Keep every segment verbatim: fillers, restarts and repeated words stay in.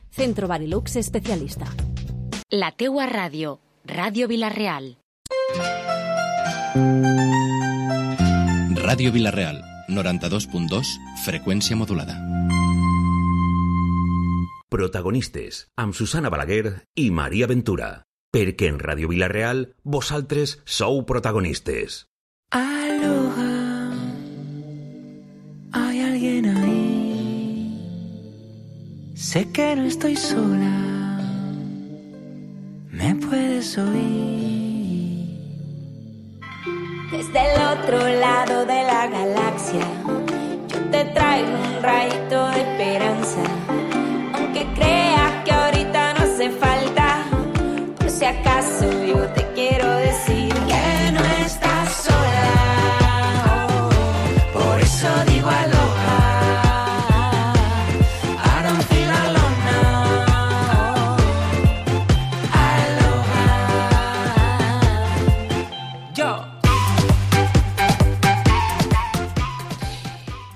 Centro Barilux especialista. La teua ràdio, Ràdio Vila-real. Ràdio Vila-real, noranta-dos punt dos, freqüència modulada. Protagonistes, amb Susana Balaguer i Maria Ventura. Perquè en Ràdio Vila-real, vosaltres sou protagonistes. Aloha, hay alguien ahí. Sé que no estoy sola, me puedes oír. Desde el otro lado de la galaxia, yo te traigo un rayito de esperanza. Aunque creas que ahorita no hace falta, por si acaso yo te quiero decir que no estás sola. Oh, por eso digo aloha.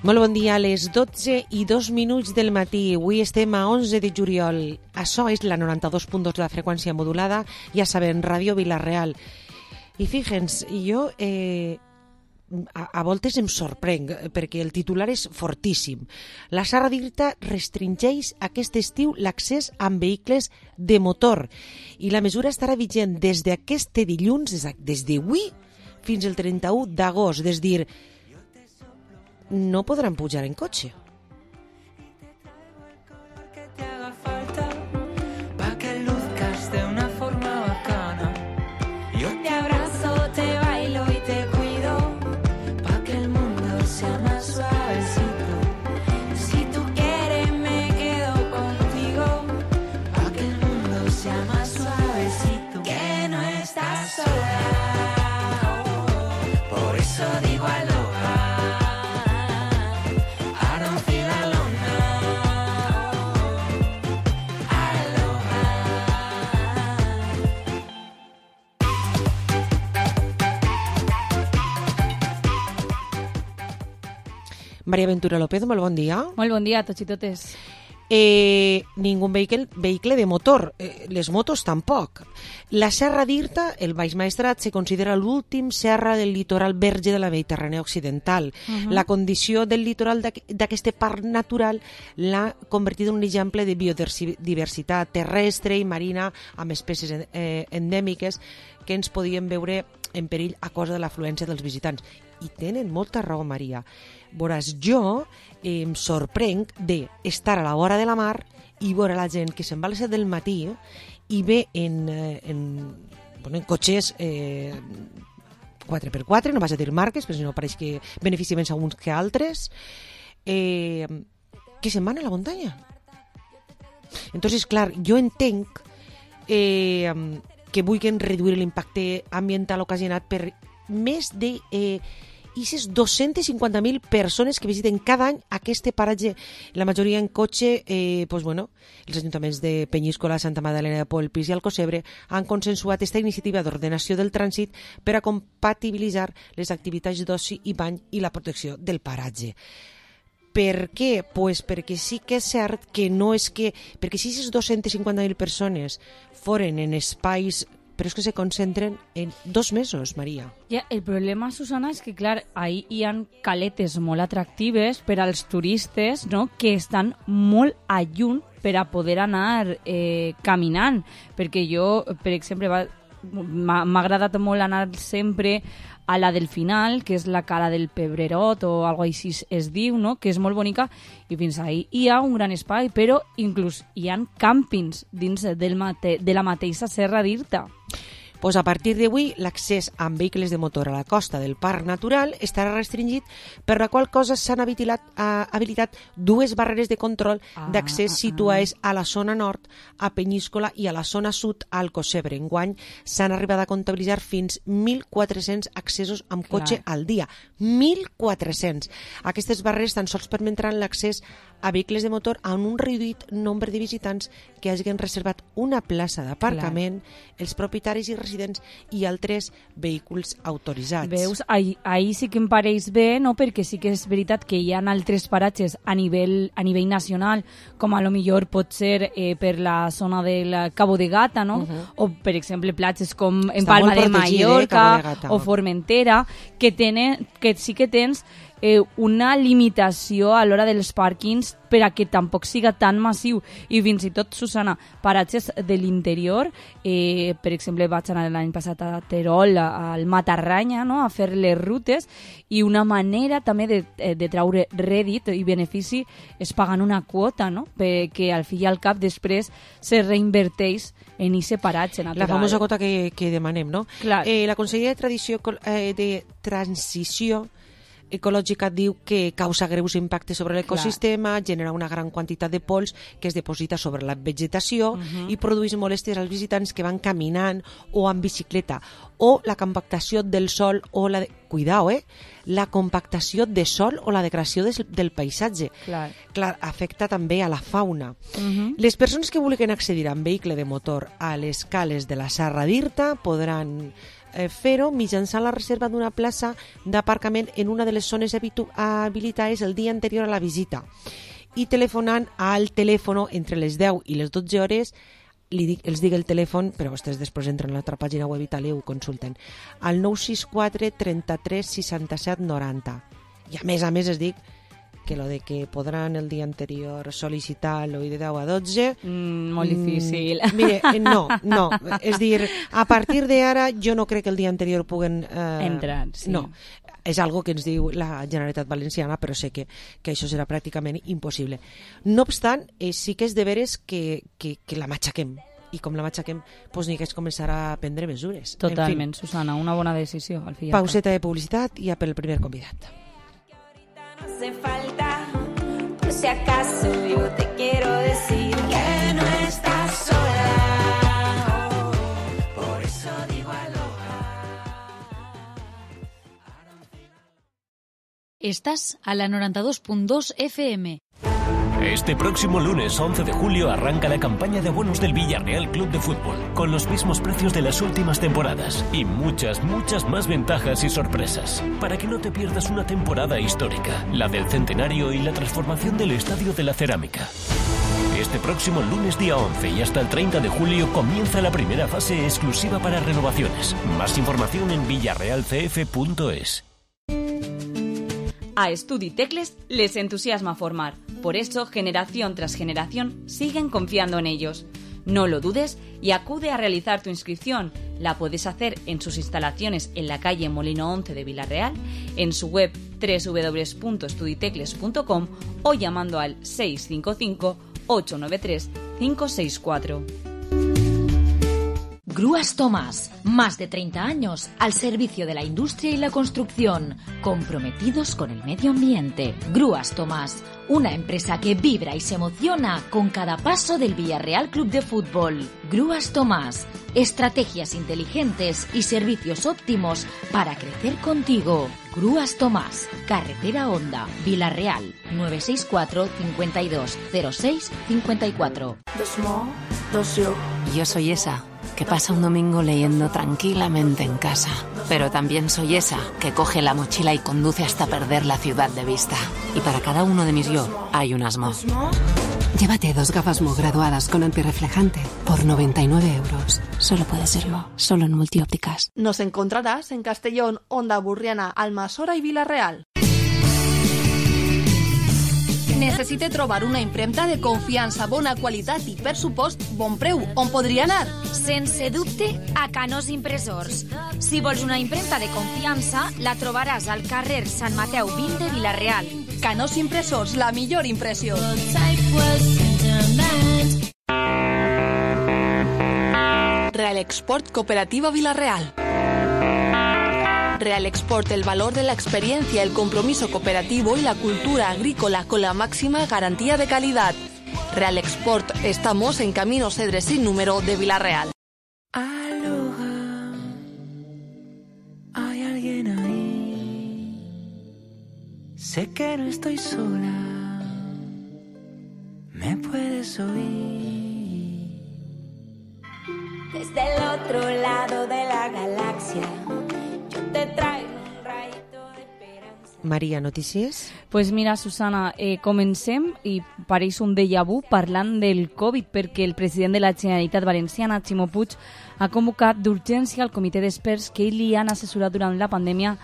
Molt bon dia, a les dotze i dos minuts del matí. Avui estem a onze de juliol. Això és la noranta-dos punt dos de la freqüència modulada, ja sabem, Ràdio Vila-real. I fíjense, jo eh, a, a voltes em sorprenc, perquè el titular és fortíssim. La Serra d'Irta restringeix aquest estiu l'accés amb vehicles de motor i la mesura estarà vigent des d'aquest dilluns, des d'avui fins al trenta-u d'agost, és dir, no podran pujar en cotxe. Maria Ventura López, molt bon dia. Molt bon dia a tots i totes. Eh, ningú vehicle, vehicle de motor, eh, les motos tampoc. La Serra d'Irta, el Baix Maestrat, se considera l'últim serra del litoral verge de la Mediterrània occidental. Uh-huh. La condició del litoral d'aquest parc natural l'ha convertit en un exemple de biodiversitat terrestre i marina amb espècies eh, endèmiques que ens podien veure en perill a causa de l'afluència dels visitants. I tenen molta raó, Maria. Veuràs, jo eh, em sorprenc d'estar a la vora de la mar i veure la gent que se'n va a les set del matí i ve en, en, bueno, en cotxes eh, quatre per quatre, no vas a dir marques, però si no pareix que beneficia més a uns que a altres, eh, que se'n van a la muntanya. Entonces, clar, jo entenc eh, que vulguin reduir l'impacte ambiental ocasionat per més de eh, aquestes dos-centes cinquanta mil persones que visiten cada any aquest paratge, la majoria en cotxe. Eh, pues bueno, els ajuntaments de Penyíscola, Santa Magdalena de Polpís i Alcocebre han consensuat aquesta iniciativa d'ordenació del trànsit per a compatibilitzar les activitats d'oci i bany i la protecció del paratge. Per què? Pues perquè sí que és cert que no és que... Perquè si aquestes dos-centes cinquanta mil persones foren en espais, però és que se concentren en dos mesos, Maria. Ja, el problema, Susana, és que, clar, ahí hi ha caletes molt atractives per als turistes, no?, que estan molt a lluny per a poder anar eh, caminant. Perquè jo, per exemple, va, m'ha, m'ha agradat molt anar sempre a la del final, que és la cala del Pebrerot o alguna cosa així es diu, no?, que és molt bonica, i fins ahí hi ha un gran espai, però inclús hi ha càmpings dins del mate- de la mateixa Serra d'Irta. Pues a partir d'avui, l'accés amb vehicles de motor a la costa del Parc Natural estarà restringit, per la qual cosa s'han habilitat, uh, habilitat dues barreres de control ah, d'accés ah, situades ah. a la zona nord, a Penyíscola, i a la zona sud, a Alcocebre. Enguany s'han arribat a comptabilitzar fins mil quatre-cents accessos amb cotxe Clar. al dia. mil quatre-cents. Aquestes barreres tan sols permetran l'accés a vehicles de motor a un reduït nombre de visitants que hagin reservat una plaça d'aparcament. Els propietaris i residents i altres vehicles autoritzats. Veus, ahir, ahir sí que em pareix bé, no? Perquè sí que és veritat que hi ha altres paratges a nivell, a nivell nacional, com a lo millor pot ser eh, per la zona del Cabo de Gata, no? Uh-huh. O, per exemple, platges com en Està Palma de Mallorca eh, o Formentera, que, tenen, que sí que tens eh, una limitació a l'hora dels pàrquings per a que tampoc siga tan massiu. I fins i tot, Susana, paratges de l'interior, eh, per exemple, vaig anar l'any passat a Terol, al Matarranya, no? A fer les rutes, i una manera també de, de traure rèdit i benefici és pagant una quota, no? Perquè al fi i al cap després se reinverteix en aquest paratge natural. La famosa quota que, que demanem, no? Clar. Eh, la Conselleria de, Tradició, eh, de Transició Ecològica diu que causa greus impactes sobre l'ecosistema, genera una gran quantitat de pols que es deposita sobre la vegetació uh-huh. i produeix molèsties als visitants que van caminant o en bicicleta, o la compactació del sòl o la de... Cuidao, eh? La compactació de sòl o la degradació des, del paisatge. Clar. Clar, afecta també a la fauna. Uh-huh. Les persones que vulguin accedir amb vehicle de motor a les cales de la Serra d'Irta podran eh, fer-ho mitjançant la reserva d'una plaça d'aparcament en una de les zones habitu- habilitades el dia anterior a la visita i telefonant al telèfon entre les deu i les dotze hores. Li dic, els dic el telèfon, però vostès després entren a l'altra pàgina web i tal i ho consulten, al nou sis quatre trenta-tres seixanta-set noranta. I a més a més es dic que lo de que podran el dia anterior sol·licitar-lo i de deu a dotze... Mm, molt difícil. Mm, mire, no, no. És dir, a partir d'ara jo no crec que el dia anterior puguen... Eh, entrar, sí. No, és algo que ens diu la Generalitat Valenciana, però sé que, que això serà pràcticament impossible. No obstant, eh, sí que és de veres que, que, que la matxaquem. I com la matxaquem, doncs ni que es començarà a prendre mesures. Totalment, en fin, Susana, una bona decisió. Al fi pauseta de publicitat i a per el primer convidat. No hace falta, por si acaso yo te quiero decir que no estás sola. Oh, por eso digo aloha. Estás a la noventa y dos punto dos F M. Este próximo lunes once de julio arranca la campaña de abonos del Villarreal Club de Fútbol, con los mismos precios de las últimas temporadas y muchas, muchas más ventajas y sorpresas, para que no te pierdas una temporada histórica, la del centenario y la transformación del Estadio de la Cerámica. Este próximo lunes día once y hasta el treinta de julio comienza la primera fase exclusiva para renovaciones. Más información en villarreal c f punto es. A Estudi Tecles les entusiasma formar. Por eso, generación tras generación, siguen confiando en ellos. No lo dudes y acude a realizar tu inscripción. La puedes hacer en sus instalaciones en la calle Molino once de Villarreal, en su web doble u doble u doble u punto estuditecles punto com o llamando al seis cinco cinco, ocho nueve tres, cinco seis cuatro. Grúas Tomás, más de treinta años al servicio de la industria y la construcción, comprometidos con el medio ambiente. Grúas Tomás, una empresa que vibra y se emociona con cada paso del Villarreal Club de Fútbol. Grúas Tomás, estrategias inteligentes y servicios óptimos para crecer contigo. Grúas Tomás, Carretera Honda, Villarreal, nueve seis cuatro, cincuenta y dos, cero seis, cincuenta y cuatro. Yo soy esa que pasa un domingo leyendo tranquilamente en casa. Pero también soy esa que coge la mochila y conduce hasta perder la ciudad de vista. Y para cada uno de mis yo hay un Asmo. Llévate dos gafas Mo graduadas con antirreflejante por noventa y nueve euros. Solo puede ser Mo, solo en Multiópticas. Nos encontrarás en Castellón, Onda Burriana, Almassora i Vila-real. Necessite trobar una impremta de confiança, bona qualitat i, per supost, bon preu. On podria anar? Sense dubte, a Canós Impressors. Si vols una impremta de confiança, la trobaràs al carrer Sant Mateu vint de Vila-real. Canós Impressors, la millor impressió. Real Export Cooperativa Vila-real. Real Export, el valor de la experiencia, el compromiso cooperativo y la cultura agrícola con la máxima garantía de calidad. Real Export, estamos en Camino Cedres sin número de Vila-real. Aloha, hay alguien ahí. Sé que no estoy sola, me puedes oír. Desde el otro lado de Maria, notícies? Pues mira, Susana, eh, comencem i pareix un déjà vu parlant del Covid, perquè el president de la Generalitat Valenciana, Ximo Puig, ha convocat d'urgència el comitè d'experts que li han assessorat durant la pandèmia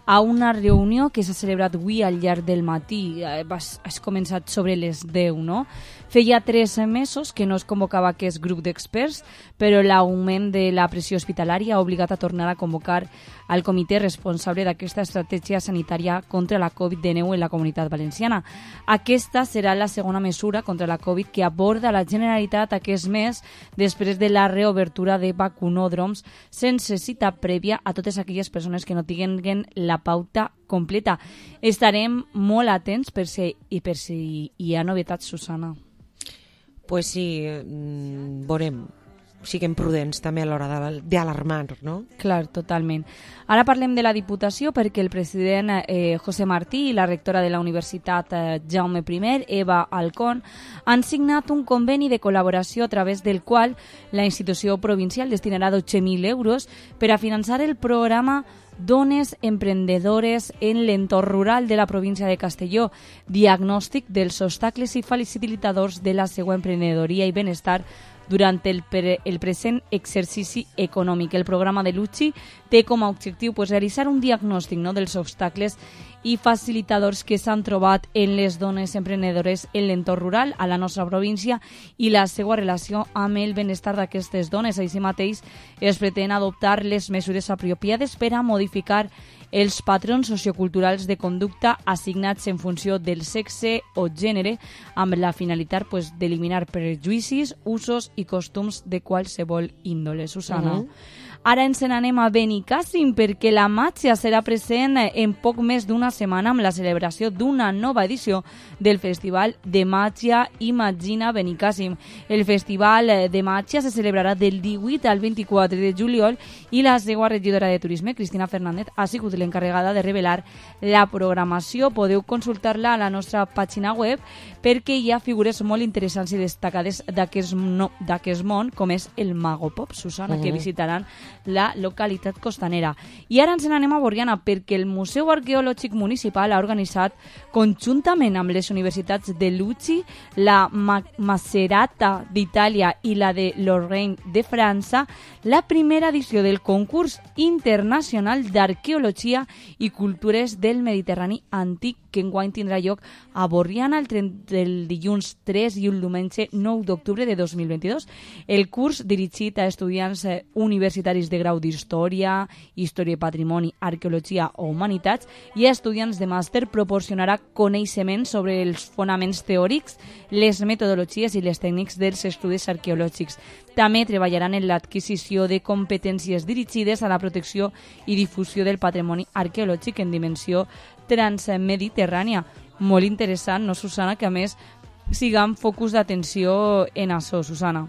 a una reunió que s'ha celebrat avui al llarg del matí. Has començat sobre les deu, no? Feia tres mesos que no es convocava aquest grup d'experts, però l'augment de la pressió hospitalària ha obligat a tornar a convocar al comitè responsable d'aquesta estratègia sanitària contra la covid dinou en la Comunitat Valenciana. Aquesta serà la segona mesura contra la Covid que aborda la Generalitat aquest mes després de la reobertura de vacunòdroms sense cita prèvia a totes aquelles persones que no tinguin la pauta completa. Estarem molt atents per si, i per si hi ha novetats, Susana. Pues sí, veurem. Siguem prudents també a l'hora d'alarmar, no? Clar, totalment. Ara parlem de la Diputació perquè el president eh, José Martí i la rectora de la Universitat eh, Jaume I, Eva Alcón, han signat un conveni de col·laboració a través del qual la institució provincial destinarà dotze mil euros per a finançar el programa Dones Emprendedores en l'entorn rural de la província de Castelló, diagnòstic dels obstacles i facilitadors de la seva emprenedoria i benestar durant el, pre el present exercici econòmic. El programa de l'U C I té com a objectiu pues, realitzar un diagnòstic, no?, dels obstacles i facilitadors que s'han trobat en les dones emprenedores en l'entorn rural a la nostra província i la seva relació amb el benestar d'aquestes dones. Així mateix es pretén adoptar les mesures apropiades per a modificar els patrons socioculturals de conducta assignats en funció del sexe o gènere amb la finalitat pues, d'eliminar prejudicis, usos i costums de qualsevol índole. Susana. Uh-huh. Ara ens n'anem a Benicàssim perquè la màgia serà present en poc més d'una setmana amb la celebració d'una nova edició del Festival de Màgia Imagina Benicàssim. El Festival de Màgia se celebrarà del divuit al vint-i-quatre de juliol i la seva regidora de Turisme, Cristina Fernández, ha sigut l'encarregada de revelar la programació. Podeu consultar-la a la nostra pàgina web perquè hi ha figures molt interessants i destacades d'aquest no, món, com és el Mago Pop, Susana, uh-huh. que visitaran la localitat costanera. I ara ens n'anem a Borriana perquè el Museu Arqueològic Municipal ha organitzat conjuntament amb les universitats de Lucci, la Ma Macerata d'Itàlia i la de Lorraine de França la primera edició del concurs internacional d'arqueologia i cultures del Mediterrani antic que enguany tindrà lloc a Borriana el, el dilluns tres i el diumenge nou d'octubre de dos mil vint-i-dos. El curs dirigit a estudiants universitaris de grau d'Història, Història i Patrimoni, Arqueologia o Humanitats i a estudiants de màster proporcionarà coneixements sobre els fonaments teòrics, les metodologies i les tècniques dels estudis arqueològics. També treballaran en l'adquisició de competències dirigides a la protecció i difusió del patrimoni arqueològic en dimensió transmediterrània. Molt interessant, no, Susana? Que a més siguem focus d'atenció en això, Susana.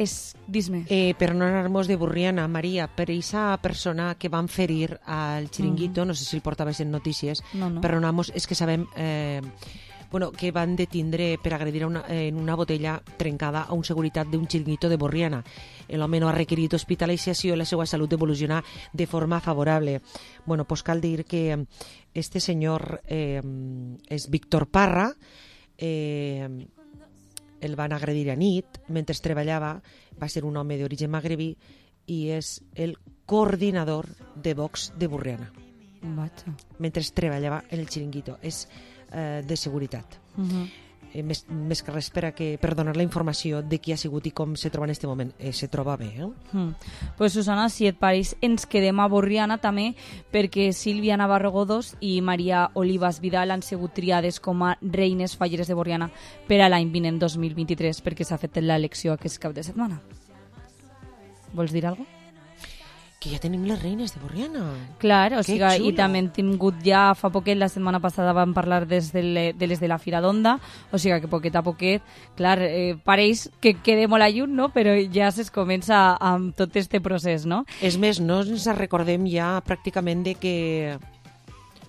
És, dis-me. Eh, per no anar-nos de Borriana, Maria, per aquesta persona que van ferir al Chiringuito, uh-huh. no sé si el portaves en notícies, no, no. però anamos, és que sabem eh, bueno, que van detindre per agredir una, en una botella trencada a un seguretat d'un Chiringuito de Borriana. L'home no ha requerit hospitalització i la seva salut evoluciona de forma favorable. Bueno, pues cal dir que este senyor eh, és Víctor Parra, eh, el van agredir a nit mentre treballava, va ser un home d'origen magrebí i és el coordinador de Vox de Borriana. Vaja. Mentre treballava en el Chiringuito. És eh, de seguretat. Uh-huh. eh, més, més que res per, a que, per donar la informació de qui ha sigut i com se troba en aquest moment. Eh, se troba bé, eh? Mm. Pues Susana, si et pareix, ens quedem a Borriana també perquè Sílvia Navarro Godós i Maria Olivas Vidal han sigut triades com a reines falleres de Borriana per a l'any vinent dos mil vint-i-tres perquè s'ha fet l'elecció aquest cap de setmana. Vols dir alguna cosa? Que ja tenim les reines de Borriana. Clar, o que sigui, i també hem tingut ja fa poquet, la setmana passada vam parlar des de, le, de les de la Fira d'Onda, o sigui que poquet a poquet, clar, eh, pareix que quede molt a lluny, no? Però ja es comença amb tot este procés, no? És més, no ens recordem ja pràcticament de que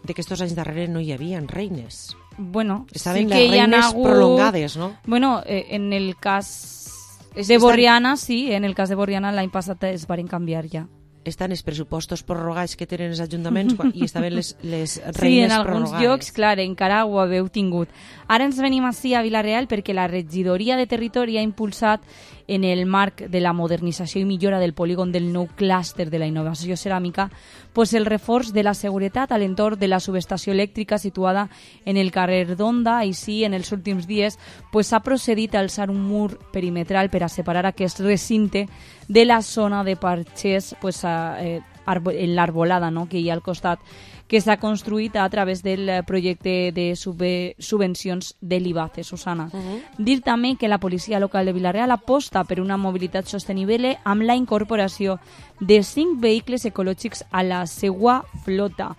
de que estos anys darrere no hi havia reines. Bueno, estaven sí les que hi ha reines hagut... prolongades, no? Bueno, eh, en el cas de Borriana, sí, en el cas de Borriana l'any passat es varen canviar ja. estan els pressupostos prorrogats que tenen els ajuntaments i estaven les, les reines sí, en alguns prorrogades. llocs, clar, encara ho haveu tingut. Ara ens venim ací a Vila-real perquè la regidoria de territori ha impulsat en el marc de la modernització i millora del polígon del nou clúster de la innovació ceràmica pues el reforç de la seguretat a l'entorn de la subestació elèctrica situada en el carrer d'Onda. Així, en els últims dies pues, s'ha procedit a alçar un mur perimetral per a separar aquest recinte de la zona de parxers pues, a, eh, en l'arbolada, no?, que hi ha al costat, que s'ha construït a través del projecte de sub- subvencions de l'IBACE, Susana. Uh-huh. Dir també que la policia local de Vila-real aposta per una mobilitat sostenible amb la incorporació de cinc vehicles ecològics a la seua flota.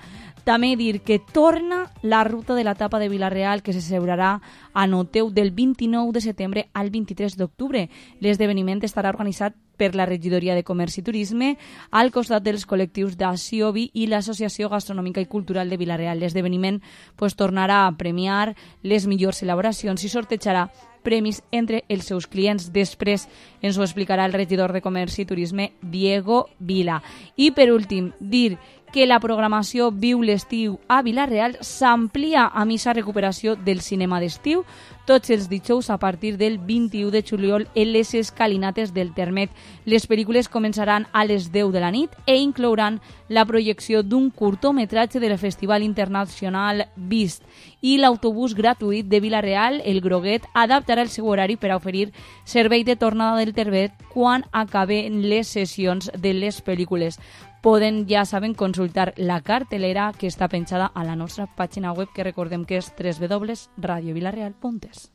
També dir que torna la ruta de la tapa de Vila-real que se celebrarà a Noteu del vint-i-nou de setembre al vint-i-tres d'octubre. L'esdeveniment estarà organitzat per la Regidoria de Comerç i Turisme al costat dels col·lectius d'Asiobi i l'Associació Gastronòmica i Cultural de Vila-real. L'esdeveniment pues, tornarà a premiar les millors elaboracions i sortejarà premis entre els seus clients. Després ens ho explicarà el regidor de Comerç i Turisme, Diego Vila. I per últim, dir que la programació Viu l'estiu a Vila-real s'amplia a missa recuperació del cinema d'estiu tots els dijous a partir del vint-i-u de juliol en les escalinates del Termet. Les pel·lícules començaran a les deu de la nit e inclouran la projecció d'un curtometratge del Festival Internacional Vist i l'autobús gratuït de Vila-real, el Groguet, adaptarà el seu horari per a oferir servei de tornada del Termet quan acaben les sessions de les pel·lícules. Poden, ja saben, consultar la cartelera que està penjada a la nostra pàgina web, que recordem que és doble u doble u doble u punt radio vilarreal punt es.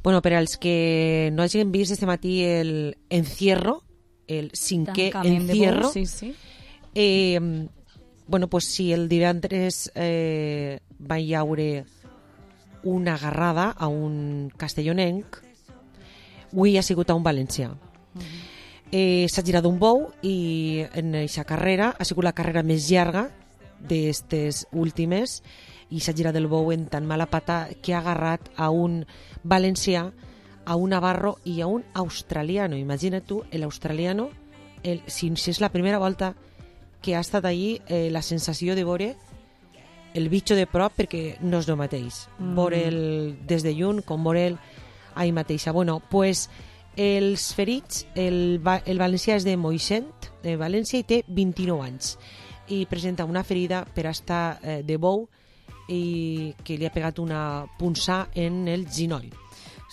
Bueno, per als que no hagin vist este matí el encierro, el cinquè Tancament encierro, sí, sí. Eh, bueno, pues si el divendres eh, va hi haure una agarrada a un castellonenc, avui ha sigut a un valencià. Uh-huh. Eh, s'ha girat un bou i en aquesta carrera ha sigut la carrera més llarga d'estes últimes i s'ha girat el bou en tan mala pata que ha agarrat a un valencià, a un navarro i a un australiano. Imagina't tu, l'australiano, el, si, si és la primera volta que ha estat allí, eh, la sensació de veure el bitxo de prop, perquè no és el mateix. Mm. Veure'l des de lluny com veure'l ahí mateixa. Bueno, pues els ferits, el, el valencià és de Moixent, de València, i té vint-i-nou anys. I presenta una ferida per estar eh, de bou i que li ha pegat una punçà en el ginoll.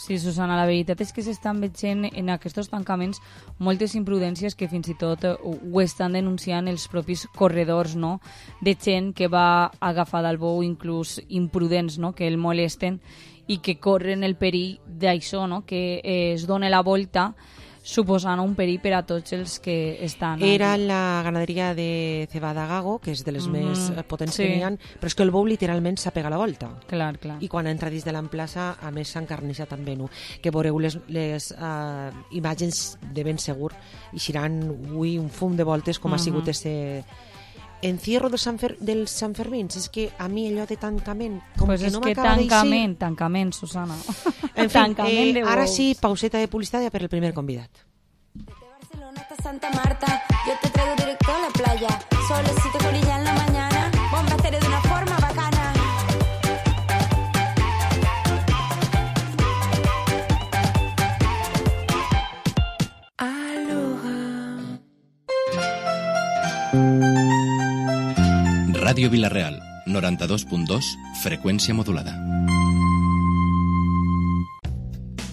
Sí, Susana, la veritat és que s'estan veient en aquests tancaments moltes imprudències que fins i tot ho estan denunciant els propis corredors, no?, de gent que va agafar del bou, inclús imprudents, no?, que el molesten i que corren el perill d'això, no?, que eh, es dona la volta, suposant un perill per a tots els que estan... Era aquí. La ganaderia de Cebada-Gago, que és de les mm-hmm. més potents sí. que n'hi ha, però és que el bou literalment s'ha pegat la volta. Clar, clar. I quan entra dins de l'emplaça, a més s'ha encarnissat amb Venu, que veureu les, les uh, imatges de ben segur, i seran avui un fum de voltes com mm-hmm. ha sigut este encierro del Sant, Fer, del Sant Fermins. És que a mi allò de tancament com pues que és no que m'acaba tancament, tancament, Susana. En fi, tancament eh, ara sí, pauseta de publicitat per el primer convidat. Barcelona hasta Santa Marta, yo te traigo directo a la playa, solecito con ella en la mañana, bomba estéreo de una forma bacana. Ràdio Vila-real, noranta-dos punt dos, freqüència modulada.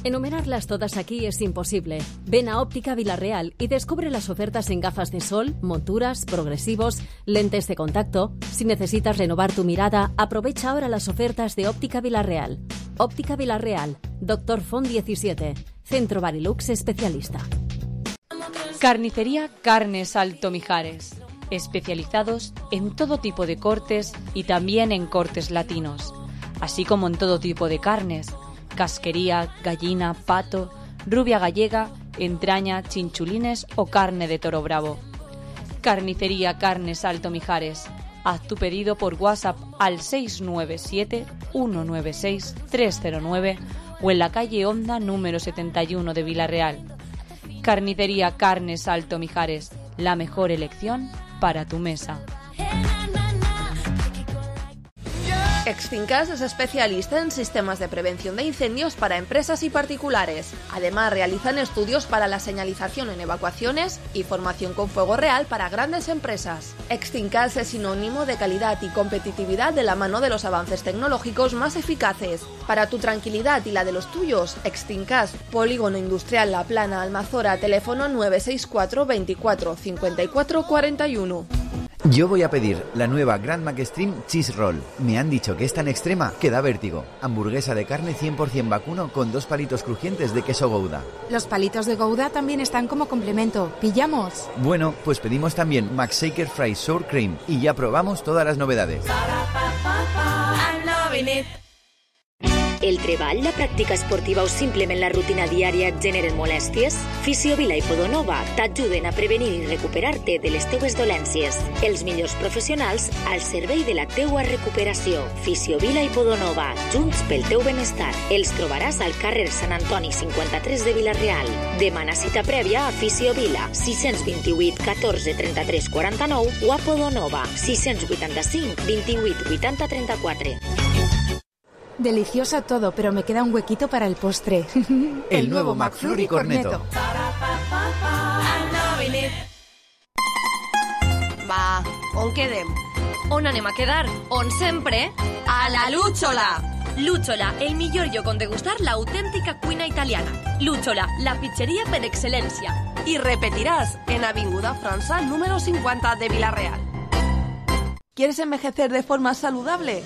Enumerarlas todas aquí es imposible. Ven a Óptica Vila-real y descubre las ofertas en gafas de sol, monturas, progresivos, lentes de contacto. Si necesitas renovar tu mirada, aprovecha ahora las ofertas de Óptica Vila-real. Óptica Vila-real, Doctor Font diecisiete, Centro Barilux especialista. Carnicería Carnes Alto Mijares, especializados en todo tipo de cortes y también en cortes latinos, así como en todo tipo de carnes, casquería, gallina, pato, rubia gallega, entraña, chinchulines o carne de toro bravo. Carnicería Carnes Alto Mijares. Haz tu pedido por WhatsApp al seis nueve siete, uno nueve seis, tres cero nueve o en la calle Honda número setenta y uno de Vila-real. Carnicería Carnes Alto Mijares. La mejor elección para tu mesa. Extincas es especialista en sistemas de prevención de incendios para empresas y particulares. Además, realizan estudios para la señalización en evacuaciones y formación con fuego real para grandes empresas. Extincas es sinónimo de calidad y competitividad de la mano de los avances tecnológicos más eficaces. Para tu tranquilidad y la de los tuyos, Extincas, Polígono Industrial La Plana, Almazora, teléfono nueve seis cuatro veinticuatro cincuenta y cuatro cuarenta y uno. Yo voy a pedir la nueva Grand Mac Extreme Cheese Roll. Me han dicho que es tan extrema que da vértigo. Hamburguesa de carne cien por ciento vacuno con dos palitos crujientes de queso Gouda. Los palitos de Gouda también están como complemento. ¿Pillamos? Bueno, pues pedimos también McShaker Fries Sour Cream y ya probamos todas las novedades. El treball, la pràctica esportiva o simplement la rutina diària et generen molèsties? Fisiovila i Podonova t'ajuden a prevenir i recuperar-te de les teues dolències. Els millors professionals al servei de la teua recuperació. Fisiovila i Podonova, junts pel teu benestar. Els trobaràs al carrer Sant Antoni cinquanta-tres de Vila-real. Demana cita prèvia a Fisiovila, sis dos vuit, catorze, trenta-tres, quaranta-nou o a Podonova, sis vuitanta-cinc, vint-i-vuit, vuitanta, trenta-quatre. Delicioso todo, pero me queda un huequito para el postre. El, el nuevo McFlurry Cornetto. Va, on quedem? On anem a quedar? On sempre? A la Lúchola! Lúchola, el millor lloc on degustar l'autèntica cuina italiana. Lúchola, la pizzeria per excel·lència. I repetiràs en Avinguda França, número cincuenta de Vila-real. ¿Quieres envejecer de forma saludable?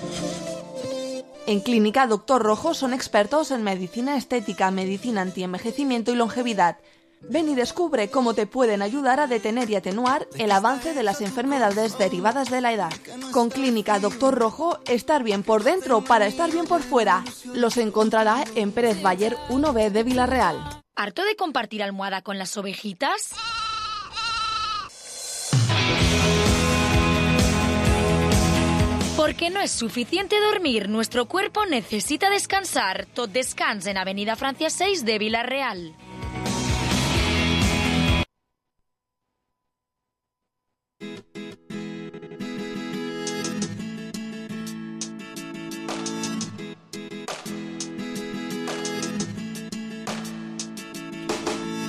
En Clínica Doctor Rojo son expertos en medicina estética, medicina antienvejecimiento y longevidad. Ven y descubre cómo te pueden ayudar a detener y atenuar el avance de las enfermedades derivadas de la edad. Con Clínica Doctor Rojo, estar bien por dentro para estar bien por fuera. Los encontrará en Pérez Bayer uno B de Vila-real. ¿Harto de compartir almohada con las ovejitas? Porque no es suficiente dormir, nuestro cuerpo necesita descansar. Tot descans en Avenida Francia seis de Vila-real.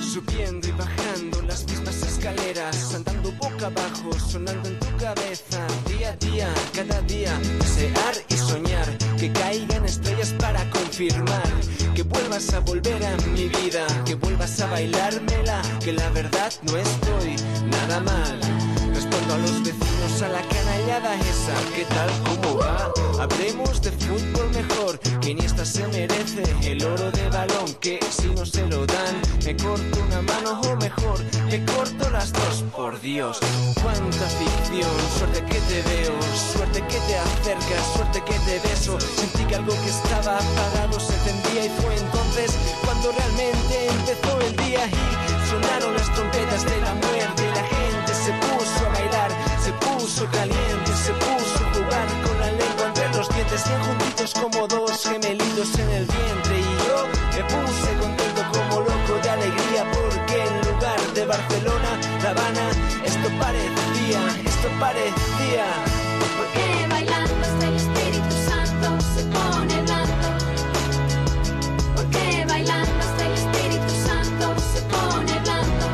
Subiendo y bajando las mismas escaleras, andando boca abajo, sonando en tu cabeza, día a día, cada día, desear y soñar, que caigan estrellas para confirmar, que vuelvas a volver a mi vida, que vuelvas a bailármela, que la verdad no estoy nada mal. Respondo a los vecinos, a la canallada esa, ¿qué tal, cómo va? Hablemos de fútbol mejor, que Iniesta se merece el oro de balón, que si no se lo dan, me corto una mano o mejor, me corto las dos, por Dios. Cuánta ficción, suerte que te veo, suerte que te acercas, suerte que te beso. Sentí que algo que estaba apagado se tendía y fue entonces cuando realmente empezó el día y sonaron las trompetas de la muerte y la gente se puso a bailar, se puso caliente, se puso a jugar con la lengua entre los dientes, bien juntitos como dos gemelitos en el vientre, y yo me puse contento como loco de alegría, porque en lugar de Barcelona, La Habana, esto parecía, esto parecía. Porque bailando hasta el Espíritu Santo se pone blando. Porque bailando hasta el Espíritu Santo se pone blando.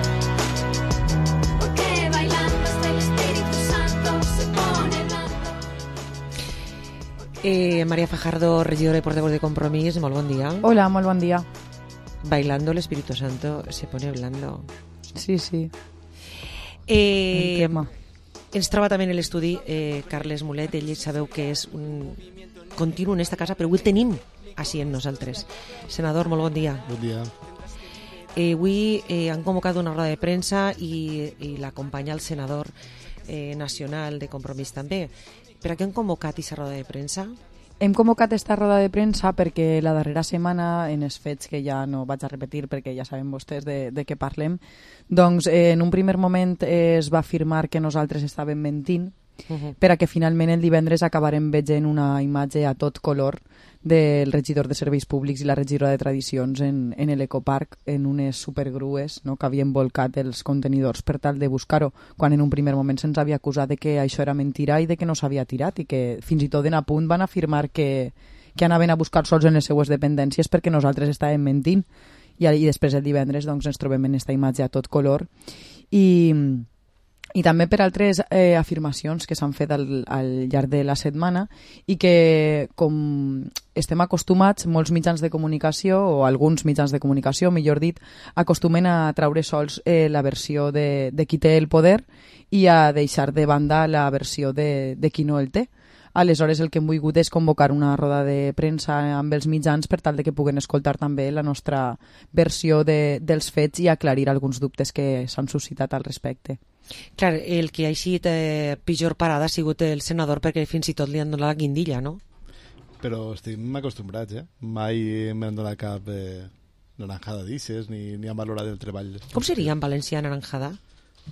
Porque bailando hasta el Espíritu Santo se pone blando. Eh, María Fajardo, regidora de portavoz de Compromís, molt bon dia. Hola, molt bon dia. Bailando el Espíritu Santo se pone blando. Sí, sí. Eh, El tema. Ens troba també en l'estudi eh, Carles Mulet. Ell sabeu que és un continu en esta casa, però avui el tenim així en nosaltres. Senador, molt bon dia. Bon dia. Eh, avui eh, han convocat una roda de premsa i, i l'acompanya el senador eh, nacional de Compromís també. Per a què han convocat aquesta roda de premsa? Hem convocat esta roda de premsa perquè la darrera setmana, en els fets que ja no vaig a repetir perquè ja saben vostès de, de què parlem, doncs eh, en un primer moment eh, es va afirmar que nosaltres estàvem mentint uh-huh. per a que finalment el divendres acabarem veient una imatge a tot color del regidor de Serveis Públics i la regidora de Tradicions en, en l'Ecoparc, en unes supergrues, no?, que havien volcat els contenidors per tal de buscar-ho, quan en un primer moment se'ns havia acusat de que això era mentira i de que no s'havia tirat, i que fins i tot en a punt van afirmar que, que anaven a buscar sols en les seues dependències perquè nosaltres estàvem mentint. I, i després el divendres doncs, ens trobem en aquesta imatge a tot color. I... i també per altres eh, afirmacions que s'han fet al, al llarg de la setmana i que, com estem acostumats, molts mitjans de comunicació, o alguns mitjans de comunicació, millor dit, acostumen a traure sols eh, la versió de, de qui té el poder i a deixar de banda la versió de, de qui no el té. Aleshores, el que hem volgut és convocar una roda de premsa amb els mitjans per tal de que puguen escoltar també la nostra versió de, dels fets i aclarir alguns dubtes que s'han suscitat al respecte. Clar, el que ha eixit eh, pitjor parada ha sigut el senador, perquè fins i tot li han donat la guindilla, no? Però estem acostumbrats, eh? Mai m'han donat cap eh, naranjada d'ixes, ni, ni han valorat el treball. Com seria en valencià naranjada?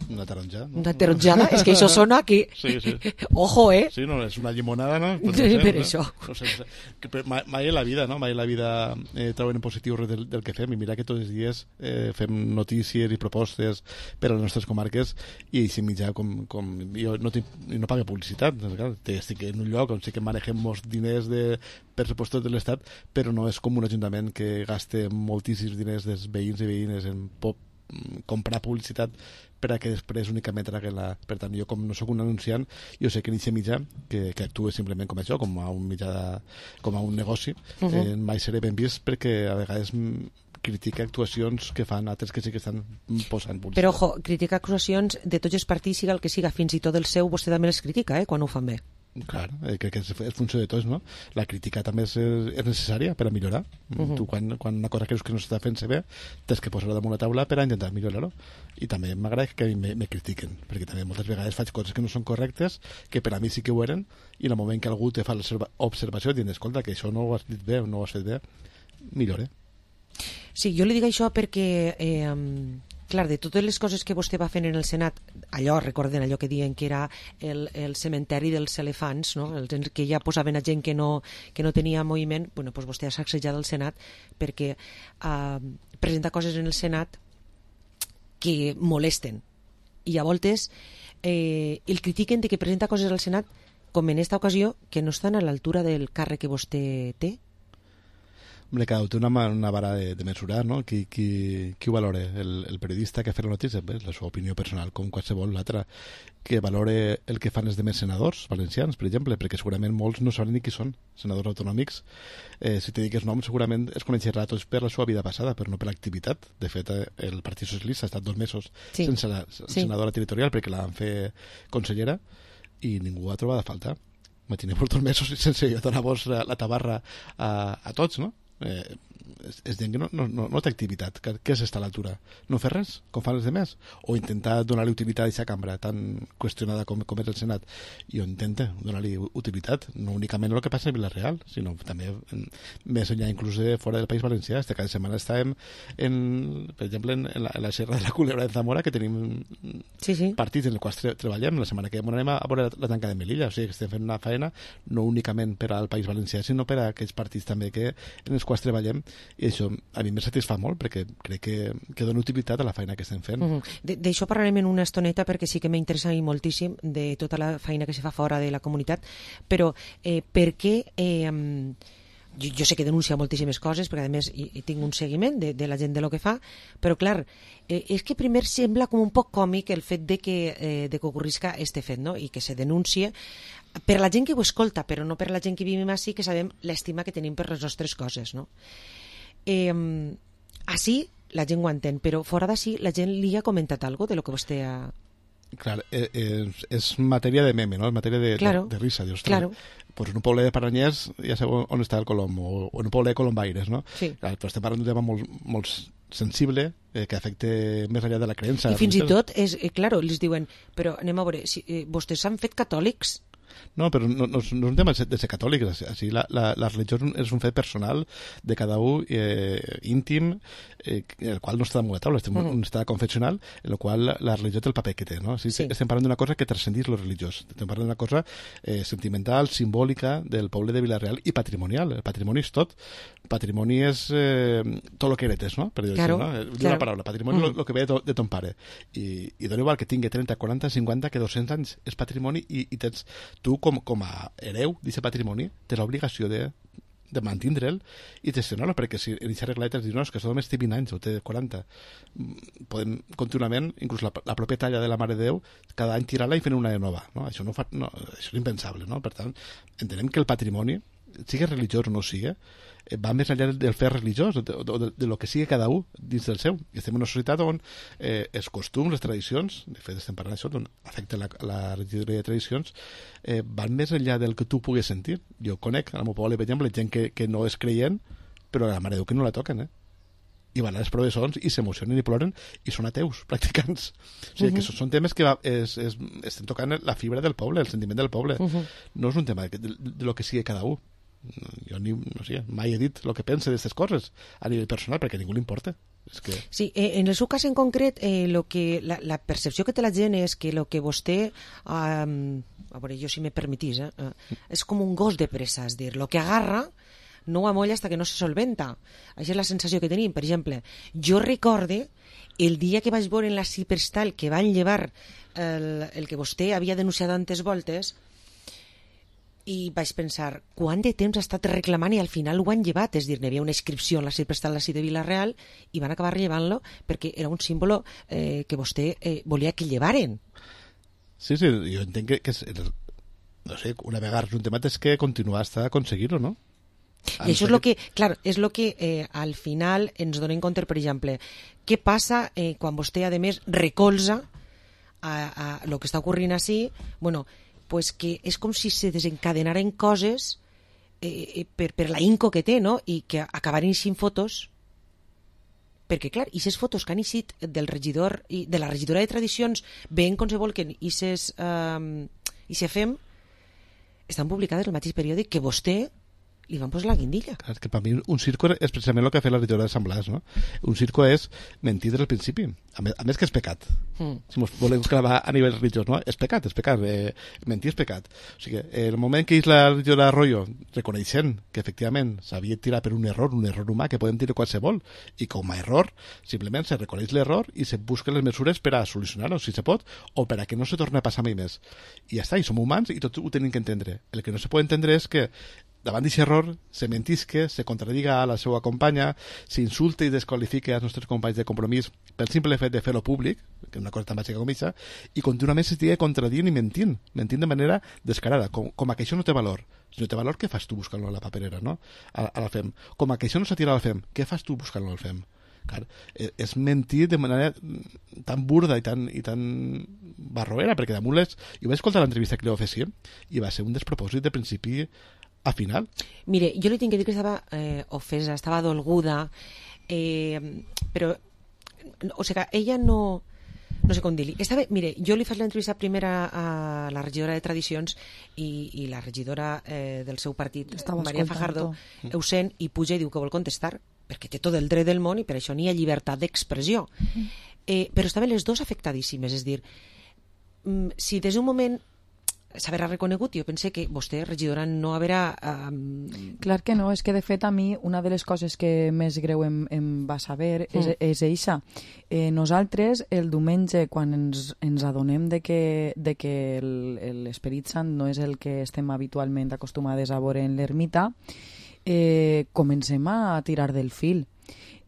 Una taronja. No? Una taronjada? És que això sona aquí. Sí, sí. Ojo, eh? Sí, no, és una llimonada, no? Pues no sé, per no? això. No sé, no sé. Que, mai, mai en la vida, no? Mai en la vida eh, troben en positiu res del, del que fem. I mira que tots els dies eh, fem notícies i propostes per a les nostres comarques i així mitjà com, com jo no, tinc, no pago publicitat. Clar, estic en un lloc on sí que manegem molts diners de pressupostos de l'Estat, però no és com un ajuntament que gaste moltíssims diners dels veïns i veïnes en pop, comprar publicitat per a que després únicament traguen la... Per tant, jo com no sóc un anunciant, jo sé que en aquest mitjà, que, que actue simplement com això, com a un mitjà, de, com a un negoci, uh -huh. eh, mai seré ben vist perquè a vegades critica actuacions que fan altres que sí que estan posant publicitat. Però, ojo, critica actuacions de tots els partits, siga el que siga, fins i tot el seu, vostè també les critica, eh, quan ho fan bé. Clar, eh, crec que és, és funció de tots, no? La crítica també és, és necessària per a millorar. Uh -huh. Tu, quan, quan una cosa creus que no s'està fent-se bé, tens que posar-ho damunt la taula per a intentar millorar-ho. I també m'agrada que a mi me, me critiquen, perquè també moltes vegades faig coses que no són correctes, que per a mi sí que ho eren, i en el moment que algú te fa l'observació dient, escolta, que això no ho has dit bé o no ho has fet bé, millore. Sí, jo li dic això perquè... Eh, clar, de totes les coses que vostè va fent en el Senat, allò, recorden allò que diuen que era el, el cementeri dels elefants, no? El, que ja posaven a gent que no, que no tenia moviment, bueno, doncs vostè ha sacsejat el Senat perquè eh, presenta coses en el Senat que molesten i a voltes eh, el critiquen de que presenta coses al Senat, com en esta ocasió, que no estan a l'altura del càrrec que vostè té. Hombre, cada té una, una vara de, de mesurar, no? Qui, qui, qui ho valore? El, el periodista que ha fet la notícia? Bé, la seva opinió personal, com qualsevol l'altra. Que valore el que fan els demés senadors valencians, per exemple, perquè segurament molts no saben ni qui són, senadors autonòmics. Eh, si te dic els noms, segurament es coneixerà tots per la seva vida passada, però no per l'activitat. De fet, el Partit Socialista ha estat dos mesos sí. sense la sí. senadora territorial perquè la van fer consellera i ningú ha trobat a faltar. Imaginem per dos mesos sense donar-vos la, la tabarra a, a tots, no? Eh, és, és gent que no, no, no, no té activitat. Què és estar a l'altura? No fer res, com fan els demés? O intentar donar-li utilitat a aquesta cambra tan qüestionada com, com és el Senat? Jo intento donar-li utilitat, no únicament el que passa a Vila-real, sinó també en, més enllà inclús de fora del País Valencià. Este cada setmana estàvem en, per exemple en, en, la, en la Serra de la Culebra de Zamora, que tenim sí, sí. partits en els quals tre treballem. La setmana que ve anem a, a veure la, la tanca de Melilla, o sigui que estem fent una feina no únicament per al País Valencià, sinó per a aquells partits també que, en els quals treballem, i això a mi me satisfà molt perquè crec que, que dona utilitat a la feina que estem fent. Uh -huh. D'això parlarem en una estoneta perquè sí que m'interessa moltíssim de tota la feina que se fa fora de la comunitat, però eh, per què eh, jo, jo sé que denuncia moltíssimes coses perquè a més hi, hi tinc un seguiment de, de la gent de lo que fa, però clar, eh, és que primer sembla com un poc còmic el fet de que, eh, de que ocorrisca este fet, no? I que se denuncie per la gent que ho escolta, però no per la gent que vivim així, que sabem l'estima que tenim per les nostres coses, no? Eh, així la gent ho entén, però fora d'ací la gent li ha comentat alguna de lo que vostè ha... Clar, eh, eh, és matèria de meme, no? És matèria de, claro. de, de risa. Dius, claro. Pues en un poble de Paranyers ja sabeu on està el Colom, o, o en un poble de Colombaires, no? Sí. Clar, però estem parlant d'un tema molt, molt sensible, eh, que afecta més enllà de la creença. I fins i tot, és, eh, claro, els diuen, però anem a veure, si, eh, vostès s'han fet catòlics? No, però no, no, no és un tema de ser catòlic, així la, la, la religió és un fet personal de cada un, eh, íntim, eh, el qual no està damunt la taula, és mm. un estat confessional, en el qual la religió té el paper que té, no? Així, sí. Estem parlant d'una cosa que transcendís lo religiós, estem parlant d'una cosa eh, sentimental, simbòlica del poble de Vila-real i patrimonial. El patrimoni és tot. Patrimoni és eh, tot el que heretes, no? Per dir claro, així, no? Claro. Una paraula, patrimoni és mm. el que ve de, de ton pare. I, i dona igual que tingui trenta, quaranta, cinquanta, que dos-cents anys és patrimoni i, i tens, tu com, com a hereu d'aquest patrimoni tens l'obligació de, de mantindre'l i gestionar-lo, perquè si en aquesta regla dius, no, és que això només té vint anys o té quaranta, podem contínuament, inclús la, la pròpia talla de la Mare de Déu, cada any tirar-la i fer una de nova, no? Això, no fa, no, això és impensable, no? Per tant, entenem que el patrimoni, sigui religiós o no sigui, va més enllà del fer religiós, de, de, de, de lo que sigui cada un dins del seu. I estem en una societat on eh, els costums, les tradicions, de fet estem parlant d'això, on afecta la, la regidoria de tradicions, eh, van més enllà del que tu puguis sentir. Jo conec, al meu poble, per exemple, gent que, que no és creient, però a la Mare de Déu que no la toquen, eh? I van a les professors i s'emocionen i ploren i són ateus, practicants. O sigui, uh -huh. que són temes que va, és, és, estem tocant la fibra del poble, el sentiment del poble. Uh -huh. No és un tema de, de, de lo que sigui cada un. Jo ni, no sé, mai he dit el que pense d'aquestes coses a nivell personal, perquè a ningú li importa. És que... Sí, eh, en el seu cas en concret, eh, lo que, la, la percepció que té la gent és que el que vostè, eh, a veure, jo si me permetís, eh, eh, és com un gos de pressa, és dir, el que agarra no ho amolla hasta que no se solventa. Això és la sensació que tenim. Per exemple, jo recorde el dia que vaig veure en la Ciperstal que van llevar el, el que vostè havia denunciat antes voltes, i vaig pensar, quant de temps ha estat reclamant i al final ho han llevat, és dir, hi havia una inscripció en la Ciperstal de Vila-real i van acabar llevant-lo perquè era un símbolo eh, que vostè eh, volia que llevaren. Sí, sí, jo entenc que, que és, no sé, una vegada resultat és que continuar hasta aconseguir-ho, no? I això és el que, clar, és el que eh, al final ens donem compte, per exemple, què passa eh, quan vostè, a més, recolza a, a lo que està ocorrint així, bueno, pues que és com si se desencadenaren coses eh, per, per la inco que té, no? I que acabaran eixint fotos, perquè, clar, aquestes fotos que han eixit del regidor i de la regidora de tradicions, veient com se volquen aquestes eh, i se fem, estan publicades al mateix periòdic que vostè li van posar la guindilla. Clar, que per mi un circo és precisament el que ha fet la regidora de Sant Blas, no? Un circo és mentir des del principi, a més, a més que és pecat. Mm. Si ens volem clavar a nivell religiós, no? És pecat, és pecat, eh, mentir és pecat. O sigui, el moment que és la regidora Arroyo reconeixent que efectivament s'havia tirat per un error, un error humà que podem dir qualsevol, i com a error simplement se reconeix l'error i se busquen les mesures per a solucionar-ho, si se pot, o per a que no se torni a passar mai més. I ja està, i som humans i tots ho tenim que entendre. El que no se pot entendre és que davant d'aquest error se mentisque, se contradiga a la seva companya, s'insulte i desqualifique als nostres companys de Compromís pel simple fet de fer-lo públic, que és una cosa tan bàsica com aquesta, i contínuament s'estigui contradient i mentint, mentint de manera descarada, com, com a que això no té valor. Si no té valor, què fas tu buscant-lo a la paperera, no? A, a la F E M. Com a que això no s'ha tirat a la F E M, què fas tu buscant-lo al F E M? Clar, és mentir de manera tan burda i tan, i tan barroera, perquè damunt les... Jo vaig escoltar l'entrevista que li va fer sí, i va ser un despropòsit de principi a final. Mire, jo li tinc que dir que estava eh, ofesa, estava dolguda, eh, però, o sigui, ella no... No sé com dir-li. Estava, mire, jo li faig l'entrevista primera a la regidora de Tradicions i, i la regidora eh, del seu partit, estava Maria Fajardo, ho sent i puja i diu que vol contestar, perquè té tot el dret del món i per això n'hi ha llibertat d'expressió. Eh, però estaven les dues afectadíssimes, és dir, si des d'un moment s'haverà reconegut, jo pense que vostè, regidora, no haverà... Um... Clar que no, és que de fet a mi una de les coses que més greu em, em va saber és, mm. és eixa. Eh, nosaltres el diumenge quan ens, ens adonem de que, de que l'Esperit Sant no és el que estem habitualment acostumades a veure en l'ermita, eh, comencem a tirar del fil.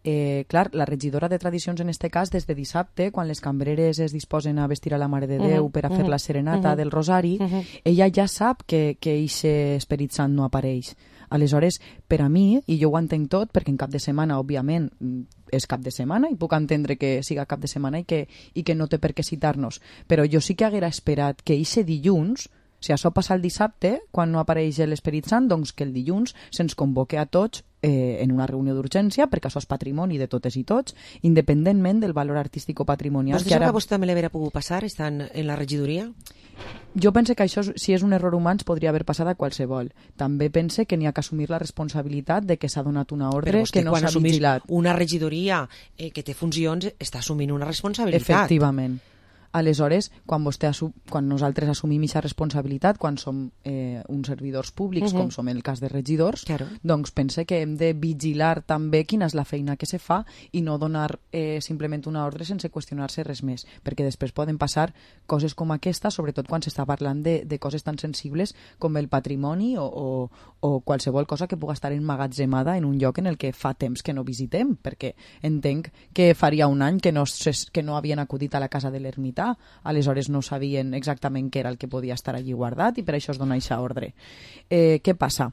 Eh, clar, la regidora de Tradicions en este cas, des de dissabte, quan les cambreres es disposen a vestir a la Mare de Déu uh -huh, per a fer uh -huh, la serenata uh -huh, del Rosari, uh -huh. ella ja sap que, que eixe Esperit Sant no apareix. Aleshores, per a mi, i jo ho entenc tot, perquè en cap de setmana, òbviament, és cap de setmana, i puc entendre que siga cap de setmana i que, i que no té per què citar-nos, però jo sí que haguera esperat que eixe dilluns, si això passa el dissabte, quan no apareix l'Esperit Sant, doncs que el dilluns se'ns convoque a tots eh, en una reunió d'urgència, perquè això és patrimoni de totes i tots, independentment del valor artístic o patrimonial. Vostè sap que a vostè també l'haurà pogut passar, estant en la regidoria? jo pense que això, si és un error humà, ens podria haver passat a qualsevol. També pense que n'hi ha que assumir la responsabilitat de que s'ha donat una ordre que no s'ha vigilat. Una regidoria eh, que té funcions està assumint una responsabilitat. Efectivament. Aleshores, quan, vostè assu quan nosaltres assumim aquesta responsabilitat, quan som eh, uns servidors públics, uh -huh. com som en el cas de regidors, claro. doncs pense que hem de vigilar també quina és la feina que se fa i no donar eh, simplement una ordre sense qüestionar-se res més, perquè després poden passar coses com aquesta, sobretot quan s'està parlant de, de coses tan sensibles com el patrimoni o, o, o qualsevol cosa que pugui estar emmagatzemada en un lloc en el que fa temps que no visitem, perquè entenc que faria un any que no, que no havien acudit a la casa de l'ermità, aleshores no sabien exactament què era el que podia estar allí guardat i per això es dona aquesta ordre. Eh, què passa?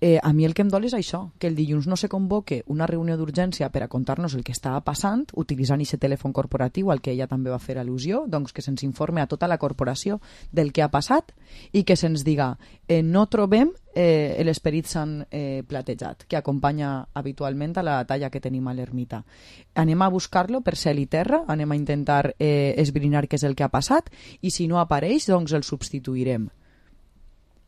Eh, a mi el que em dol és això, que el dilluns no se convoque una reunió d'urgència per a contar-nos el que estava passant, utilitzant aquest telèfon corporatiu al que ella també va fer al·lusió, doncs que se'ns informe a tota la corporació del que ha passat i que se'ns diga eh, no trobem eh, l'Esperit Sant eh, platejat, que acompanya habitualment a la talla que tenim a l'ermita. Anem a buscar-lo per cel i terra, anem a intentar eh, esbrinar què és el que ha passat i si no apareix, doncs el substituirem.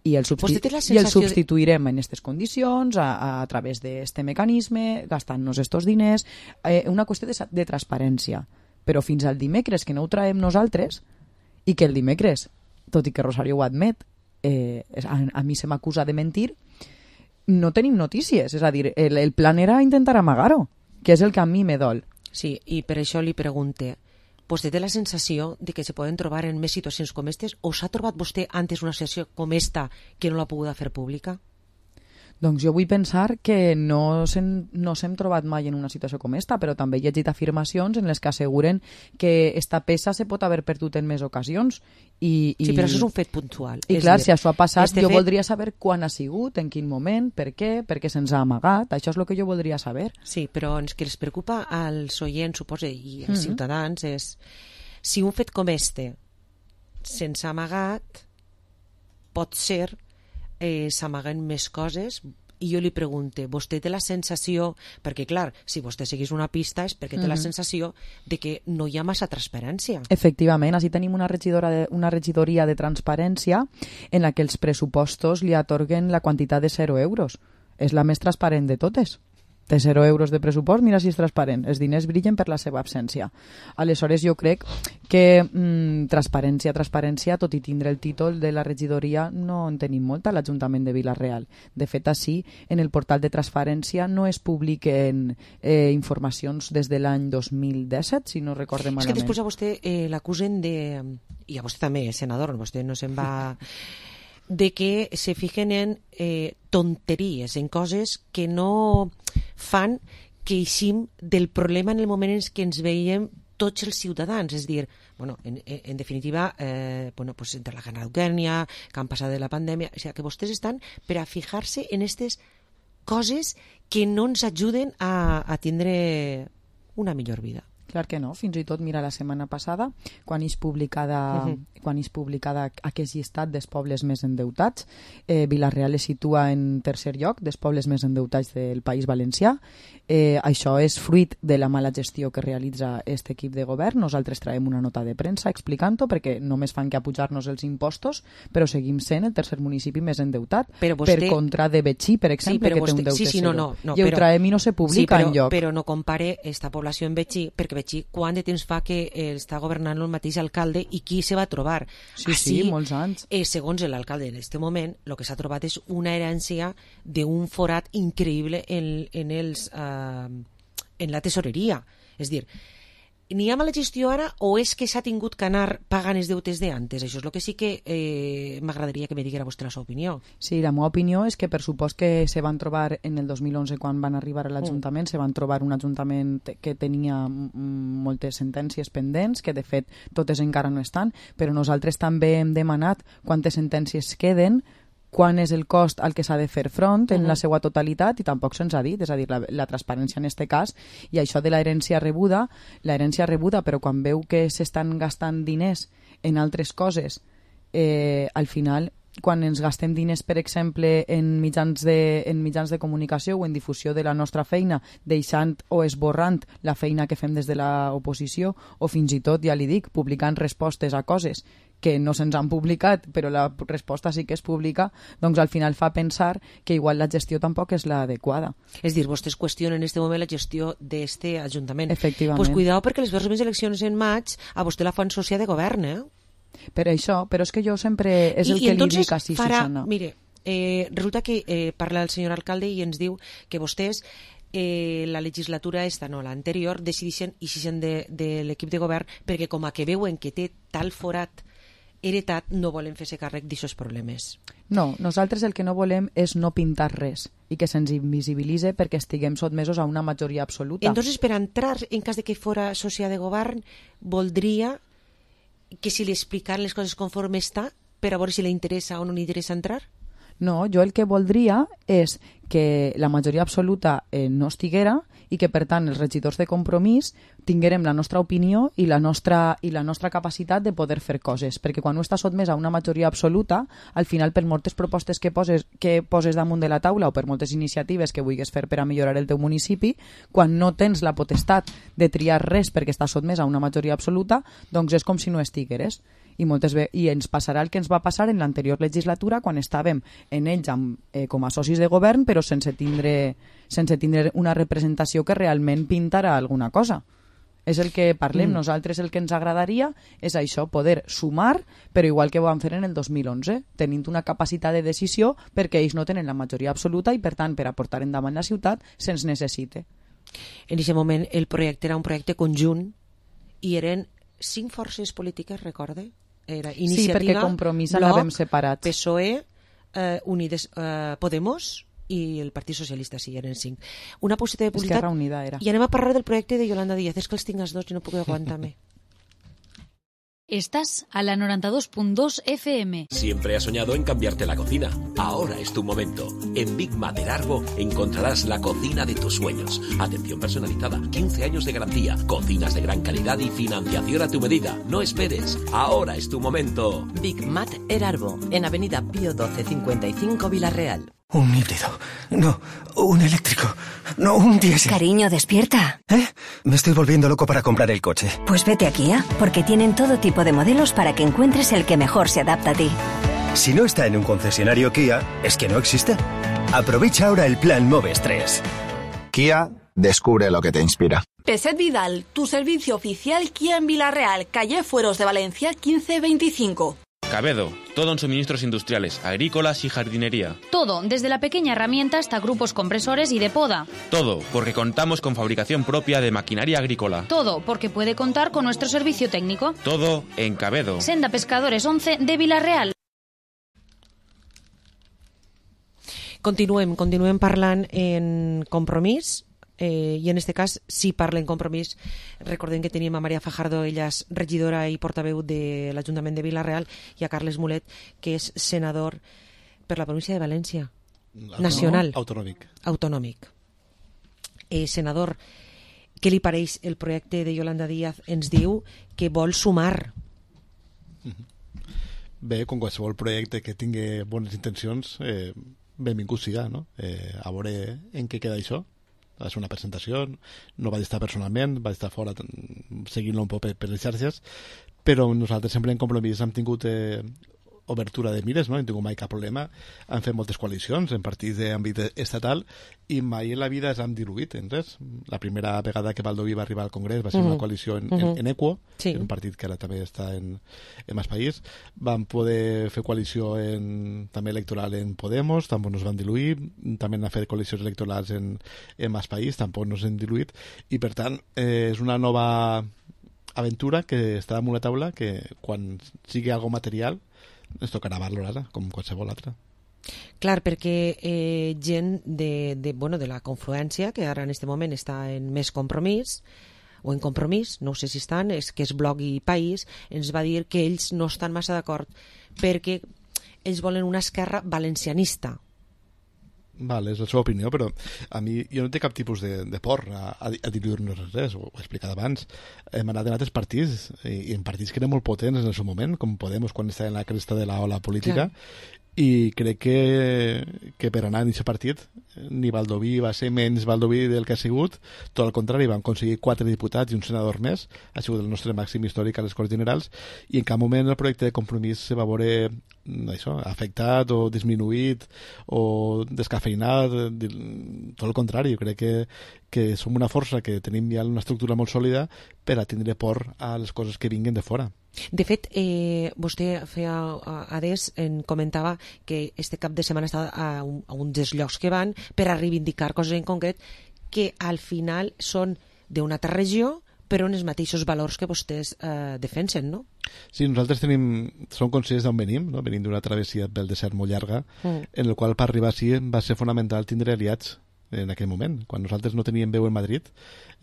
I el, substi i el substituirem en aquestes condicions a, a, a través d'aquest mecanisme, gastant-nos estos diners, eh, una qüestió de, de transparència. Però fins al dimecres que no ho traiem nosaltres i que el dimecres, tot i que Rosario ho admet, eh, a, a mi se m'acusa de mentir, no tenim notícies. És a dir, el, el plan era intentar amagar-ho, que és el que a mi me dol. Sí, i per això li pregunte, vostè té la sensació de que se poden trobar en més situacions com aquestes o s'ha trobat vostè antes una situació com esta que no l'ha pogut fer pública? Doncs jo vull pensar que no s'hem no trobat mai en una situació com esta, però també he llegit afirmacions en les que asseguren que esta peça se pot haver perdut en més ocasions. I, i... Sí, però això és un fet puntual. I és clar, dir, si això ha passat, este jo fet... voldria saber quan ha sigut, en quin moment, per què, per què se'ns ha amagat. Això és el que jo voldria saber. Sí, però el que els preocupa als oients, suposo, i als mm-hmm. ciutadans, és si un fet com este se'ns ha amagat, pot ser eh, s'amaguen més coses. I jo li pregunte, vostè té la sensació, perquè clar, si vostè seguís una pista és perquè té mm-hmm. la sensació de que no hi ha massa transparència. Efectivament, així tenim una, regidora de, una regidoria de transparència en la que els pressupostos li atorguen la quantitat de zero euros. És la més transparent de totes. De zero euros de pressupost, mira si és transparent. Els diners brillen per la seva absència. Aleshores, jo crec que mmm, transparència, transparència, tot i tindre el títol de la regidoria, no en tenim molta a l'Ajuntament de Vila-real. De fet, així, en el portal de transparència no es publiquen eh, informacions des de l'any dos mil disset, si no recordem malament. És que després a vostè eh, l'acusen de... I a vostè també, senador, vostè no se'n va... de que se fijen en eh, tonteries, en coses que no fan que eixim del problema en el moment en què ens veiem tots els ciutadans. És dir, bueno, en, en definitiva, eh, bueno, pues entre la guerra d'Ucrània, que han passat de la pandèmia, o sigui, que vostès estan per a fijar-se en aquestes coses que no ens ajuden a, a tindre una millor vida. Clar que no, fins i tot mira la setmana passada, quan és publicada, uh-huh. quan és publicada aquest llistat dels pobles més endeutats, eh, Vila-real es situa en tercer lloc dels pobles més endeutats del País Valencià. Eh, això és fruit de la mala gestió que realitza aquest equip de govern. Nosaltres traiem una nota de premsa explicant-ho, perquè només fan que apujar-nos els impostos, però seguim sent el tercer municipi més endeutat, vostè... per contra de Betxí, per exemple, sí, que vostè... té un deute sí, sí, no, no, no, i ho però... traiem i no se publica sí, però, enlloc. Però no compare esta població en Betxí, perquè Betxí, quant de temps fa que eh, està governant el mateix alcalde i qui se va trobar? Sí, Així, sí, molts anys. Eh, segons l'alcalde en aquest moment, el que s'ha trobat és una herència d'un forat increïble en, en, els, eh, en la tesoreria. És dir, n'hi ha mala gestió ara o és que s'ha tingut que anar pagant els deutes d'antes? Això és el que sí que eh, m'agradaria que me diguera vostè la seva opinió. Sí, la meva opinió és que per supost que se van trobar en el dos mil onze quan van arribar a l'Ajuntament, mm. se van trobar un Ajuntament que tenia moltes sentències pendents, que de fet totes encara no estan, però nosaltres també hem demanat quantes sentències queden, quan és el cost al que s'ha de fer front en uh-huh. la seva totalitat, i tampoc se'ns ha dit, és a dir, la, la transparència en aquest cas, i això de l'herència rebuda, l'herència rebuda, però quan veu que s'estan gastant diners en altres coses, eh, al final quan ens gastem diners, per exemple, en mitjans de, en mitjans de comunicació o en difusió de la nostra feina, deixant o esborrant la feina que fem des de l'oposició, o fins i tot, ja li dic, publicant respostes a coses que no se'ns han publicat, però la resposta sí que es publica, doncs al final fa pensar que igual la gestió tampoc és l'adequada. És dir, vostès qüestionen en aquest moment la gestió d'aquest Ajuntament. Efectivament. Pues cuidao, perquè les pròximes eleccions en maig a vostè la fan socia de govern, eh? Per això, però és que jo sempre és el I, que i li dic així, farà, Susana. Mire, eh, resulta que eh, parla el senyor alcalde i ens diu que vostès eh, la legislatura esta, no, l'anterior, decidixen i s'ixen de, de l'equip de govern perquè com a que veuen que té tal forat heretat, no volen fer-se càrrec d'aixòs problemes. No, nosaltres el que no volem és no pintar res i que se'ns invisibilitze perquè estiguem sotmesos a una majoria absoluta. Entonces, per entrar, en cas de que fora socia de govern, voldria que si li explicaran les coses conforme està per a veure si li interessa o no li interessa entrar? No, jo el que voldria és que la majoria absoluta eh, no estiguera i que, per tant, els regidors de Compromís tinguérem la nostra opinió i la nostra, i la nostra capacitat de poder fer coses, perquè quan no està sotmès a una majoria absoluta, al final, per moltes propostes que poses, que poses damunt de la taula o per moltes iniciatives que vulguis fer per a millorar el teu municipi, quan no tens la potestat de triar res perquè està sotmès a una majoria absoluta, doncs és com si no estigueres. I, moltes ve i ens passarà el que ens va passar en l'anterior legislatura quan estàvem en ells amb, eh, com a socis de govern però sense tindre, sense tindre una representació que realment pintara alguna cosa. És el que parlem. Mm. Nosaltres el que ens agradaria és això, poder sumar, però igual que ho vam fer en el dos mil onze, tenint una capacitat de decisió perquè ells no tenen la majoria absoluta i per tant per a portar endavant la ciutat se'ns necessite. En aquest moment el projecte era un projecte conjunt i eren cinc forces polítiques, recorde? Era Iniciativa, sí, perquè Compromís l'havem separat. P S O E, eh, Unides, eh, Podemos i el Partit Socialista, sí, eren cinc. Una possibilitat de publicitat. Esquerra Unida era. I anem a parlar del projecte de Yolanda Díaz. És que els tinc els dos i no puc aguantar-me. Estás a la noventa y dos punto dos F M. Siempre has soñado en cambiarte la cocina. Ahora es tu momento. En Big Mat Erarbo encontrarás la cocina de tus sueños. Atención personalizada, quince años de garantía, cocinas de gran calidad y financiación a tu medida. No esperes. Ahora es tu momento. Big Mat Erarbo, en Avenida Pío doce cincuenta y cinco Villarreal. Un híbrido. No, un eléctrico. No, un diésel. Cariño, despierta. ¿Eh? Me estoy volviendo loco para comprar el coche. Pues vete a Kia, porque tienen todo tipo de modelos para que encuentres el que mejor se adapta a ti. Si no está en un concesionario Kia, es que no existe. Aprovecha ahora el plan Moves tres. Kia, descubre lo que te inspira. Peset Vidal, tu servicio oficial Kia en Villarreal, calle Fueros de Valencia quince veinticinco. Cabedo, todo en suministros industriales, agrícolas y jardinería. Todo, desde la pequeña herramienta hasta grupos compresores y de poda. Todo, porque contamos con fabricación propia de maquinaria agrícola. Todo, porque puede contar con nuestro servicio técnico. Todo en Cabedo. Senda Pescadores once de Villarreal. Continuem, continuem parlant en Compromís. Eh, i en aquest cas sí parla en Compromís. Recordem que teníem a Maria Fajardo, ella és regidora i portaveu de l'Ajuntament de Vila-real, i a Carles Mulet, que és senador per la província de València, nacional. Autonòmic. Autonòmic. Eh, senador, què li pareix el projecte de Yolanda Díaz? Ens diu que vol sumar. Bé, com qualsevol projecte que tingui bones intencions, eh, benvingut siga, no? Eh, a veure en què queda això. Va ser una presentació, no vaig estar personalment, vaig estar fora seguint-lo un poc per, per les xarxes, però nosaltres sempre en Compromís hem tingut eh, obertura de mires, no? No hem tingut mai cap problema, hem fet moltes coalicions en partits d'àmbit estatal i mai en la vida ens hem diluït en res. La primera vegada que Baldoví va arribar al Congrés va ser uh -huh. una coalició en, uh -huh. en, en Equo, sí. En un partit que ara també està en, en Mas País. Vam poder fer coalició en, també electoral en Podemos, tampoc no es van diluir, també han fet coalicions electorals en, en Mas País, tampoc no s'han diluït, i per tant eh, és una nova aventura que està damunt la taula, que quan sigui algo material ens tocarà valorar com qualsevol altra. Clar, perquè eh, gent de, de, bueno, de la confluència, que ara en aquest moment està en Més Compromís, o en Compromís, no sé si estan, és que és Bloc i País, ens va dir que ells no estan massa d'acord perquè ells volen una esquerra valencianista. Vale, és la seva opinió, però a mi jo no té cap tipus de, de por a, a, a diluir-nos res, ho he explicat abans. Hem anat en altres partits, i, i en partits que eren molt potents en el seu moment, com Podemos quan estava en la cresta de la ola política, clar. i crec que, que per anar en aquest partit ni Baldoví va ser menys Baldoví del que ha sigut, tot al contrari, van aconseguir quatre diputats i un senador més, ha sigut el nostre màxim històric a les Corts Generals, i en cap moment el projecte de Compromís se va veure això, afectat o disminuït o descafeinat, tot el contrari. Jo crec que, que som una força, que tenim ja una estructura molt sòlida per a tindre por a les coses que vinguen de fora. De fet, eh, vostè feia adés, en comentava que este cap de setmana està a, un, a uns dels llocs que van per a reivindicar coses en concret que al final són d'una altra regió però en els mateixos valors que vostès eh, defensen, no? Sí, nosaltres tenim, som conscients d'on venim, no? Venim d'una travessia pel desert molt llarga, mm. en el qual per arribar així va ser fonamental tindre aliats en aquell moment. Quan nosaltres no teníem veu en Madrid,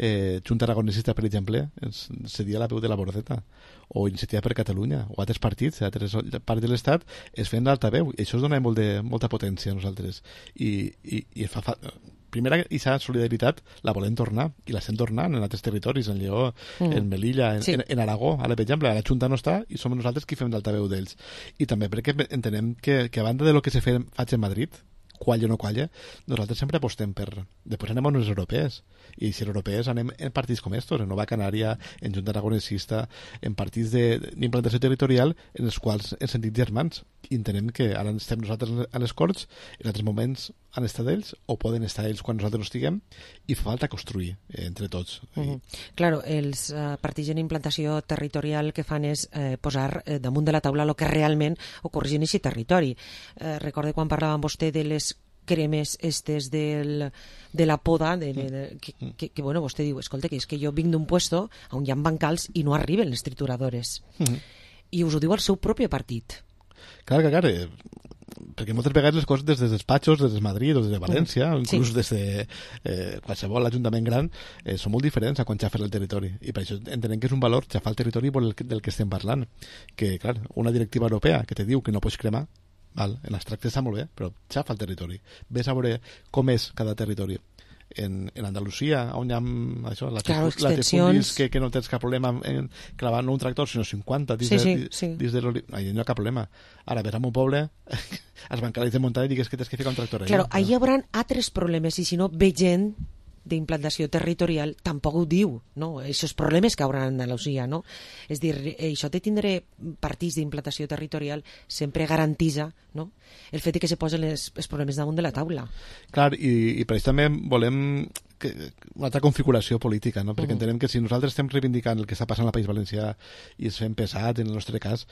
eh, Junta Aragonesista, per exemple, ens cedia la veu de la Bordeta, o Iniciativa per Catalunya, o altres partits, altres parts de l'Estat, es feien l'altaveu, i això es dona molt de, molta potència a nosaltres. I, i, i fa, fa, primera, aquesta solidaritat la volem tornar, i la estem tornant en altres territoris, en Lleó, mm. en Melilla, en, sí. en, en Aragó, ara, per exemple, a la Junta no està, i som nosaltres qui fem l'altaveu d'ells. I també perquè entenem que, que a banda de lo que se fa, faig en Madrid, qualla o no qualla, nosaltres sempre apostem per... Després anem a unes europees, i si europees anem en partits com estos, en Nova Canària, en Junta Aragonesista, en partits d'implantació territorial en els quals ens sentim germans, i entenem que ara estem nosaltres a les Corts, en altres moments han estat ells, o poden estar ells quan nosaltres no estiguem, i fa falta construir eh, entre tots. Uh -huh. Claro, els uh, partits en implantació territorial que fan és eh, posar eh, damunt de la taula el que realment ocorre en aquest territori. Eh, recorde quan parlàvem vostè de les cremes estes del, de la poda de, de, de, que, que, que bueno, vostè diu, escolta, que és que jo vinc d'un puesto on hi ha bancals i no arriben les trituradores. Uh -huh. I us ho diu el seu propi partit. Clar, clar, clar, eh, perquè moltes vegades les coses des dels despatxos, des de Madrid o des de València, mm. inclús sí. des de eh, qualsevol ajuntament gran, eh, són molt diferents a quan xafa el territori, i per això entenem que és un valor xafar el territori del, del que estem parlant, que clar, una directiva europea que te diu que no pots cremar, val, en l'abstracte està molt bé, però xafa el territori, ves a veure com és cada territori. En, en Andalusia, on hi ha això, la claro, extensions que, que no tens cap problema en clavar no un tractor, sinó cinquanta dins, sí, sí, de, sí. dins de l'oli... Allà no hi ha cap problema. Ara, ves a un poble, els bancals de muntanya i digues que tens que ficar un tractor allà. Claro, allà hi haurà altres problemes, i si no, ve gent d'implantació territorial tampoc ho diu, no? Aquests problemes que haurà a Andalusia, no? És dir, això de tindre partits d'implantació territorial sempre garantitza, no?, el fet que se posen les, els problemes damunt de la taula. Clar, i, i per això també volem que, una altra configuració política, no? Perquè uh -huh. entenem que si nosaltres estem reivindicant el que està passant al País Valencià i es fem pesat, en el nostre cas,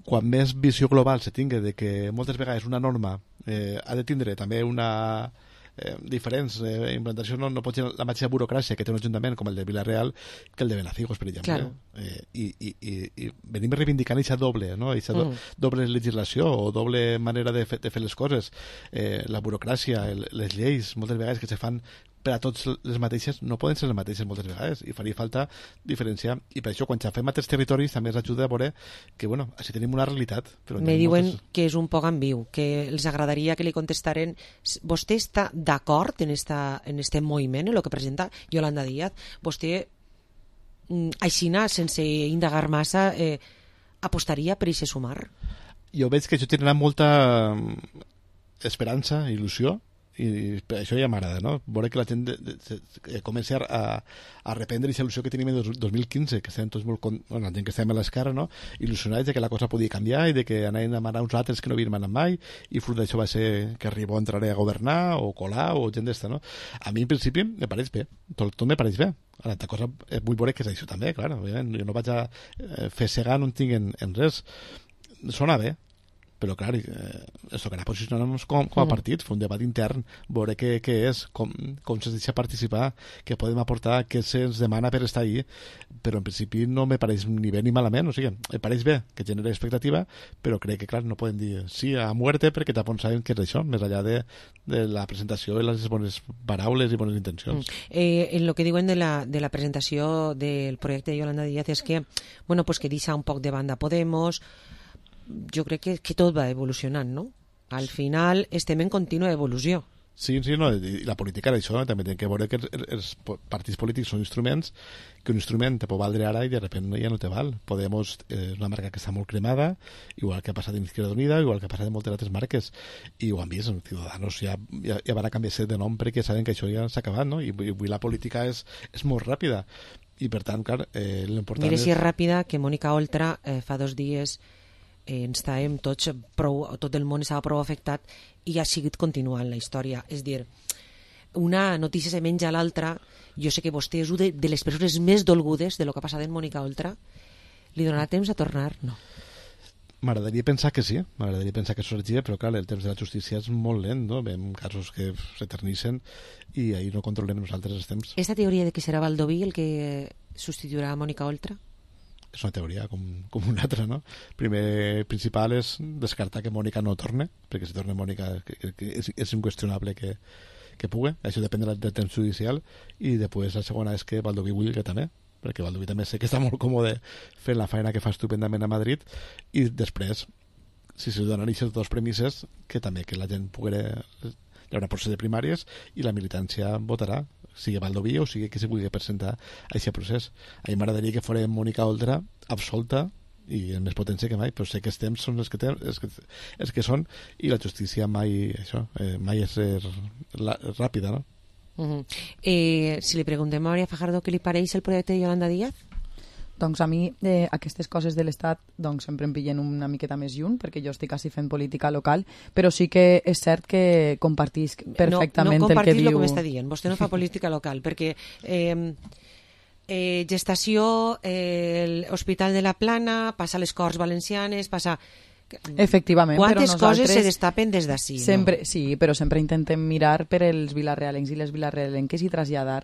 quan més visió global se tingui de que moltes vegades una norma eh, ha de tindre també una... Eh, diferents, eh, implantació no, no pot ser la mateixa burocràcia que té un ajuntament com el de Vila-real que el de Benafigos, per exemple. Claro. Eh, i, i, i, i venim reivindicant aquesta doble, no? Eixa do, mm. doble legislació o doble manera de, fe, de fer les coses. Eh, la burocràcia, el, les lleis, moltes vegades que se fan per a tots les mateixes, no poden ser les mateixes moltes vegades, i faria falta diferenciar, i per això quan xafem altres territoris també ens ajuda a veure que, bueno, així tenim una realitat. Però me diuen moltes... que és un poc ambiu, que els agradaria que li contestaren. Vostè està d'acord en, esta, en este moviment, en el que presenta Yolanda Díaz? Vostè, aixina, sense indagar massa, eh, apostaria per aquest sumar? Jo veig que això tindrà molta esperança, il·lusió, i per això ja m'agrada, no? Veure que la gent de, de, de, comenci a, a reprendre aquesta il·lusió que tenim en el dos mil quinze, que estem tots molt, bueno, la gent que estem a l'esquerra, no? Il·lusionats de que la cosa podia canviar i de que anaven a manar uns altres que no havien manat mai, i fruit d'això va ser que Ribó entraré a governar, o Colau, o gent d'esta, no? A mi, en principi, me pareix bé. Tot, tot me pareix bé. Ara, altra cosa, vull veure que és això també, clar. Jo no vaig a eh, fer segar, no en tinc en, en res. Sona bé, però clar, eh, això que ara posicionar-nos com, com a partit, fer un debat intern, veure què, què és, com, com se'ns deixa participar, què podem aportar, què se'ns demana per estar ahí, però en principi no me pareix ni bé ni malament, o sigui, em pareix bé que genera expectativa, però crec que clar, no podem dir sí a muerte perquè tampoc sabem què és això, més enllà de, de la presentació i les bones paraules i bones intencions. Mm. Eh, en lo que diuen de la, de la presentació del projecte de Yolanda Díaz és que, bueno, pues que deixa un poc de banda Podemos. Jo crec que, que tot va evolucionant, no? Al final estem en contínua evolució. Sí, sí, no, i la política era això, també té que veure que els, els partits polítics són instruments, que un instrument te pot valdre ara i de repente ja no te val. Podemos és eh, una marca que està molt cremada, igual que ha passat en Izquierda Unida, igual que ha passat en moltes altres marques, i ho han vist, els Ciudadanos ja, ja, ja van a canviar-se de nom perquè saben que això ja s'ha acabat, no? I, i avui la política és, és molt ràpida, i per tant, clar, eh, l'important Mira és... si és ràpida que Mònica Oltra eh, fa dos dies eh, ens estàvem tots prou, tot el món estava prou afectat i ha seguit continuant la història. És dir, una notícia se menja a l'altra. Jo sé que vostè és una de, de les persones més dolgudes de lo que ha passat en Mònica Oltra. Li donarà temps a tornar? No. M'agradaria pensar que sí, m'agradaria pensar que sorgia, però clar, el temps de la justícia és molt lent, no? Veiem casos que s'eternissen i ahir no controlem nosaltres els temps. Esta teoria de que serà Baldoví el que substituirà a Mònica Oltra? És una teoria com, com una altra, no? Primer, principal és descartar que Mònica no torne, perquè si torna Mònica que, que és, és inqüestionable que, que pugui, això depèn del de temps judicial, i després la segona és que Baldoví vulgui que també, perquè Baldoví també sé que està molt còmode fent la feina que fa estupendament a Madrid, i després, si se donen aquestes dues premisses, que també que la gent pugui... Hi haurà procés de primàries i la militància votarà, sigui Baldoví o sigui que se vulgui presentar a aquest procés. A mi m'agradaria que fos Mònica Oltra absolta i amb més potència que mai, però sé que els temps són els que, tem, els que, els que són, i la justícia mai, això, eh, mai és eh, ràpida, no? Uh-huh. eh, si li preguntem a Maria Fajardo què li pareix el projecte de Yolanda Díaz? Doncs a mi eh, aquestes coses de l'Estat doncs, sempre em pillen una miqueta més lluny, perquè jo estic quasi fent política local, però sí que és cert que compartisc perfectament no, no el que diu... No, no compartis el que m'està dient. Vostè no fa política local, perquè eh, eh, gestació, eh, l'Hospital de la Plana, passa a les Corts Valencianes, passa... Efectivament, quantes però coses se destapen des d'ací, sempre, no? Sí, però sempre intentem mirar per els vilarealencs i les vilarealenques i traslladar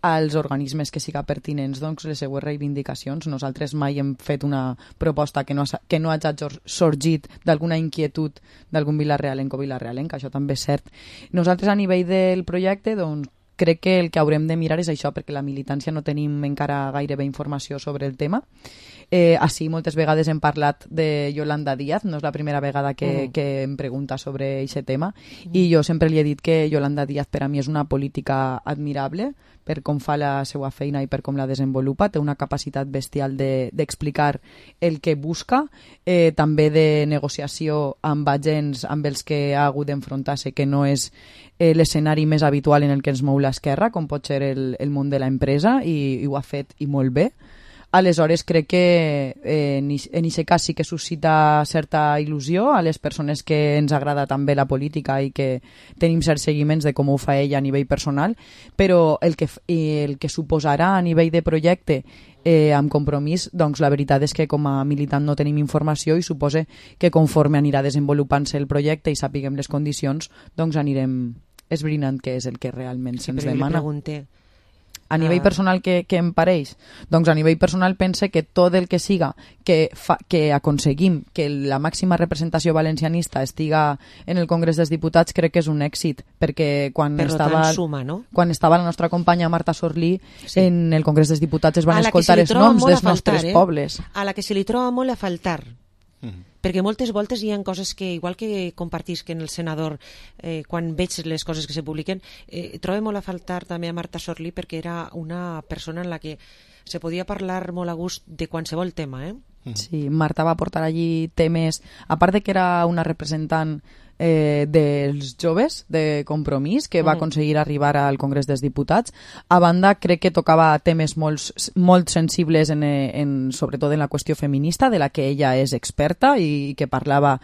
als organismes que siga pertinents doncs, les seues reivindicacions. Nosaltres mai hem fet una proposta que no, ha, que no hagi sorgit d'alguna inquietud d'algun vilarealenc o vilarealenc, això també és cert. Nosaltres a nivell del projecte doncs, crec que el que haurem de mirar és això, perquè la militància no tenim encara gairebé informació sobre el tema. Eh, així moltes vegades hem parlat de Yolanda Díaz, no és la primera vegada que, mm. que em pregunta sobre aquest tema, mm. i jo sempre li he dit que Yolanda Díaz per a mi és una política admirable per com fa la seva feina i per com la desenvolupa, té una capacitat bestial d'explicar de, el que busca, eh, també de negociació amb agents amb els que ha hagut d'enfrontar-se, que no és eh, l'escenari més habitual en el que ens mou l'esquerra, com pot ser el, el món de l'empresa, i, i ho ha fet i molt bé. Aleshores crec que eh, en aquest cas sí que suscita certa il·lusió a les persones que ens agrada també la política i que tenim certs seguiments de com ho fa ella a nivell personal, però el que, el que suposarà a nivell de projecte eh, amb compromís, doncs la veritat és que com a militant no tenim informació, i suposa que conforme anirà desenvolupant-se el projecte i sapiguem les condicions, doncs anirem esbrinant què és el que realment sí, se'ns demana. Li pregunté a nivell personal que, que em pareix? Doncs a nivell personal pense que tot el que siga que, fa, que aconseguim que la màxima representació valencianista estiga en el Congrés dels Diputats crec que és un èxit, perquè quan, per estava, suma, no? quan estava la nostra companya Marta Sorlí sí. en el Congrés dels Diputats es van escoltar els noms dels faltar, nostres eh? pobles. A la que se li troba molt a faltar. Mm. Perquè moltes voltes hi ha coses que, igual que compartisc en el senador, eh, quan veig les coses que se publiquen, eh, trobo molt a faltar també a Marta Sorlí, perquè era una persona en la que se podia parlar molt a gust de qualsevol tema, eh? Sí, Marta va portar allí temes, a part de que era una representant eh, dels joves de Compromís, que va aconseguir arribar al Congrés dels Diputats. A banda, crec que tocava temes molt, molt sensibles, en, en, sobretot en la qüestió feminista, de la que ella és experta i que parlava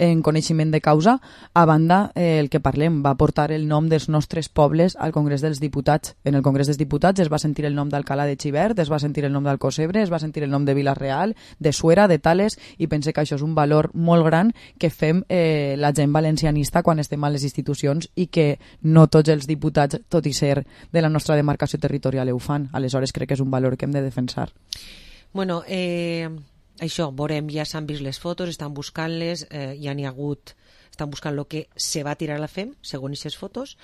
en coneixement de causa. A banda, eh, el que parlem, va portar el nom dels nostres pobles al Congrés dels Diputats. En el Congrés dels Diputats es va sentir el nom d'Alcalá de Xivert, es va sentir el nom d'Alcocebre, es va sentir el nom de Vila-real, de Suera, de Tales, i pense que això és un valor molt gran que fem eh, la gent valencianista quan estem a les institucions, i que no tots els diputats, tot i ser de la nostra demarcació territorial, ho fan. Aleshores crec que és un valor que hem de defensar. Bueno, eh, això, veurem, ja s'han vist les fotos, estan buscant-les, eh, ja n'hi ha hagut, estan buscant el que se va tirar a la F E M, segons aquestes fotos.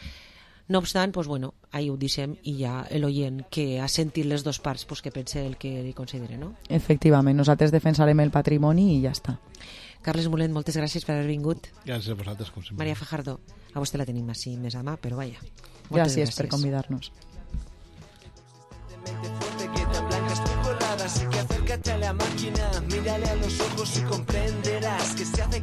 No obstant, pues bueno, ahí ho deixem, i ja l'oient que ha sentit les dues parts, pues que pense el que li considere, no? Efectivament, nosaltres defensarem el patrimoni i ja està. Carles Mulet, moltes gràcies per haver vingut. Gràcies a vosaltres, com sempre. Maria Fajardo, a vostè la tenim així més a mà, però vaja. Gràcies, gràcies per convidar-nos. Así que acércate a la máquina, mírale a los ojos y comprenderás que se hace,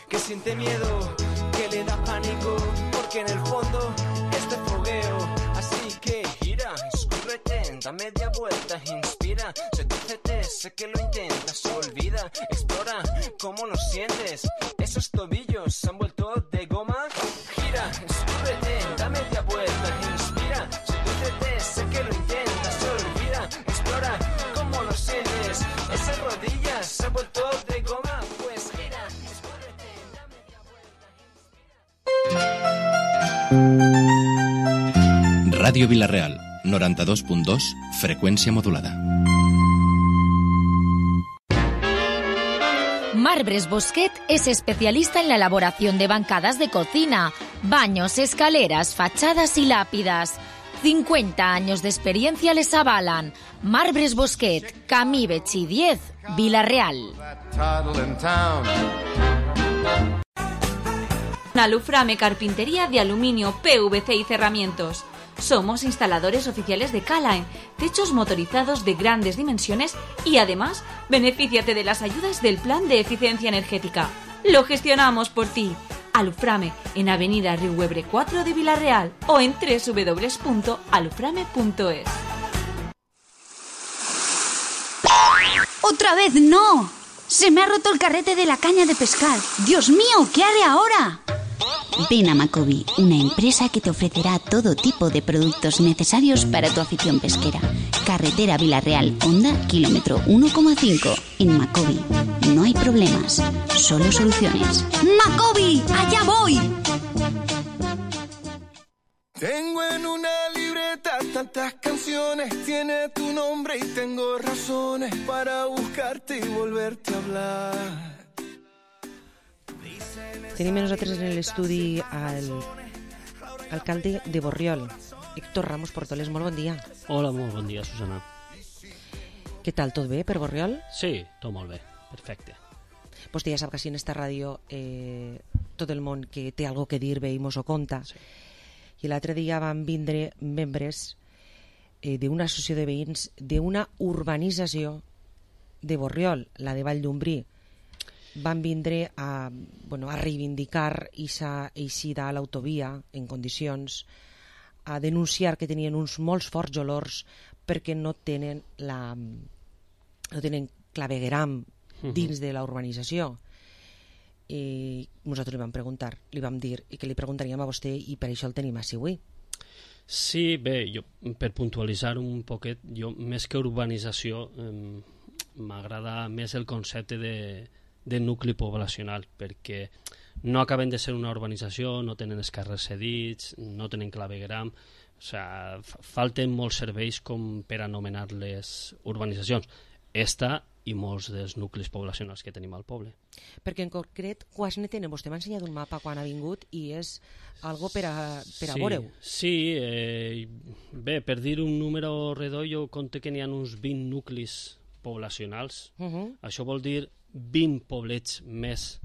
que siente miedo, que le da pánico, porque en el fondo es de fogueo. Así que gira, escúrrete, da media vuelta, inspira, sedúcete, sé que lo intentas, olvida, explora cómo lo sientes. Esos tobillos se han vuelto de goma. Gira, escúrrete, da media vuelta, inspira, sedúcete, sé que lo intentas, olvida, explora cómo lo sientes. Esas rodillas se han vuelto de goma. Pues gira, escúrrete, da media vuelta. Ràdio Vila-real, noranta-dos punt dos, freqüència modulada. Marbres Bosquet es especialista en la elaboración de bancadas de cocina, baños, escaleras, fachadas y lápidas. cincuenta años de experiencia les avalan. Marbres Bosquet, Camí Betxí diez, Vila-real. Aluframe Carpintería de Aluminio, P V C y Cerramientos. Somos instaladores oficiales de Calaen, techos motorizados de grandes dimensiones y además benefíciate de las ayudas del Plan de Eficiencia Energética. Lo gestionamos por ti. Aluframe en Avenida Riuebre cuatro de Vila-real o en doble u doble u doble u punto aluframe punto es. ¡Otra vez no! ¡Se me ha roto el carrete de la caña de pescar! ¡Dios mío! ¿Qué haré ahora? Ven a Macobi, una empresa que te ofrecerá todo tipo de productos necesarios para tu afición pesquera. Carretera Vila-real, Honda, kilómetro uno coma cinco. En Macobi no hay problemas, solo soluciones. ¡Macobi! ¡Allá voy! Tengo en una libreta tantas canciones, tiene tu nombre y tengo razones para buscarte y volverte a hablar. Tenim nosaltres en l'estudi al alcalde de Borriol, Héctor Ramos Portoles. Molt bon dia. Hola, molt bon dia, Susana. Què tal, tot bé per Borriol? Sí, tot molt bé, perfecte. Vostè ja sap que així en esta ràdio eh, tot el món que té algo que dir ve i mos ho conta. Sí. I l'altre dia van vindre membres eh, d'una associació de veïns d'una urbanització de Borriol, la de Vall d'Umbrí. Van vindre a, bueno, a reivindicar aquesta eixida a l'autovia en condicions, a denunciar que tenien uns molts forts olors perquè no tenen la no tenen clavegueram dins de la urbanització. I nosaltres li vam preguntar, li vam dir i que li preguntaríem a vostè i per això el tenim així avui. Sí, bé, jo, per puntualitzar un poquet, jo més que urbanització eh, m'agrada més el concepte de de nucli poblacional, perquè no acaben de ser una urbanització, no tenen els carrers cedits, no tenen clavegueram, o sigui, falten molts serveis com per anomenar-les urbanitzacions. Esta i molts dels nuclis poblacionals que tenim al poble. Perquè en concret, quants ne tenen? Vostè m'ha ensenyat un mapa quan ha vingut i és algo per a, per a sí, veure-ho. Sí, eh, bé, per dir un número redó, jo compte que n'hi ha uns vint nuclis poblacionals. Uh -huh. Això vol dir vint poblets més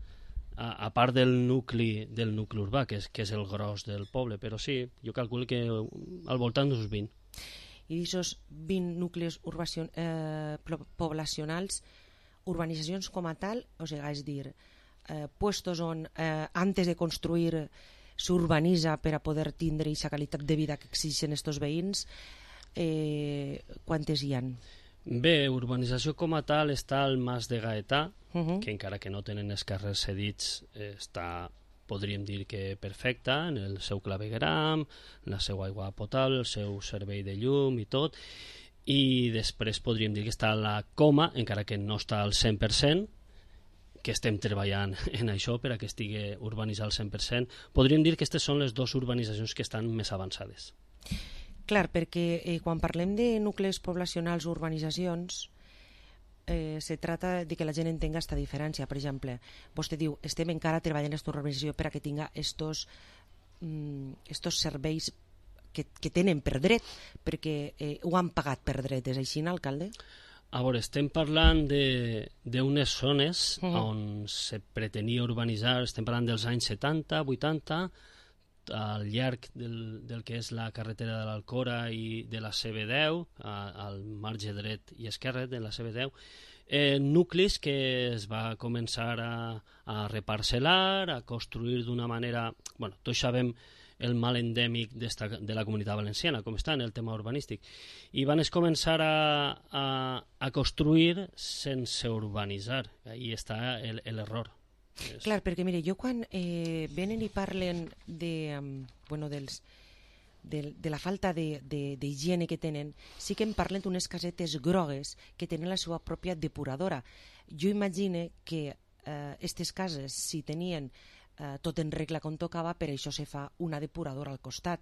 a, a part del nucli del nucli urbà, que és, que és el gros del poble, però sí, jo calculo que al voltant d'uns vint. I d'aquests vint nuclis urbacion, eh, poblacionals, urbanitzacions com a tal, o sigui, és dir, eh, puestos on eh, antes de construir s'urbanitza per a poder tindre aquesta qualitat de vida que exigeixen estos veïns, eh, quantes hi han? Bé, urbanització com a tal està al Mas de Gaetà, uh -huh. que encara que no tenen els carrers cedits, eh, està, podríem dir que perfecta, en el seu clavegueram, la seva aigua potable, el seu servei de llum i tot, i després podríem dir que està a la Coma, encara que no està al cent per cent, que estem treballant en això per a que estigui urbanitzat al cent per cent. Podríem dir que aquestes són les dues urbanitzacions que estan més avançades. Clar, perquè eh, quan parlem de nuclis poblacionals o urbanitzacions, eh, se trata de que la gent entenga aquesta diferència. Per exemple, vostè diu, estem encara treballant en aquesta urbanització per a que tinga estos, mm, estos serveis que, que tenen per dret, perquè eh, ho han pagat per dret. És així, alcalde? A veure, estem parlant d'unes zones Mhm. on se pretenia urbanitzar, estem parlant dels anys setanta, vuitanta, al llarg del, del que és la carretera de l'Alcora i de la C B deu, a, al marge dret i esquerre de la C B deu, eh, nuclis que es va començar a, a reparcel·lar, a construir d'una manera... Bueno, tots sabem el mal endèmic d'esta, de la Comunitat Valenciana, com està en el tema urbanístic, i van es començar a, a, a construir sense urbanitzar. Ahí està l'error. Clar, perquè mire, jo quan eh, venen i parlen de, um, bueno, dels, de, de la falta d'higiene que tenen, sí que em parlen d'unes casetes grogues que tenen la seva pròpia depuradora. Jo imagine que aquestes eh, cases, si tenien eh, tot en regla com tocava, per això se fa una depuradora al costat.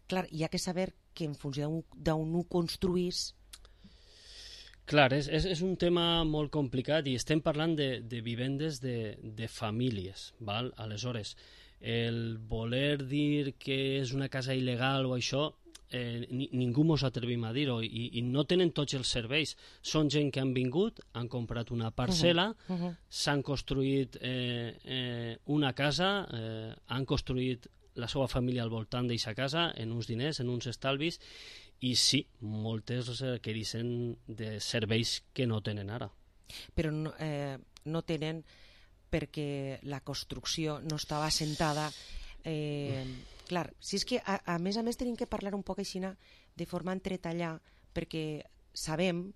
Clar, hi ha que saber que en funció d'on ho construís... Clar, és, és, és un tema molt complicat i estem parlant de, de vivendes de, de famílies, val? Aleshores, el voler dir que és una casa il·legal o això, eh, ni, ningú mos atrevim a dir-ho i, i no tenen tots els serveis. Són gent que han vingut, han comprat una parcel·la, uh -huh, uh -huh. s'han construït eh, eh, una casa, eh, han construït la seva família al voltant d'aquesta casa, en uns diners, en uns estalvis, i sí, moltes requereixen de serveis que no tenen ara. Però no, eh, no tenen perquè la construcció no estava assentada. Eh, clar, si és que a, a més a més tenim que parlar un poc així de forma entretallada, perquè sabem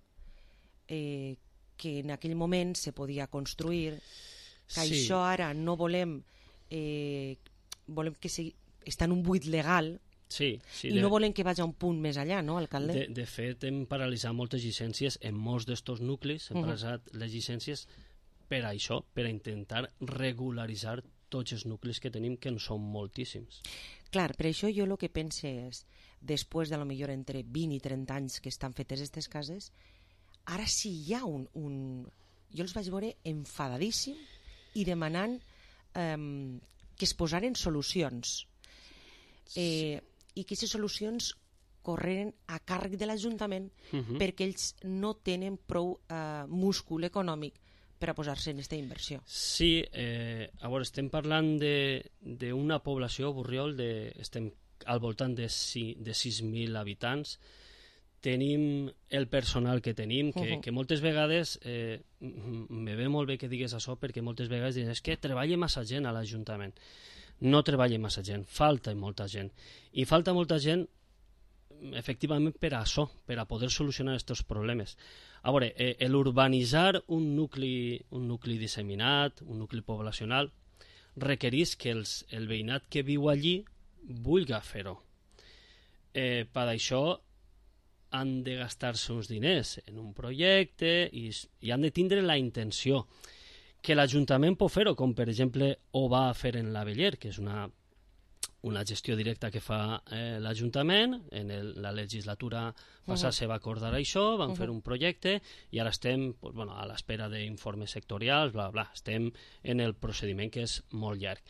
eh, que en aquell moment se podia construir, que sí. Això ara no volem, eh, volem que sigui, està en un buit legal. Sí, sí, i de, no volen que vagi a un punt més allà, no, alcalde? De, de fet, hem paralitzat moltes llicències en molts d'estos nuclis, hem uh -huh. paralitzat les llicències per això, per a intentar regularitzar tots els nuclis que tenim, que en són moltíssims. Clar, per això jo el que pense és, després de lo millor entre vint i trenta anys que estan fetes aquestes cases, ara sí hi ha un... un... Jo els vaig veure enfadadíssim i demanant eh, que es posaren solucions. Eh, i que aquestes solucions correren a càrrec de l'Ajuntament uh -huh. perquè ells no tenen prou eh, múscul econòmic per a posar-se en aquesta inversió. Sí, eh, a veure, estem parlant d'una població, Borriol, de, estem al voltant de, si, de sis mil habitants. Tenim el personal que tenim, que, uh -huh. que moltes vegades, eh, me ve molt bé que digues això, perquè moltes vegades diuen és que treballa massa gent a l'Ajuntament. No treballa massa gent, falta molta gent. I falta molta gent, efectivament, per a això, per a poder solucionar aquests problemes. A veure, eh, l'urbanitzar un nucli, un nucli disseminat, un nucli poblacional, requereix que els, el veïnat que viu allí vulgui fer-ho. Eh, per això han de gastar-se uns diners en un projecte i, i han de tindre la intenció que l'Ajuntament pot fer-ho, com per exemple ho va fer en l'Aveller, que és una, una gestió directa que fa eh, l'Ajuntament. En el, la legislatura passada uh -huh. se va acordar això, van uh -huh. fer un projecte i ara estem pues, bueno, a l'espera d'informes sectorials, bla, bla, estem en el procediment que és molt llarg.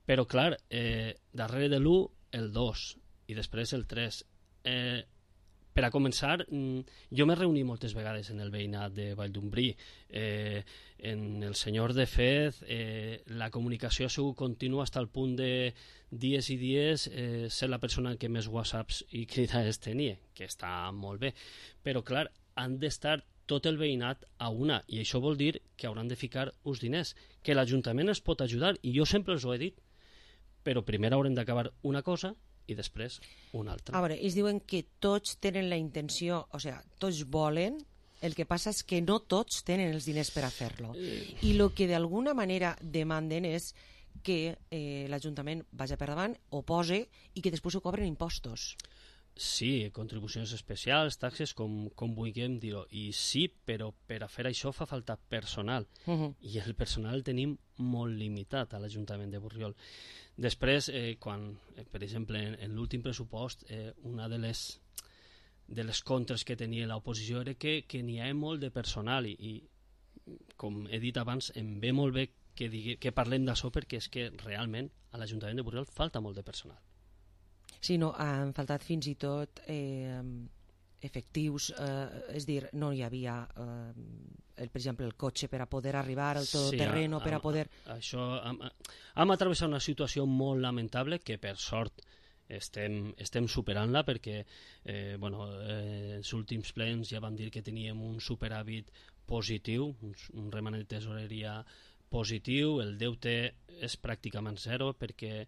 Però clar, eh, darrere de l'u, el dos i després el tres. Eh, Per a començar, jo m'he reunit moltes vegades en el veïnat de Valldombrí. Eh, en el senyor de Fez, eh, la comunicació ha sigut contínua fins al punt de dies i dies eh, ser la persona que més whatsapps i cridades tenia, que està molt bé. Però, clar, han d'estar tot el veïnat a una, i això vol dir que hauran de ficar uns diners, que l'Ajuntament es pot ajudar, i jo sempre els ho he dit, però primer haurem d'acabar una cosa i després una altra. A veure, ells diuen que tots tenen la intenció, o sigui, tots volen, el que passa és que no tots tenen els diners per a fer-lo. I el que d'alguna manera demanden és que eh, l'Ajuntament vagi per davant, ho pose i que després ho cobren impostos. Sí, contribucions especials, taxes, com, com vulguem dir-ho. I sí, però per a fer això fa falta personal. Uh -huh. I el personal el tenim molt limitat a l'Ajuntament de Borriol. Després, eh, quan, eh, per exemple, en, en l'últim pressupost, eh, una de les, de les contres que tenia l'oposició era que, que n'hi ha molt de personal i, i, com he dit abans, em ve molt bé que, digui, que parlem d'això perquè és que realment a l'Ajuntament de Borriol falta molt de personal. Sí, no, han faltat fins i tot eh, efectius, eh, és dir, no hi havia, eh, el, per exemple, el cotxe per a poder arribar al todoterreno, sí, per a poder... Això, hem, hem atravessat una situació molt lamentable que, per sort, estem, estem superant-la perquè eh, bueno, eh, els últims plens ja vam dir que teníem un superàvit positiu, un, un remanent de tesoreria positiu, el deute és pràcticament zero perquè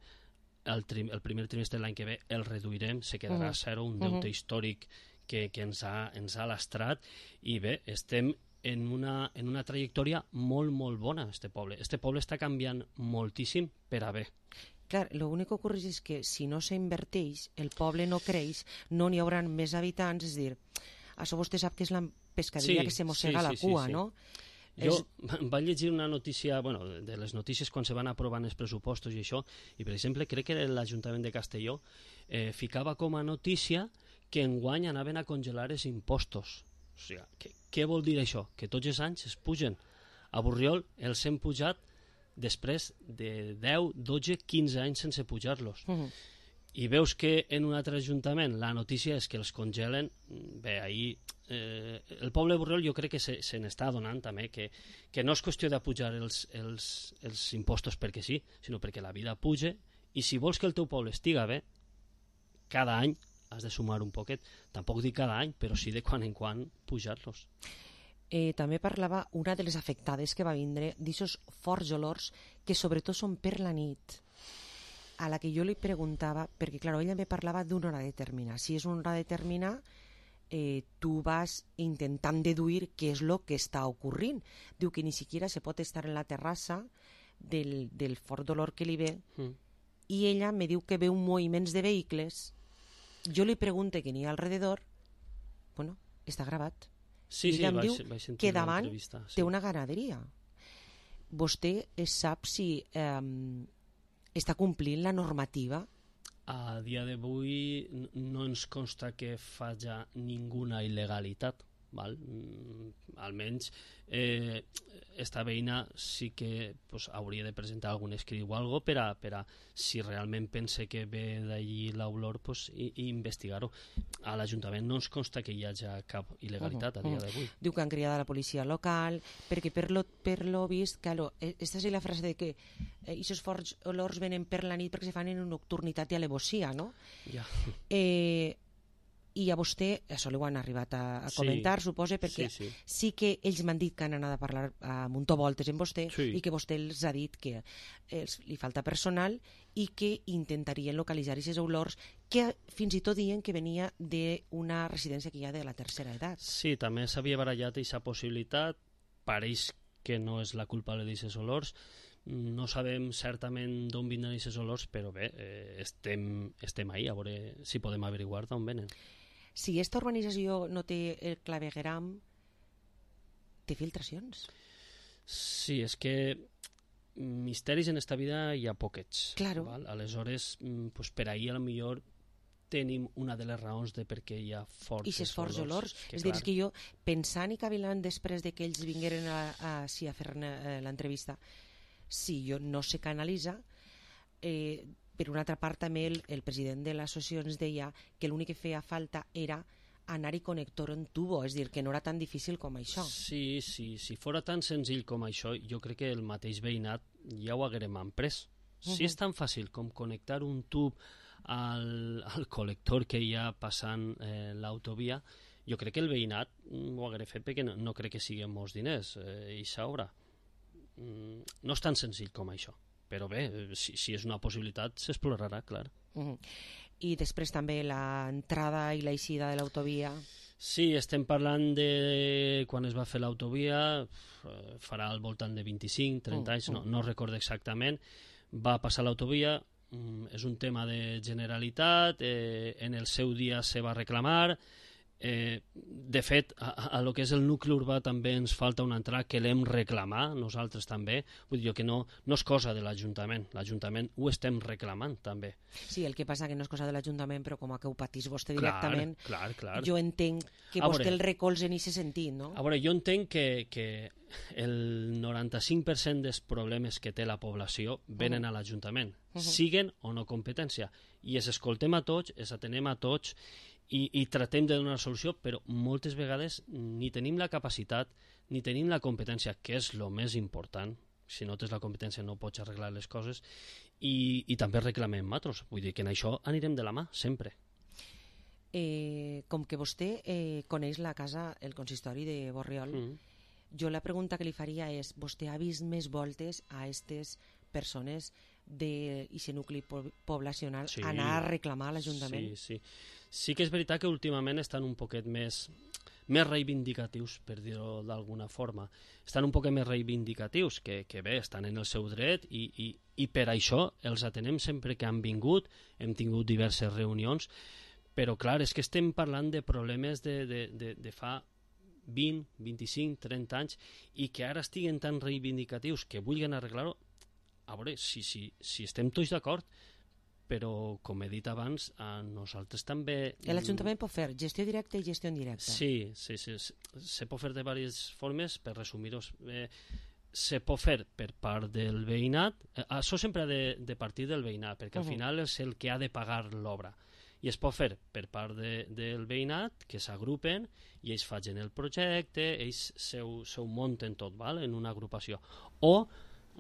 el, trim, el primer trimestre de l'any que ve el reduirem, se quedarà a zero, un deute uh-huh. històric que, que ens, ha, ens ha lastrat i bé, estem en una, en una trajectòria molt, molt bona, este poble. Este poble està canviant moltíssim per a bé. Clar, l'únic que ocorre és que si no s'inverteix, el poble no creix, no n'hi haurà més habitants, és dir, això vostè sap que és la pescaderia sí, que se mossega sí, la sí, cua, sí, sí. no? Jo és... vaig llegir una notícia, bueno, de les notícies quan se van aprovant els pressupostos i això, i per exemple crec que l'Ajuntament de Castelló eh, ficava com a notícia que enguany anaven a congelar els impostos. O sigui, què, què vol dir això? Que tots els anys es pugen. A Borriol els hem pujat després de deu, dotze, quinze anys sense pujar-los. Uh -huh. I veus que en un altre ajuntament la notícia és que els congelen. Bé, ahir eh, el poble de Borriol jo crec que se, se n'està adonant també que, que no és qüestió de pujar els, els, els impostos perquè sí, sinó perquè la vida puja i si vols que el teu poble estiga bé, cada any has de sumar un poquet. Tampoc dic cada any, però sí de quan en quan pujar-los. Eh, també parlava una de les afectades que va vindre d'aixòs forts olors que sobretot són per la nit, a la que jo li preguntava, perquè clar, ella me parlava d'una hora determinada. Si és una hora determinada, eh, tu vas intentant deduir què és el que està ocorrint. Diu que ni siquiera se pot estar en la terrassa del, del fort olor que li ve mm. i ella me diu que veu moviments de vehicles. Jo li pregunto què n'hi ha alrededor, bueno, està gravat. Sí, I ella sí, em vaig, diu vaig que davant sí. té una ganaderia. Vostè sap si eh, està complint la normativa? A dia d'avui no ens consta que faci ninguna il·legalitat. Val? Mm, almenys eh, esta veïna sí que pues, hauria de presentar algun escrit o algo per a, per a si realment pense que ve d'allí l'olor pues, i, i investigar-ho. A l'Ajuntament no ens consta que hi hagi cap il·legalitat uh -huh, a dia uh -huh. d'avui. Diu que han cridat a la policia local perquè per lo, per lo vist, claro, esta és la frase de que aquests eh, forts olors venen per la nit perquè se fan en nocturnitat i alevosia, no? Ja. Eh, i a vostè, això li ho han arribat a, a comentar, sí, suposa, perquè sí, sí. sí que ells m'han dit que han anat a parlar a muntovoltes amb vostè sí. i que vostè els ha dit que els, li falta personal i que intentarien localitzar aquestes olors que fins i tot diuen que venia d'una residència que hi ha de la tercera edat. Sí, també s'havia barallat aquesta possibilitat, pareix que no és la culpable d'aquests olors, no sabem certament d'on vindran aquests olors, però bé, eh, estem, estem ahí, a veure si podem averiguar d'on venen. Si aquesta urbanització no té el clavegueram, té filtracions? Sí, és que misteris en esta vida hi ha poquets. Claro. Val? Aleshores, pues per ahir a lo millor tenim una de les raons de per què hi ha forts I ses forts olors. Que, és dir, és que jo, pensant i cavilant després de que ells vingueren a, a, sí, a fer l'entrevista, si jo no se canalitza, eh, per una altra part també el, el president de l'associació ens deia que l'únic que feia falta era anar-hi connector en tubo, és dir, que no era tan difícil com això. Sí, sí, si fora tan senzill com això, jo crec que el mateix veïnat ja ho haguérem emprès. Si uh -huh. és tan fàcil com connectar un tub al, al col·lector que hi ha passant eh, l'autovia, jo crec que el veïnat ho haguera fet perquè no, no crec que siguin molts diners, eh, i s'haurà. Mm, no és tan senzill com això, però bé, si, si és una possibilitat s'explorarà, clar. Uh -huh. I després també l'entrada i l'eixida de l'autovia. Sí, estem parlant de quan es va fer l'autovia, farà al voltant de vint-i-cinc trenta uh, anys, no, no recordo exactament. Va passar l'autovia, és un tema de Generalitat, eh, en el seu dia se va reclamar, eh, de fet a, a lo que és el nucli urbà també ens falta una entrada que l'hem reclamar nosaltres també, vull dir que no, no és cosa de l'Ajuntament, l'Ajuntament ho estem reclamant també. Sí, el que passa que no és cosa de l'Ajuntament, però com a que ho patís vostè directament, clar, clar, clar. jo entenc que vostè el recolza en aquest sentit, no? A veure, jo entenc que, que el noranta-cinc per cent dels problemes que té la població venen uh -huh. a l'Ajuntament, uh -huh. siguen o no competència, i es escoltem a tots, es atenem a tots, i, i tratem de donar solució, però moltes vegades ni tenim la capacitat ni tenim la competència, que és el més important. Si no tens la competència no pots arreglar les coses, i, i també reclamem matros. Vull dir que en això anirem de la mà, sempre. Eh, com que vostè eh, coneix la casa, el consistori de Borriol, mm. jo la pregunta que li faria és, vostè ha vist més voltes a aquestes persones d'aquest nucli poblacional sí, anar a reclamar a l'Ajuntament? Sí, sí. Sí que és veritat que últimament estan un poquet més, més reivindicatius, per dir-ho d'alguna forma. Estan un poquet més reivindicatius, que, que bé, estan en el seu dret, i, i, i per això els atenem sempre que han vingut, hem tingut diverses reunions, però clar, és que estem parlant de problemes de, de, de, de fa vint, vint-i-cinc, trenta anys, i que ara estiguen tan reivindicatius que vulguin arreglar-ho. A veure, si, si, si estem tots d'acord, però, com he dit abans, a nosaltres també... L'Ajuntament pot fer gestió directa i gestió indirecta. Sí, sí, sí. Se pot fer de diverses formes, per resumir-ho. Eh, se pot fer per part del veïnat. Eh, això sempre ha de, de partir del veïnat, perquè al uh-huh. final és el que ha de pagar l'obra. I es pot fer per part de, del veïnat, que s'agrupen, i ells facin el projecte, ells seu, seu munten tot, val? En una agrupació. O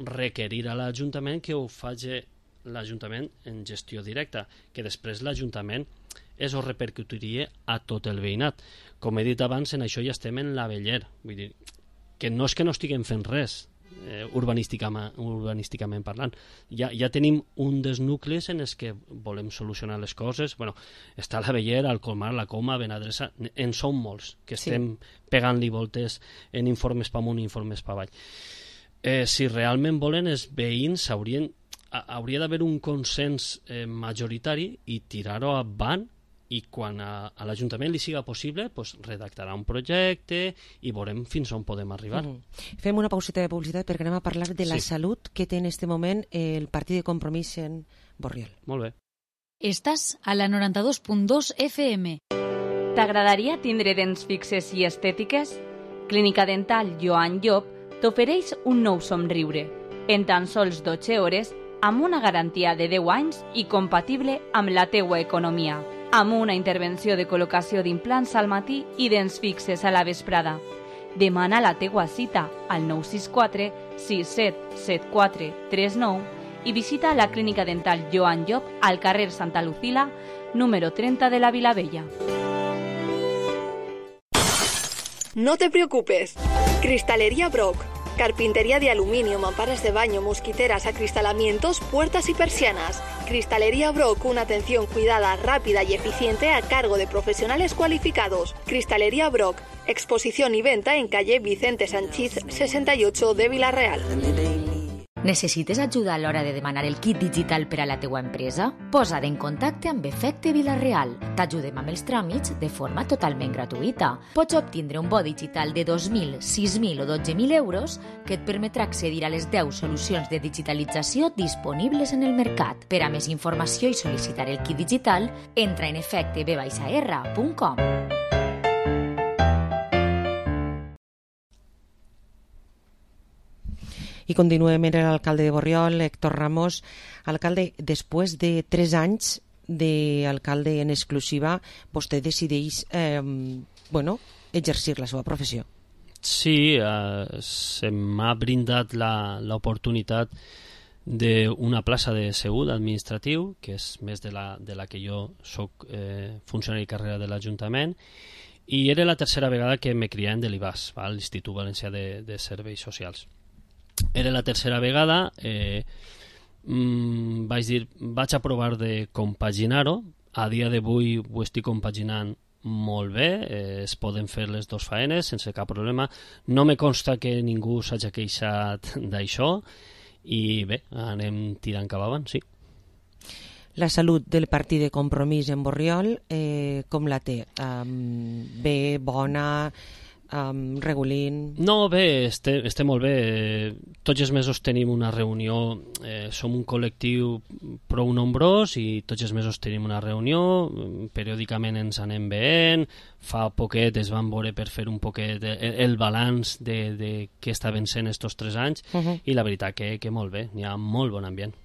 requerir a l'Ajuntament que ho faci l'Ajuntament en gestió directa, que després l'Ajuntament es ho repercutiria a tot el veïnat. Com he dit abans, en això ja estem en l'aveller. Vull dir, que no és que no estiguem fent res, eh, urbanísticament, urbanísticament parlant. Ja, ja tenim un dels nuclis en els que volem solucionar les coses. Bueno, està l'aveller, el Colmar, la Coma, Benadressa, en són molts, que estem sí. pegant-li voltes en informes pa amunt i informes pa avall. Eh, si realment volen, els veïns haurien hauria d'haver un consens eh, majoritari i tirar-ho avant, i quan a, a l'Ajuntament li siga possible pues, redactarà un projecte i veurem fins on podem arribar. Mm. Fem una pauseta de publicitat perquè anem a parlar de la sí. salut que té en este moment el Partit de Compromís en Borriol. Molt bé. Estàs a la noranta-dos punt dos F M. T'agradaria tindre dents fixes i estètiques? Clínica Dental Joan Llop t'ofereix un nou somriure. En tan sols dotze hores, amb una garantia de deu anys i compatible amb la teua economia, amb una intervenció de col·locació d'implants al matí i dents fixes a la vesprada. Demana la teua cita al nou sis quatre sis set set quatre tres nou i visita la Clínica Dental Joan Llop al carrer Santa Lucila, número treinta de la Vilavella. No te preocupes. Cristalería Brock. Carpintería de aluminio, mamparas de baño, mosquiteras, acristalamientos, puertas y persianas. Cristalería Brock, una atención cuidada, rápida y eficiente a cargo de profesionales cualificados. Cristalería Brock, exposición y venta en calle Vicente Sanchís sesenta y ocho de Vila-real. Necessites ajuda a l'hora de demanar el kit digital per a la teua empresa? Posa't en contacte amb Efecte Vila-real. T'ajudem amb els tràmits de forma totalment gratuïta. Pots obtindre un bo digital de dos mil, sis mil o dotze mil euros que et permetrà accedir a les deu solucions de digitalització disponibles en el mercat. Per a més informació i sol·licitar el kit digital, entra en efecte b r punt com. I continuem amb l'alcalde de Borriol, Héctor Ramos. Alcalde, després de tres anys d'alcalde en exclusiva, vostè decideix eh, bueno, exercir la seva professió. Sí, eh, se m'ha brindat l'oportunitat d'una plaça de segut administratiu, que és més de la, de la que jo soc eh, funcionari de carrera de l'Ajuntament, i era la tercera vegada que me criaven de l'I B A S, l'Institut Valencià de, de Serveis Socials. Era la tercera vegada, eh, mmm, vaig dir, vaig a provar de compaginar-ho. A dia d'avui ho estic compaginant molt bé, eh, es poden fer les dues faenes sense cap problema. No me consta que ningú s'hagi queixat d'això i bé, anem tirant cap avant, sí. La salut del Partit de Compromís en Borriol, eh, com la té? Um, bé, bona... Um, regulint... No, bé, estem, estem molt bé. Tots els mesos tenim una reunió, eh, som un col·lectiu prou nombrós i tots els mesos tenim una reunió, periòdicament ens anem veient, fa poquet es van veure per fer un poquet el, el balanç de, de què estaven sent estos tres anys uh-huh. i la veritat que, que molt bé, n'hi ha molt bon ambient.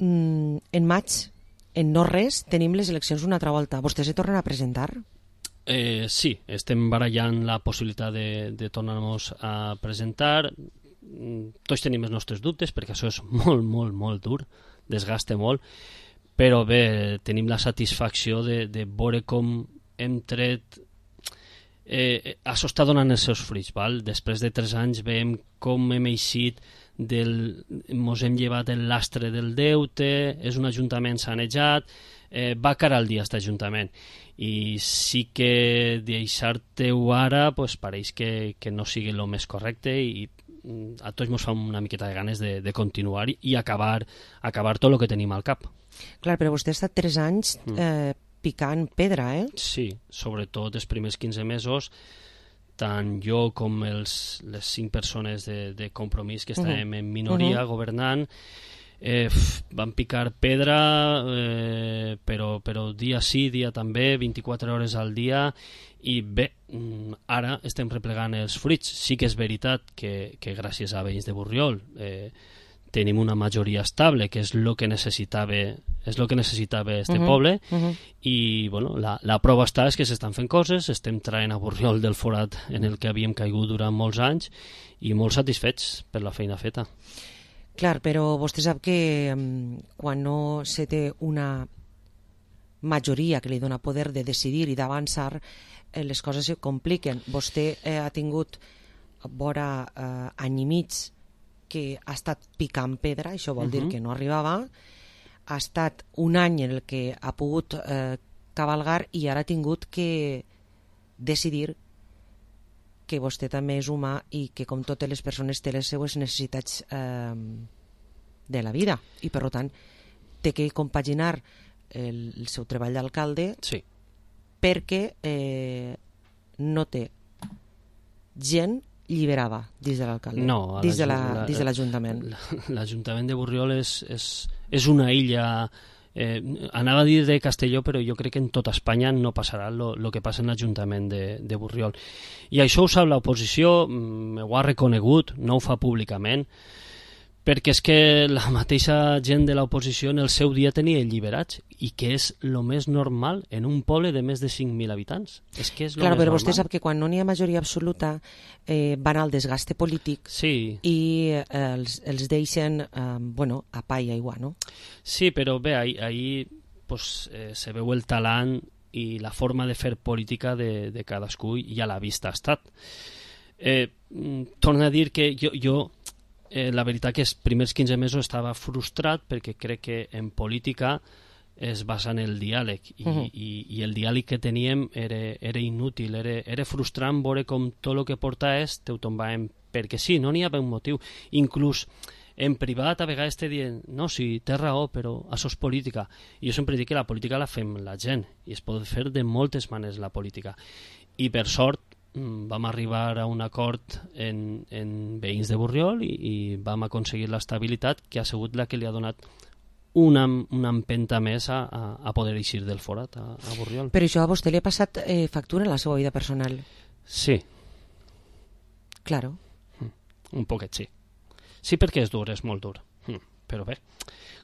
Mm, en maig en no res tenim les eleccions una altra volta. Vostès se tornen a presentar? Eh, sí, estem barallant la possibilitat de, de tornar-nos a presentar. Tots tenim els nostres dubtes, perquè això és molt, molt, molt dur, desgasta molt, però bé, tenim la satisfacció de, de veure com hem tret... Eh, això està donant els seus fruits, val? Després de tres anys veiem com hem eixit del... mos hem llevat el lastre del deute, és un ajuntament sanejat, eh, va cara al dia aquest ajuntament, i sí que deixar-te-ho ara pues, pareix que, que no sigui el més correcte, i a tots ens fa una miqueta de ganes de, de continuar i acabar, acabar tot el que tenim al cap. Clar, però vostè ha estat tres anys eh, picant pedra, eh? Sí, sobretot els primers quinze mesos, tant jo com els, les cinc persones de, de Compromís que estàvem uh-huh. en minoria uh-huh. governant, eh, van picar pedra, eh, però, però dia sí, dia també, vint-i-quatre hores al dia, i bé, ara estem replegant els fruits. Sí que és veritat que, que gràcies a veïns de Borriol eh, tenim una majoria estable, que és el que necessitava és el que necessitava este uh-huh, poble, uh-huh. i bueno, la, la prova està és que s'estan fent coses, estem traient a Borriol del forat en el que havíem caigut durant molts anys, i molt satisfets per la feina feta. Clar, però vostè sap que um, quan no se té una majoria que li dona poder de decidir i d'avançar, eh, les coses se compliquen. Vostè eh, ha tingut vora eh, any i mig que ha estat picant pedra, això vol uh-huh. dir que no arribava, ha estat un any en el que ha pogut eh, cavalgar, i ara ha tingut que decidir que vostè també és humà i que, com totes les persones, té les seues necessitats eh, de la vida, i per tant té que compaginar el, el seu treball d'alcalde sí. perquè eh, no té gent lliberada dins de l'alcalde, no, dins de la, dins de l'Ajuntament. L'Ajuntament de Borriol és, és, és una illa, eh, anava a dir de Castelló, però jo crec que en tota Espanya no passarà el que passa en l'Ajuntament de, de Borriol. I això ho sap l'oposició, ho ha reconegut, no ho fa públicament, perquè és que la mateixa gent de l'oposició en el seu dia tenia alliberats, i que és el més normal en un poble de més de cinc mil habitants. És que és lo claro, més però normal. Vostè sap que quan no n'hi ha majoria absoluta eh, van al desgaste polític sí. i eh, els, els deixen eh, bueno, a pa i aigua, no? Sí, però bé, ahí, ahí pues, eh, se veu el talent i la forma de fer política de, de cadascú, i a la vista ha estat. Eh, torno a dir que jo... jo Eh, la veritat que els primers quinze mesos estava frustrat, perquè crec que en política es basa en el diàleg, i, uh-huh. i, i el diàleg que teníem era, era inútil, era, era frustrant veure com tot el que portaves te ho tombàvem, perquè sí, no n'hi havia un motiu. Inclús en privat a vegades te diuen no, sí, té raó, però això és política. I jo sempre dic que la política la fem la gent, i es pot fer de moltes maneres la política. I per sort vam arribar a un acord en, en veïns de Borriol, i, i vam aconseguir l'estabilitat que ha sigut la que li ha donat una, una empenta més a, a, a poder eixir del forat a, a Borriol. Però això a vostè li ha passat eh, factura en la seva vida personal? Sí. Claro. Mm, un poquet, sí. Sí, perquè és dur, és molt dur. Mm, però bé,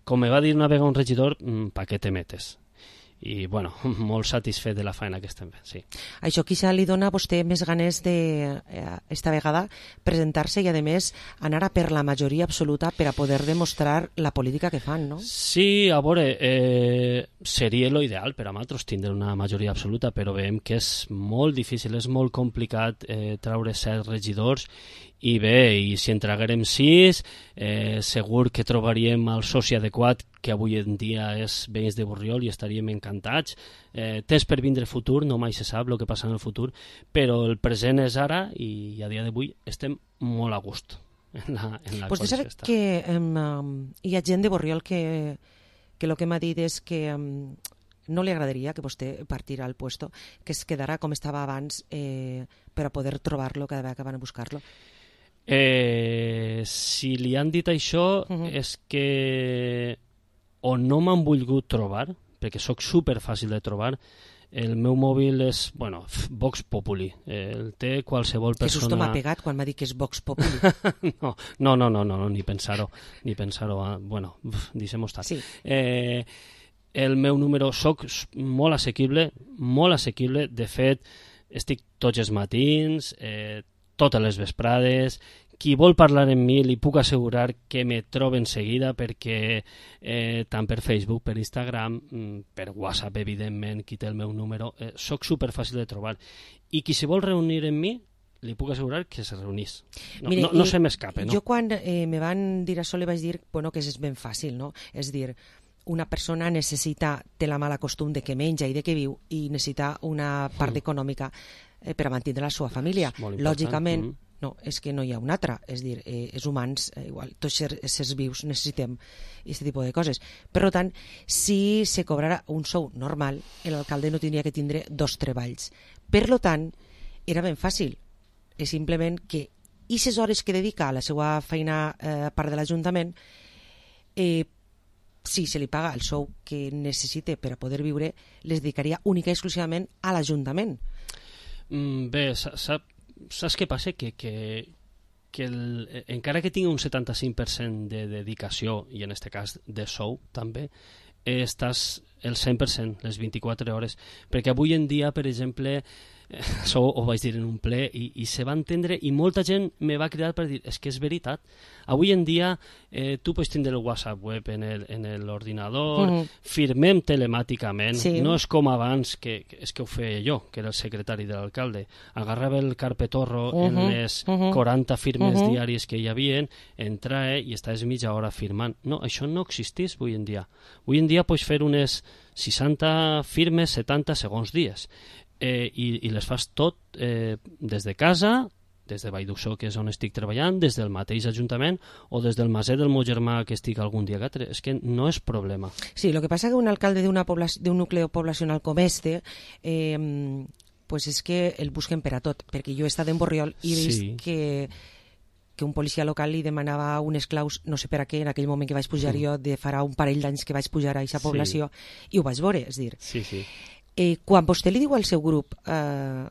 com me va dir una vegada un regidor, mm, pa què te metes? I, bueno, molt satisfet de la feina que estem fent, sí. Això quizá li dona a vostè més ganes de, eh, esta vegada, presentar-se i, a més, anar a per la majoria absoluta per a poder demostrar la política que fan, no? Sí, a veure, eh, seria lo ideal per a nosaltres tindre una majoria absoluta, però veiem que és molt difícil, és molt complicat eh, treure set regidors, i bé, i si en traguérem sis, eh, segur que trobaríem el soci adequat, que avui en dia és veïns de Borriol, i estaríem encantats. Eh, temps per vindre el futur, no mai se sap el que passa en el futur, però el present és ara, i a dia d'avui estem molt a gust en la, en la Vostè sap que um, hi ha gent de Borriol que, que el que m'ha dit és que um, no li agradaria que vostè partirà al puesto, que es quedarà com estava abans eh, per a poder trobar-lo cada vegada que van a buscar-lo. Eh, si li han dit això, uh-huh. és que o no m'han volgut trobar, perquè sóc super fàcil de trobar. El meu mòbil és, bueno, Vox Populi, eh, el té qualsevol persona... Que susto m'ha pegat quan m'ha dit que és Vox Populi. no, no, no, no, no, ni pensar-ho, ni pensar-ho, ah, bueno, deixem-ho estar. Sí. Eh, el meu número, soc molt assequible, molt assequible, de fet, estic tots els matins, eh, totes les vesprades. Qui vol parlar amb mi li puc assegurar que me troba en seguida, perquè eh, tant per Facebook, per Instagram, per WhatsApp, evidentment, qui té el meu número, eh, soc superfàcil de trobar. I qui se vol reunir amb mi, li puc assegurar que se reunís. No, Mire, no, no se m'escape, no? Jo quan eh, me van dir això li vaig dir bueno, que és ben fàcil, no? És dir, una persona necessita, té la mala costum de que menja i de que viu i necessita una part mm. econòmica eh, per a mantenir la seva família. Lògicament, mm. no, és que no hi ha una altra, és dir, eh, els humans, eh, igual, tots els éssers vius necessitem aquest tipus de coses. Per tant, si se cobrara un sou normal, l'alcalde no tindria que tindre dos treballs. Per tant, era ben fàcil. És simplement que aquestes hores que dedica a la seva feina eh, part de l'Ajuntament, eh, si se li paga el sou que necessite per a poder viure, les dedicaria única i exclusivament a l'Ajuntament. Mm, bé, sap, saps què passa? Que, que, que el, encara que tingui un setanta-cinc per cent de dedicació, i en aquest cas de sou també, eh, estàs el cent per cent, les vint-i-quatre hores, perquè avui en dia, per exemple, això ho vaig dir en un ple i, i se va entendre, i molta gent me va cridar per dir, és que és veritat, avui en dia eh, tu pots tindre el WhatsApp web en l'ordinador, uh -huh. firmem telemàticament, sí. No és com abans, que, que és que ho feia jo, que era el secretari de l'alcalde, agarrava el carpetorro uh -huh. en les uh -huh. quaranta firmes uh -huh. diàries que hi havia, entrava i estaves mitja hora firmant. No, això no existís avui en dia. Avui en dia pots fer unes seixanta firmes, setanta segons dies. Eh, i, i les fas tot eh, des de casa, des de Valldussó, que és on estic treballant, des del mateix Ajuntament o des del maset del meu germà que estic algun dia que altre. És que no és problema. Sí, el que passa que un alcalde d'un nucli poblacional com este eh, pues és que el busquen per a tot, perquè jo he estat en Borriol i he vist sí. que que un policia local li demanava unes claus, no sé per a què, en aquell moment que vaig pujar sí. jo, de farà un parell d'anys que vaig pujar a aquesta població, sí. i ho vaig veure, és dir... Sí, sí. Eh, quan vostè li diu al seu grup eh,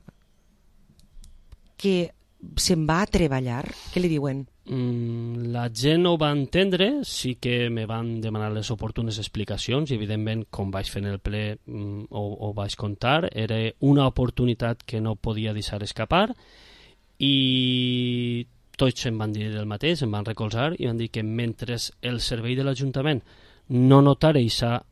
que se'n va a treballar, què li diuen? Mm, la gent ho va entendre, sí que me van demanar les oportunes explicacions i evidentment, com vaig fer en el ple, mm, ho, ho vaig contar, era una oportunitat que no podia deixar escapar i tots em van dir el mateix, em van recolzar i van dir que mentre el servei de l'Ajuntament no notara aquesta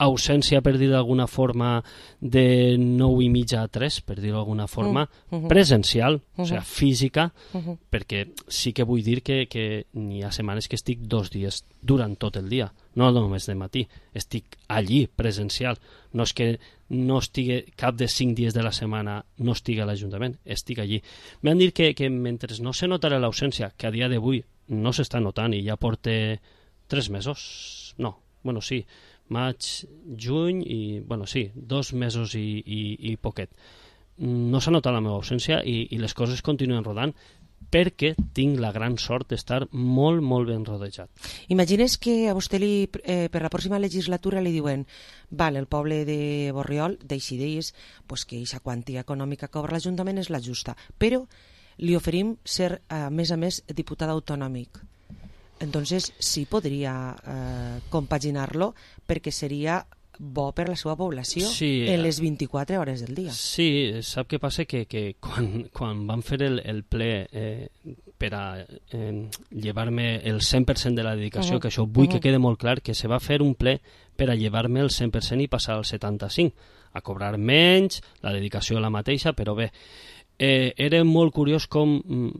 ausència, per dir d'alguna forma, de nou i mitja a tres, per dir d'alguna forma, uh -huh. presencial, uh -huh. o sigui, física, uh -huh. perquè sí que vull dir que, que n'hi ha setmanes que estic dos dies durant tot el dia, no només de matí, estic allí, presencial. No és que no estigui cap de cinc dies de la setmana, no estigui a l'Ajuntament, estic allí. M'han dit que, que mentre no se notarà l'ausència, que a dia d'avui no s'està notant i ja porta tres mesos, no, bueno, sí, maig, juny i, bueno, sí, dos mesos i, i, i poquet. No s'ha notat la meva ausència i, i les coses continuen rodant perquè tinc la gran sort d'estar molt, molt ben rodejat. Imagines que a vostè li, eh, per la pròxima legislatura li diuen val, el poble de Borriol decideix pues, que aquesta quantia econòmica que cobra l'Ajuntament és la justa, però li oferim ser, a més a més, diputat autonòmic. Entonces sí podria eh, compaginar-lo perquè seria bo per la seva població sí, en les vint-i-quatre hores del dia. Sí, sap què passa? Que, que quan, quan van fer el, el ple eh, per a eh, llevar-me el cent per cent de la dedicació, uh -huh. que això vull uh -huh. que quede molt clar, que se va fer un ple per a llevar-me el cent per cent i passar al setanta-cinc, a cobrar menys, la dedicació la mateixa, però bé, eh, era molt curiós com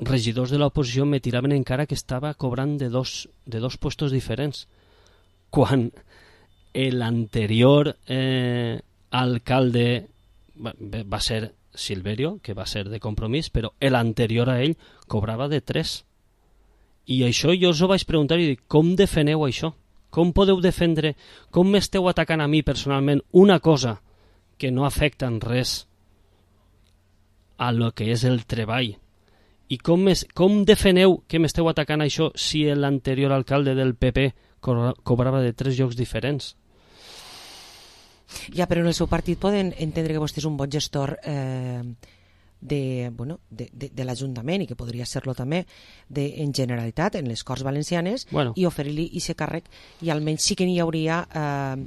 regidors de l'oposició me tiraven encara que estava cobrant de dos, de dos puestos diferents, quan l'anterior eh, alcalde va, va ser Silverio, que va ser de Compromís, però l'anterior a ell cobrava de tres. I això jo us ho vaig preguntar i dic, com defeneu això? Com podeu defendre, com m'esteu atacant a mi personalment una cosa que no afecta en res a lo que és el treball? I com, es, com defeneu que m'esteu atacant això si l'anterior alcalde del P P co cobrava de tres llocs diferents? Ja, però en el seu partit poden entendre que vostè és un bon gestor eh, de, bueno, de, de, de l'Ajuntament i que podria ser-lo també de, en Generalitat, en les Corts Valencianes, bueno. I oferir-li aquest càrrec i almenys sí que n'hi hauria eh,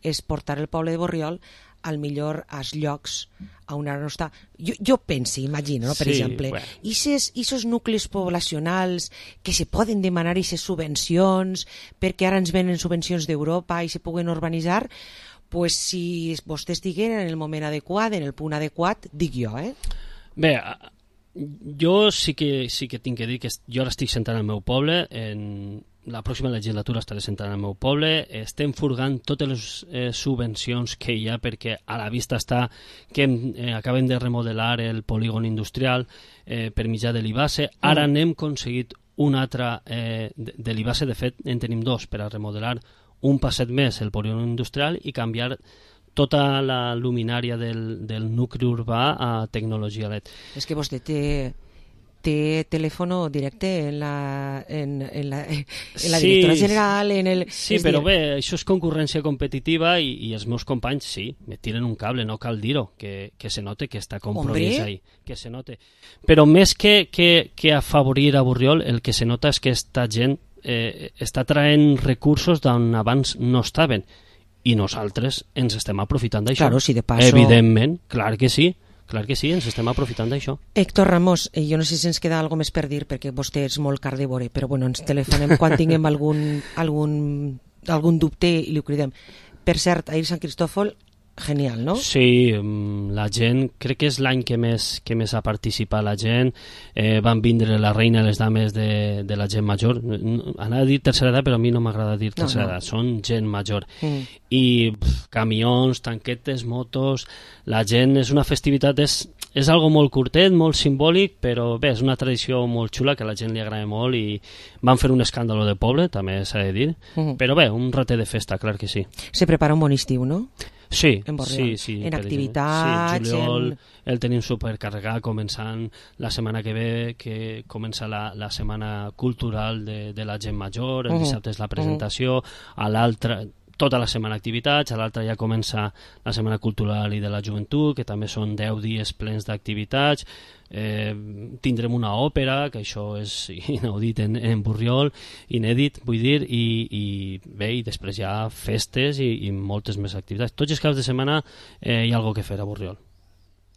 és portar el poble de Borriol al millor als llocs on ara no està. Jo, jo penso, imagino, no? Per sí, exemple, bueno. i aquests nuclis poblacionals que se poden demanar aquestes subvencions perquè ara ens venen subvencions d'Europa i se puguen urbanitzar, pues si vostès diguen en el moment adequat, en el punt adequat, dic jo, eh? Bé, jo sí que, sí que tinc que dir que jo ara estic sentant al meu poble, en la pròxima legislatura estaré sentant al meu poble, estem furgant totes les eh, subvencions que hi ha perquè a la vista està que eh, acabem de remodelar el polígon industrial eh, per mitjà de l'I B A S E. Ara mm. n'hem aconseguit un altre eh, de, de l'I B A S E, de fet en tenim dos per a remodelar un passet més el polígon industrial i canviar tota la luminària del, del nucli urbà a tecnologia L E D. És que vostè té... té telèfon directe en la, en, en la, en la sí, directora general, en el... Sí, però dir... bé, això és concurrència competitiva i, i els meus companys, sí, me tiren un cable, no cal dir-ho, que, que se note que està compromís ahí, que se note. Però més que, que, que afavorir a Borriol, el que se nota és que esta gent eh, està traient recursos d'on abans no estaven i nosaltres ens estem aprofitant d'això. Claro, si de paso... Evidentment, clar que sí. Clar que sí, ens estem aprofitant d'això. Héctor Ramos, eh, jo no sé si ens queda alguna més per dir, perquè vostè és molt carnívore, però bueno, ens telefonem quan tinguem algun, algun, algun dubte i li cridem. Per cert, ahir Sant Cristòfol, genial, no? Sí, la gent, crec que és l'any que més, que més ha participat la gent, eh, van vindre la reina i les dames de, de la gent major, anava a dir tercera edat, però a mi no m'agrada dir tercera no, no. edat, són gent major. Mm. I pff, camions, tanquetes, motos, la gent, és una festivitat, és, és algo molt curtet, molt simbòlic, però bé, és una tradició molt xula que a la gent li agrada molt i van fer un escàndalo de poble, també s'ha de dir, mm. però bé, un ratet de festa, clar que sí. Se prepara un bon estiu, no? Sí, en sí, sí, en activitats, sí, juliol en... el tenim supercarregat, començant la setmana que ve, que comença la, la setmana cultural de, de la gent major, el uh -huh. dissabte és la presentació, uh -huh. a l'altra tota la setmana activitats, a l'altra ja comença la setmana cultural i de la joventut, que també són deu dies plens d'activitats. Eh, tindrem una òpera, que això és inaudit en, en Borriol, inèdit, vull dir, i, i bé, i després hi ha festes i, i moltes més activitats. Tots els caps de setmana eh, hi ha alguna que fer a Borriol.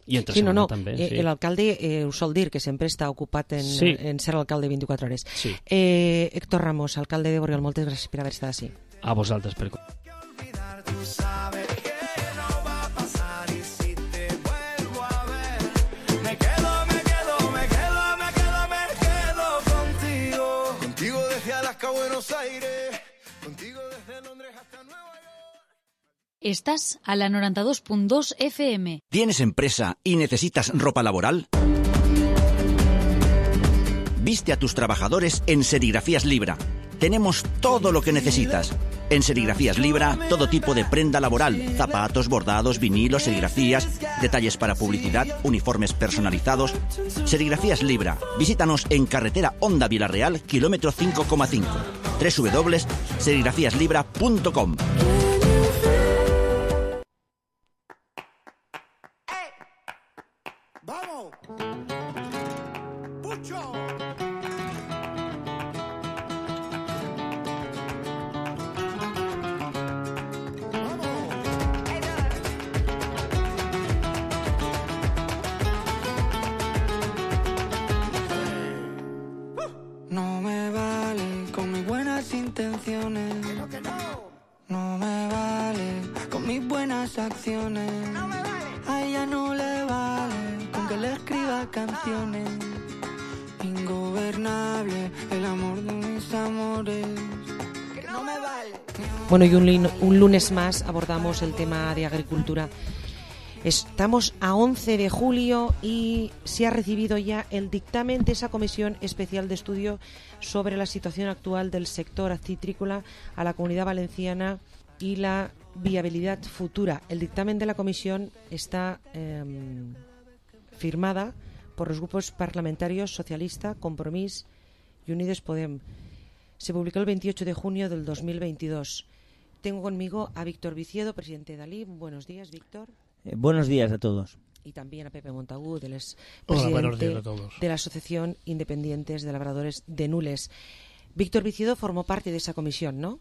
I entre sí, no, no. també. Eh, sí. L'alcalde eh, us sol dir que sempre està ocupat en, sí. en ser alcalde vint-i-quatre hores. Sí. Eh, Héctor Ramos, alcalde de Borriol, moltes gràcies per haver estat així. A vosaltres per... Estás a la noventa y dos punto dos F M. ¿Tienes empresa y necesitas ropa laboral? Viste a tus trabajadores en Serigrafías Libra. Tenemos todo lo que necesitas. En Serigrafías Libra, todo tipo de prenda laboral, zapatos, bordados, vinilos, serigrafías, detalles para publicidad, uniformes personalizados. Serigrafías Libra. Visítanos en carretera Honda Vilarreal, kilómetro cinco coma cinco. doble u doble u doble u punto serigrafías libra punto com. ¡Vamos! ¡Pucho! No me vale con mis buenas intenciones. No me vale con mis buenas acciones. A ella no le vale con que le escriba canciones. Ingobernable el amor de mis amores. No me vale. Bueno, y un, un lunes más abordamos el tema de agricultura. Estamos a once de julio y se ha recibido ya el dictamen de esa comisión especial de estudio sobre la situación actual del sector acitrícola a la Comunidad Valenciana y la viabilidad futura. El dictamen de la comisión está eh, firmada por los grupos parlamentarios Socialista, Compromís y Unides Podem. Se publicó el veintiocho de junio del dos mil veintidós. Tengo conmigo a Víctor Viciedo, presidente de Dalí. Buenos días, Víctor. Eh, buenos días a todos. Y también a Pepe Montagut, el es Hola, buenos presidente días a todos. de la Asociación Independientes de Labradores de Nules. Víctor Vicido formó parte de esa comisión, ¿no?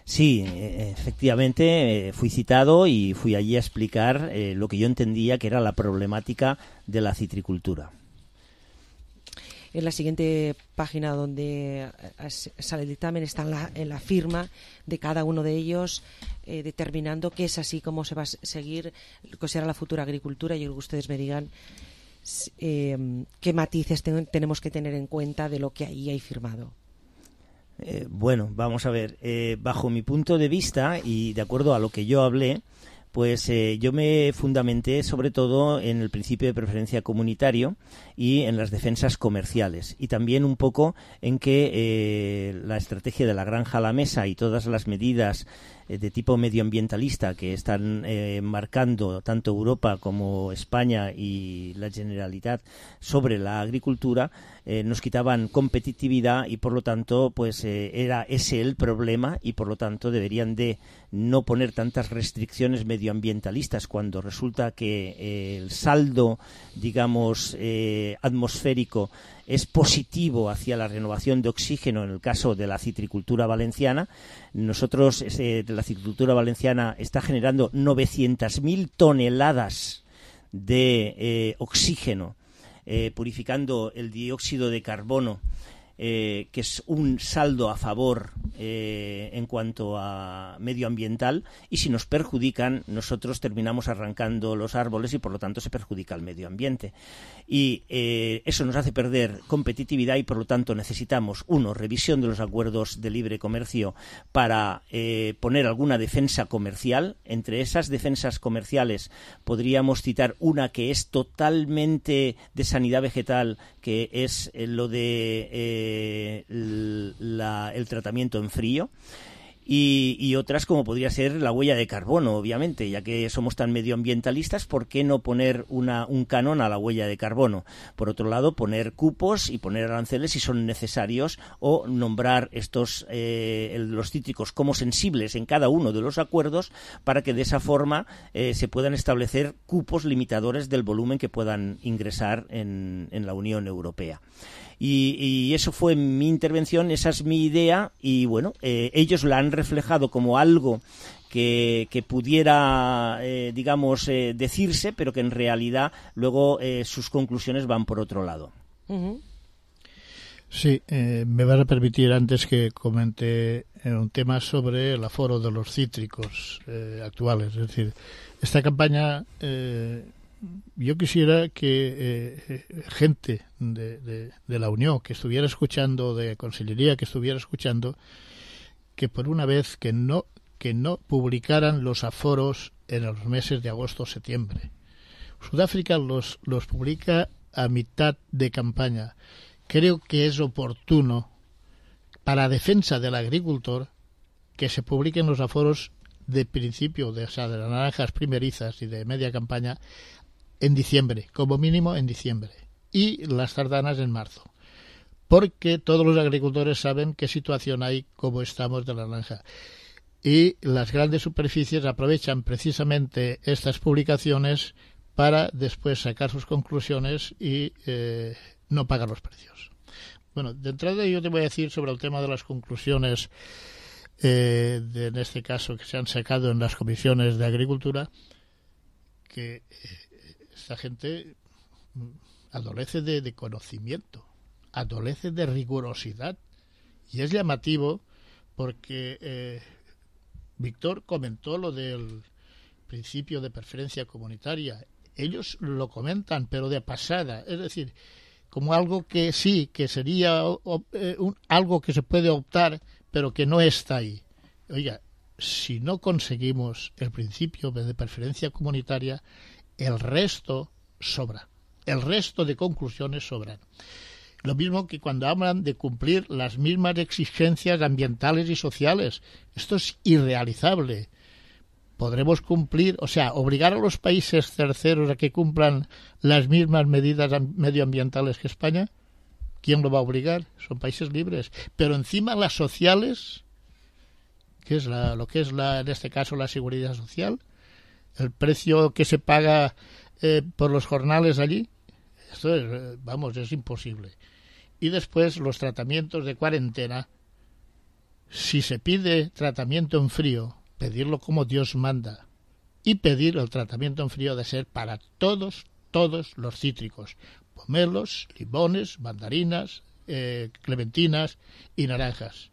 Sí, efectivamente, eh, fui citado y fui allí a explicar eh, lo que yo entendía que era la problemática de la citricultura. En la siguiente página donde sale el dictamen está en la, en la firma de cada uno de ellos, eh, determinando que es así como se va a seguir lo que será la futura agricultura. Y que ustedes me digan eh, qué matices ten, tenemos que tener en cuenta de lo que ahí hay firmado. Eh, bueno, vamos a ver. Eh, bajo mi punto de vista y de acuerdo a lo que yo hablé, pues eh, yo me fundamenté sobre todo en el principio de preferencia comunitario y en las defensas comerciales, y también un poco en que eh, la estrategia de la granja a la mesa y todas las medidas eh, de tipo medioambientalista que están eh, marcando tanto Europa como España y la Generalitat sobre la agricultura eh, nos quitaban competitividad, y por lo tanto pues eh, era ese el problema, y por lo tanto deberían de no poner tantas restricciones medioambientalistas cuando resulta que eh, el saldo, digamos, eh, atmosférico es positivo hacia la renovación de oxígeno en el caso de la citricultura valenciana. Nosotros, eh, la citricultura valenciana está generando novecientas mil toneladas de eh, oxígeno, eh, purificando el dióxido de carbono, eh, que es un saldo a favor eh, en cuanto a medioambiental, y si nos perjudican, nosotros terminamos arrancando los árboles y por lo tanto se perjudica el medio ambiente. Y eh, eso nos hace perder competitividad, y por lo tanto necesitamos, uno, revisión de los acuerdos de libre comercio para eh, poner alguna defensa comercial. Entre esas defensas comerciales podríamos citar una que es totalmente de sanidad vegetal, que es eh, lo de eh, la, el tratamiento en frío. Y, y otras como podría ser la huella de carbono, obviamente, ya que somos tan medioambientalistas, ¿por qué no poner una, un canon a la huella de carbono? Por otro lado, poner cupos y poner aranceles si son necesarios, o nombrar estos eh, los cítricos como sensibles en cada uno de los acuerdos, para que de esa forma eh, se puedan establecer cupos limitadores del volumen que puedan ingresar en, en la Unión Europea. Y, y eso fue mi intervención, esa es mi idea, y bueno, eh, ellos la han reflejado como algo que, que pudiera, eh, digamos, eh, decirse, pero que en realidad luego eh, sus conclusiones van por otro lado. Uh-huh. Sí, eh, me vas a permitir antes que comente un tema sobre el aforo de los cítricos eh, actuales. Es decir, esta campaña... Eh, yo quisiera que eh, gente de, de, de la Unión que estuviera escuchando, de Consellería que estuviera escuchando, que por una vez que no que no publicaran los aforos en los meses de agosto o septiembre. Sudáfrica los, los publica a mitad de campaña. Creo que es oportuno, para defensa del agricultor, que se publiquen los aforos de principio, de, o sea, de las naranjas primerizas y de media campaña, en diciembre, como mínimo en diciembre, y las tardanas en marzo, porque todos los agricultores saben qué situación hay, cómo estamos de la naranja, y las grandes superficies aprovechan precisamente estas publicaciones para después sacar sus conclusiones y eh, no pagar los precios. Bueno, de entrada yo te voy a decir sobre el tema de las conclusiones, eh, de, en este caso que se han sacado en las comisiones de agricultura, que eh, esta gente adolece de, de conocimiento, adolece de rigurosidad, y es llamativo porque eh, Víctor comentó lo del principio de preferencia comunitaria. Ellos lo comentan, pero de pasada, es decir, como algo que sí, que sería o, eh, un, algo que se puede optar, pero que no está ahí. Oiga, si no conseguimos el principio de preferencia comunitaria, el resto sobra. El resto de conclusiones sobran. Lo mismo que cuando hablan de cumplir las mismas exigencias ambientales y sociales. Esto es irrealizable. Podremos cumplir, o sea, obligar a los países terceros a que cumplan las mismas medidas medioambientales que España. ¿Quién lo va a obligar? Son países libres. Pero encima las sociales, que es la, lo que es la, en este caso la seguridad social, el precio que se paga eh, por los jornales allí, esto es, vamos, es imposible. Y después los tratamientos de cuarentena, Si se pide tratamiento en frío, pedirlo como Dios manda. Y pedir el tratamiento en frío de ser para todos, todos los cítricos. Pomelos, limones, mandarinas, eh, clementinas y naranjas.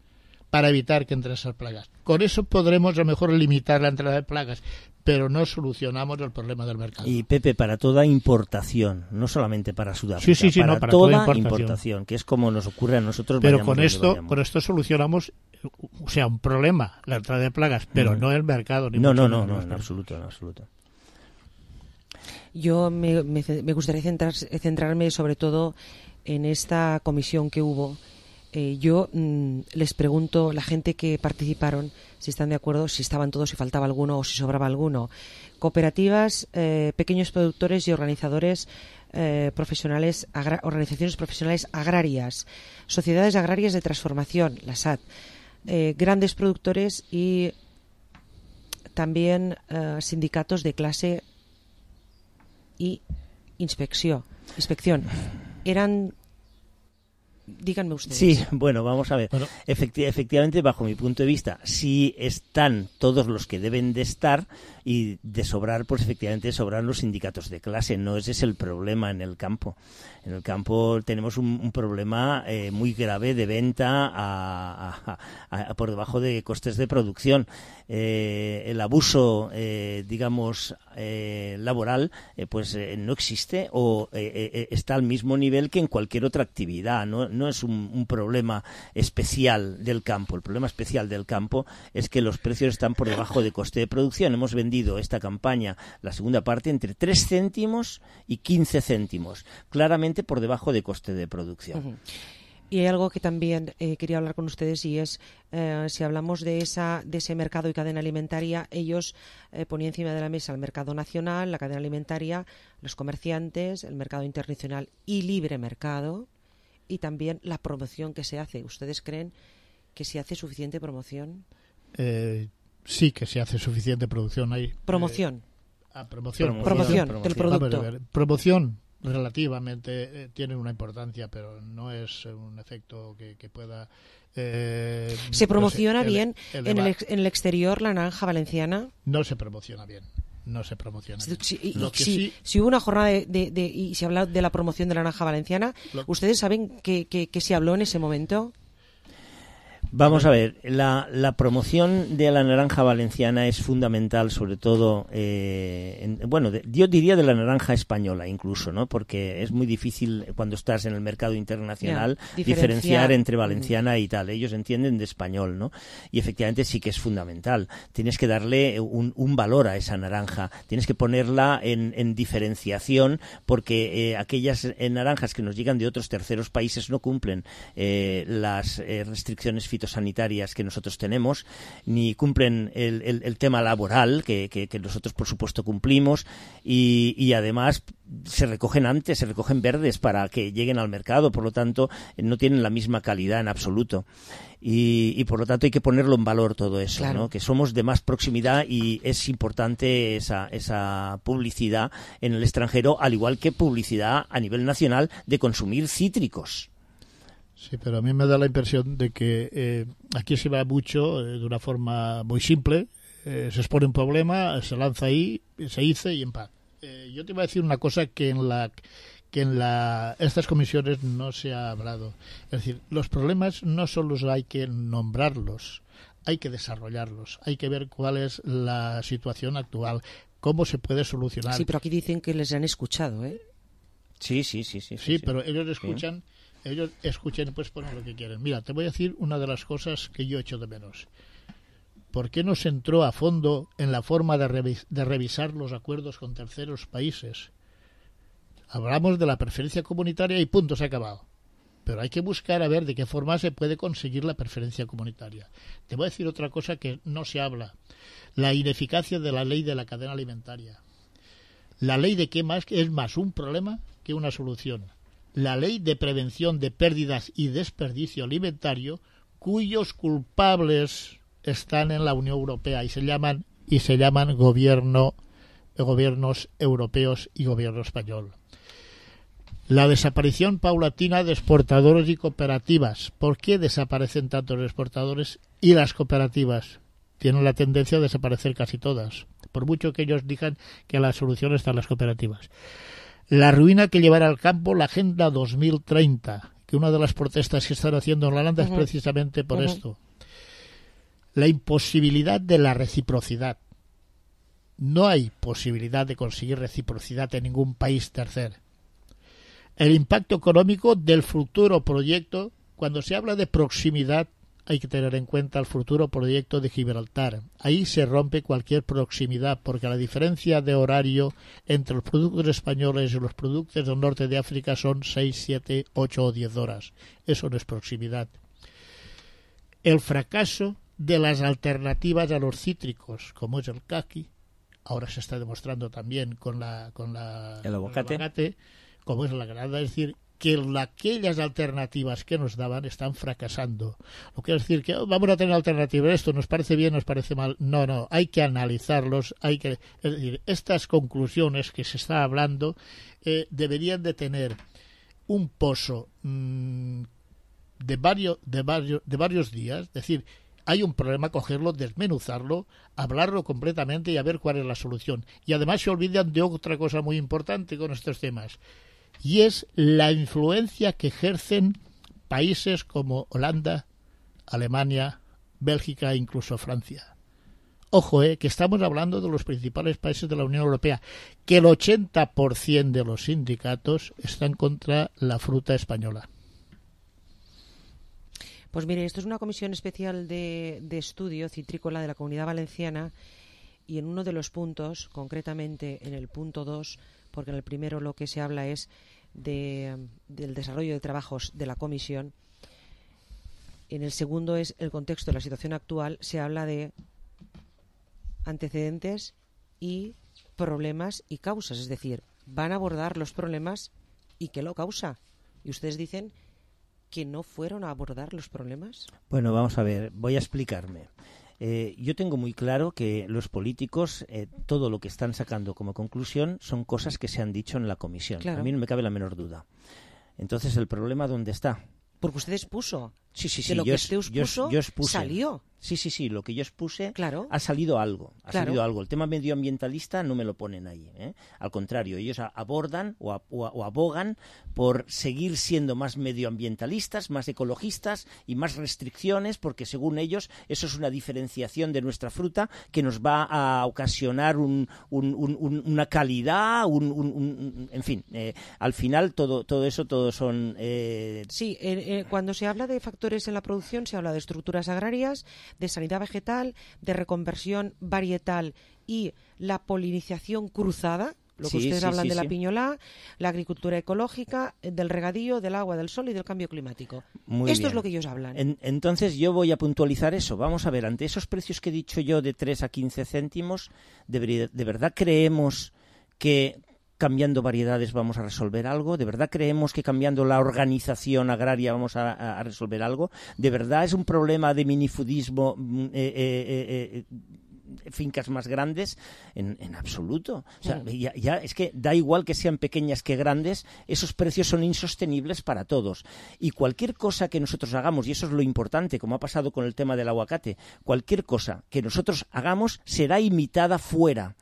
Para evitar que entren esas plagas. Con eso podremos a lo mejor limitar la entrada de plagas, pero no solucionamos el problema del mercado. Y Pepe, para toda importación, no solamente para Sudáfrica, sí, sí, sí, para, no, para toda, toda importación. importación, que es como nos ocurre a nosotros. Pero con esto, con esto solucionamos, o sea, un problema, la entrada de plagas, pero no, no el mercado. Ni no, mucho no, no, menos, no, en absoluto, en absoluto. Yo me, me, me gustaría centrar, centrarme sobre todo en esta comisión que hubo. Eh, yo mmm, les pregunto, la gente que participaron, si están de acuerdo, si estaban todos, si faltaba alguno o si sobraba alguno. Cooperativas, eh, pequeños productores y organizadores eh, profesionales, agra- organizaciones profesionales agrarias, sociedades agrarias de transformación, la S A T, eh, grandes productores y también eh, sindicatos de clase y inspección. inspección. Eran... Díganme ustedes. Sí, bueno, vamos a ver. Bueno. Efecti- efectivamente, bajo mi punto de vista, sí están todos los que deben de estar y de sobrar, pues efectivamente sobran los sindicatos de clase. No ese es el problema en el campo. En el campo tenemos un, un problema eh, muy grave de venta a, a, a, por debajo de costes de producción. Eh, el abuso, eh, digamos, eh, laboral, eh, pues eh, no existe o eh, eh, está al mismo nivel que en cualquier otra actividad. No, no es un, un problema especial del campo. El problema especial del campo es que los precios están por debajo de coste de producción. Hemos vendido esta campaña, la segunda parte, entre tres céntimos y quince céntimos. Claramente por debajo de coste de producción. Uh-huh. Y hay algo que también eh, quería hablar con ustedes y es, eh, si hablamos de esa de ese mercado y cadena alimentaria, ellos eh, ponían encima de la mesa el mercado nacional, la cadena alimentaria, los comerciantes, el mercado internacional y libre mercado, y también la promoción que se hace. ¿Ustedes creen que se hace suficiente promoción? Eh, sí, que se hace suficiente producción ahí. Promoción. Eh, ah, promoción. Promoción, promoción, promoción del producto. Vamos a ver, promoción. Relativamente eh, tiene una importancia, pero no es un efecto que, que pueda... Eh, ¿Se promociona no sé, bien ele- en, el ex, en el exterior la naranja valenciana? No se promociona bien. No se promociona bien. Si, y, Lo que si, sí, si hubo una jornada de, de, de, y se habla de la promoción de la naranja valenciana, lo, ¿ustedes saben que, que, que se habló en ese momento? Vamos a ver, la, la promoción de la naranja valenciana es fundamental, sobre todo, eh, en, bueno, de, yo diría de la naranja española incluso, ¿no? Porque es muy difícil cuando estás en el mercado internacional yeah, diferenciar. diferenciar entre valenciana mm. y tal. Ellos entienden de español, ¿no? Y efectivamente sí que es fundamental. Tienes que darle un, un valor a esa naranja, tienes que ponerla en, en diferenciación, porque eh, aquellas eh, naranjas que nos llegan de otros terceros países no cumplen eh, las eh, restricciones fitosanitarias sanitarias que nosotros tenemos, ni cumplen el, el, el tema laboral que, que, que nosotros por supuesto cumplimos, y, y además se recogen antes, se recogen verdes para que lleguen al mercado, por lo tanto no tienen la misma calidad en absoluto. Y, y por lo tanto hay que ponerlo en valor todo eso, claro, ¿no? Que somos de más proximidad y es importante esa, esa publicidad en el extranjero, al igual que publicidad a nivel nacional de consumir cítricos. Sí, pero a mí me da la impresión de que eh, aquí se va mucho eh, de una forma muy simple, eh, se expone un problema, se lanza ahí, se dice y en paz. Eh, yo te iba a decir una cosa que en la que en la estas comisiones no se ha hablado. Es decir, los problemas no solo hay que nombrarlos, hay que desarrollarlos, hay que ver cuál es la situación actual, cómo se puede solucionar. Sí, pero aquí dicen que les han escuchado, ¿eh? Sí, sí, sí. Sí, sí, sí, sí. pero ellos escuchan... Sí. Ellos escuchen y pues ponen lo que quieren. Mira, te voy a decir una de las cosas que yo echo de menos. ¿Por qué no se entró a fondo en la forma de, revis- de revisar los acuerdos con terceros países? Hablamos de la preferencia comunitaria y punto, se ha acabado. Pero hay que buscar a ver de qué forma se puede conseguir la preferencia comunitaria. Te voy a decir otra cosa que no se habla. La ineficacia de la ley de la cadena alimentaria. La ley de qué más es más un problema que una solución. La ley de prevención de pérdidas y desperdicio alimentario, cuyos culpables están en la Unión Europea y se llaman y se llaman gobierno, gobiernos europeos y gobierno español. La desaparición paulatina de exportadores y cooperativas. ¿Por qué desaparecen tantos exportadores y las cooperativas? Tienen la tendencia a desaparecer casi todas, por mucho que ellos digan que la solución está en las cooperativas. La ruina que llevará al campo la Agenda dos mil treinta, que una de las protestas que están haciendo en Holanda uh-huh. es precisamente por uh-huh. esto. La imposibilidad de la reciprocidad. No hay posibilidad de conseguir reciprocidad en ningún país tercero. El impacto económico del futuro proyecto. Cuando se habla de proximidad, hay que tener en cuenta el futuro proyecto de Gibraltar. Ahí se rompe cualquier proximidad, porque la diferencia de horario entre los productos españoles y los productos del norte de África son seis, siete, ocho o diez horas. Eso no es proximidad. El fracaso de las alternativas a los cítricos, como es el caqui, ahora se está demostrando también con la con la el aguacate, el aguacate como es la granada, es decir, que la, aquellas alternativas que nos daban están fracasando. Lo que es decir que oh, vamos a tener alternativas, esto nos parece bien, nos parece mal. No, no, hay que analizarlos, hay que, es decir, estas conclusiones que se está hablando eh, deberían de tener un pozo mmm, de varios de varios de varios días, es decir, hay un problema, cogerlo, desmenuzarlo, hablarlo completamente y a ver cuál es la solución. Y además se olvidan de otra cosa muy importante con estos temas, y es la influencia que ejercen países como Holanda, Alemania, Bélgica e incluso Francia. Ojo, eh, que estamos hablando de los principales países de la Unión Europea, que el ochenta por ciento de los sindicatos están contra la fruta española. Pues mire, esto es una comisión especial de, de estudio citrícola de la Comunidad Valenciana, y en uno de los puntos, concretamente en el punto dos, porque en el primero lo que se habla es de, del desarrollo de trabajos de la comisión, en el segundo es el contexto de la situación actual, se habla de antecedentes y problemas y causas, es decir, van a abordar los problemas y qué lo causa. Y ustedes dicen que no fueron a abordar los problemas. Bueno, vamos a ver, voy a explicarme. Eh, yo tengo muy claro que los políticos, eh, todo lo que están sacando como conclusión son cosas que se han dicho en la comisión. Claro. A mí no me cabe la menor duda. Entonces, ¿el problema dónde está? Porque usted expuso. Sí, sí, sí. De lo yo, que usted expuso, yo, yo expuse. Salió. Sí, sí, sí. Lo que yo expuse, claro. ha salido algo. Ha claro. salido algo. El tema medioambientalista no me lo ponen ahí, ¿eh? Al contrario, ellos abordan o, a, o, a, o abogan por seguir siendo más medioambientalistas, más ecologistas y más restricciones, porque según ellos eso es una diferenciación de nuestra fruta que nos va a ocasionar un, un, un, un, una calidad, un, un, un, en fin. Eh, al final todo, todo eso, todo son... Eh... Sí, eh, eh, cuando se habla de factores en la producción se habla de estructuras agrarias, de sanidad vegetal, de reconversión varietal y la polinización cruzada, lo que sí, ustedes sí, hablan sí, de la sí. piñolá, la agricultura ecológica, del regadío, del agua, del sol y del cambio climático. Muy Esto bien. es lo que ellos hablan. En, entonces yo voy a puntualizar eso. Vamos a ver, ante esos precios que he dicho yo de tres a quince céntimos, ¿de, de verdad creemos que cambiando variedades vamos a resolver algo? ¿De verdad creemos que cambiando la organización agraria vamos a, a resolver algo? ¿De verdad es un problema de minifudismo, eh, eh, eh, fincas más grandes? En, en absoluto. O sea, ya, ya es que da igual que sean pequeñas que grandes, esos precios son insostenibles para todos. Y cualquier cosa que nosotros hagamos, y eso es lo importante, como ha pasado con el tema del aguacate, cualquier cosa que nosotros hagamos será imitada fuera.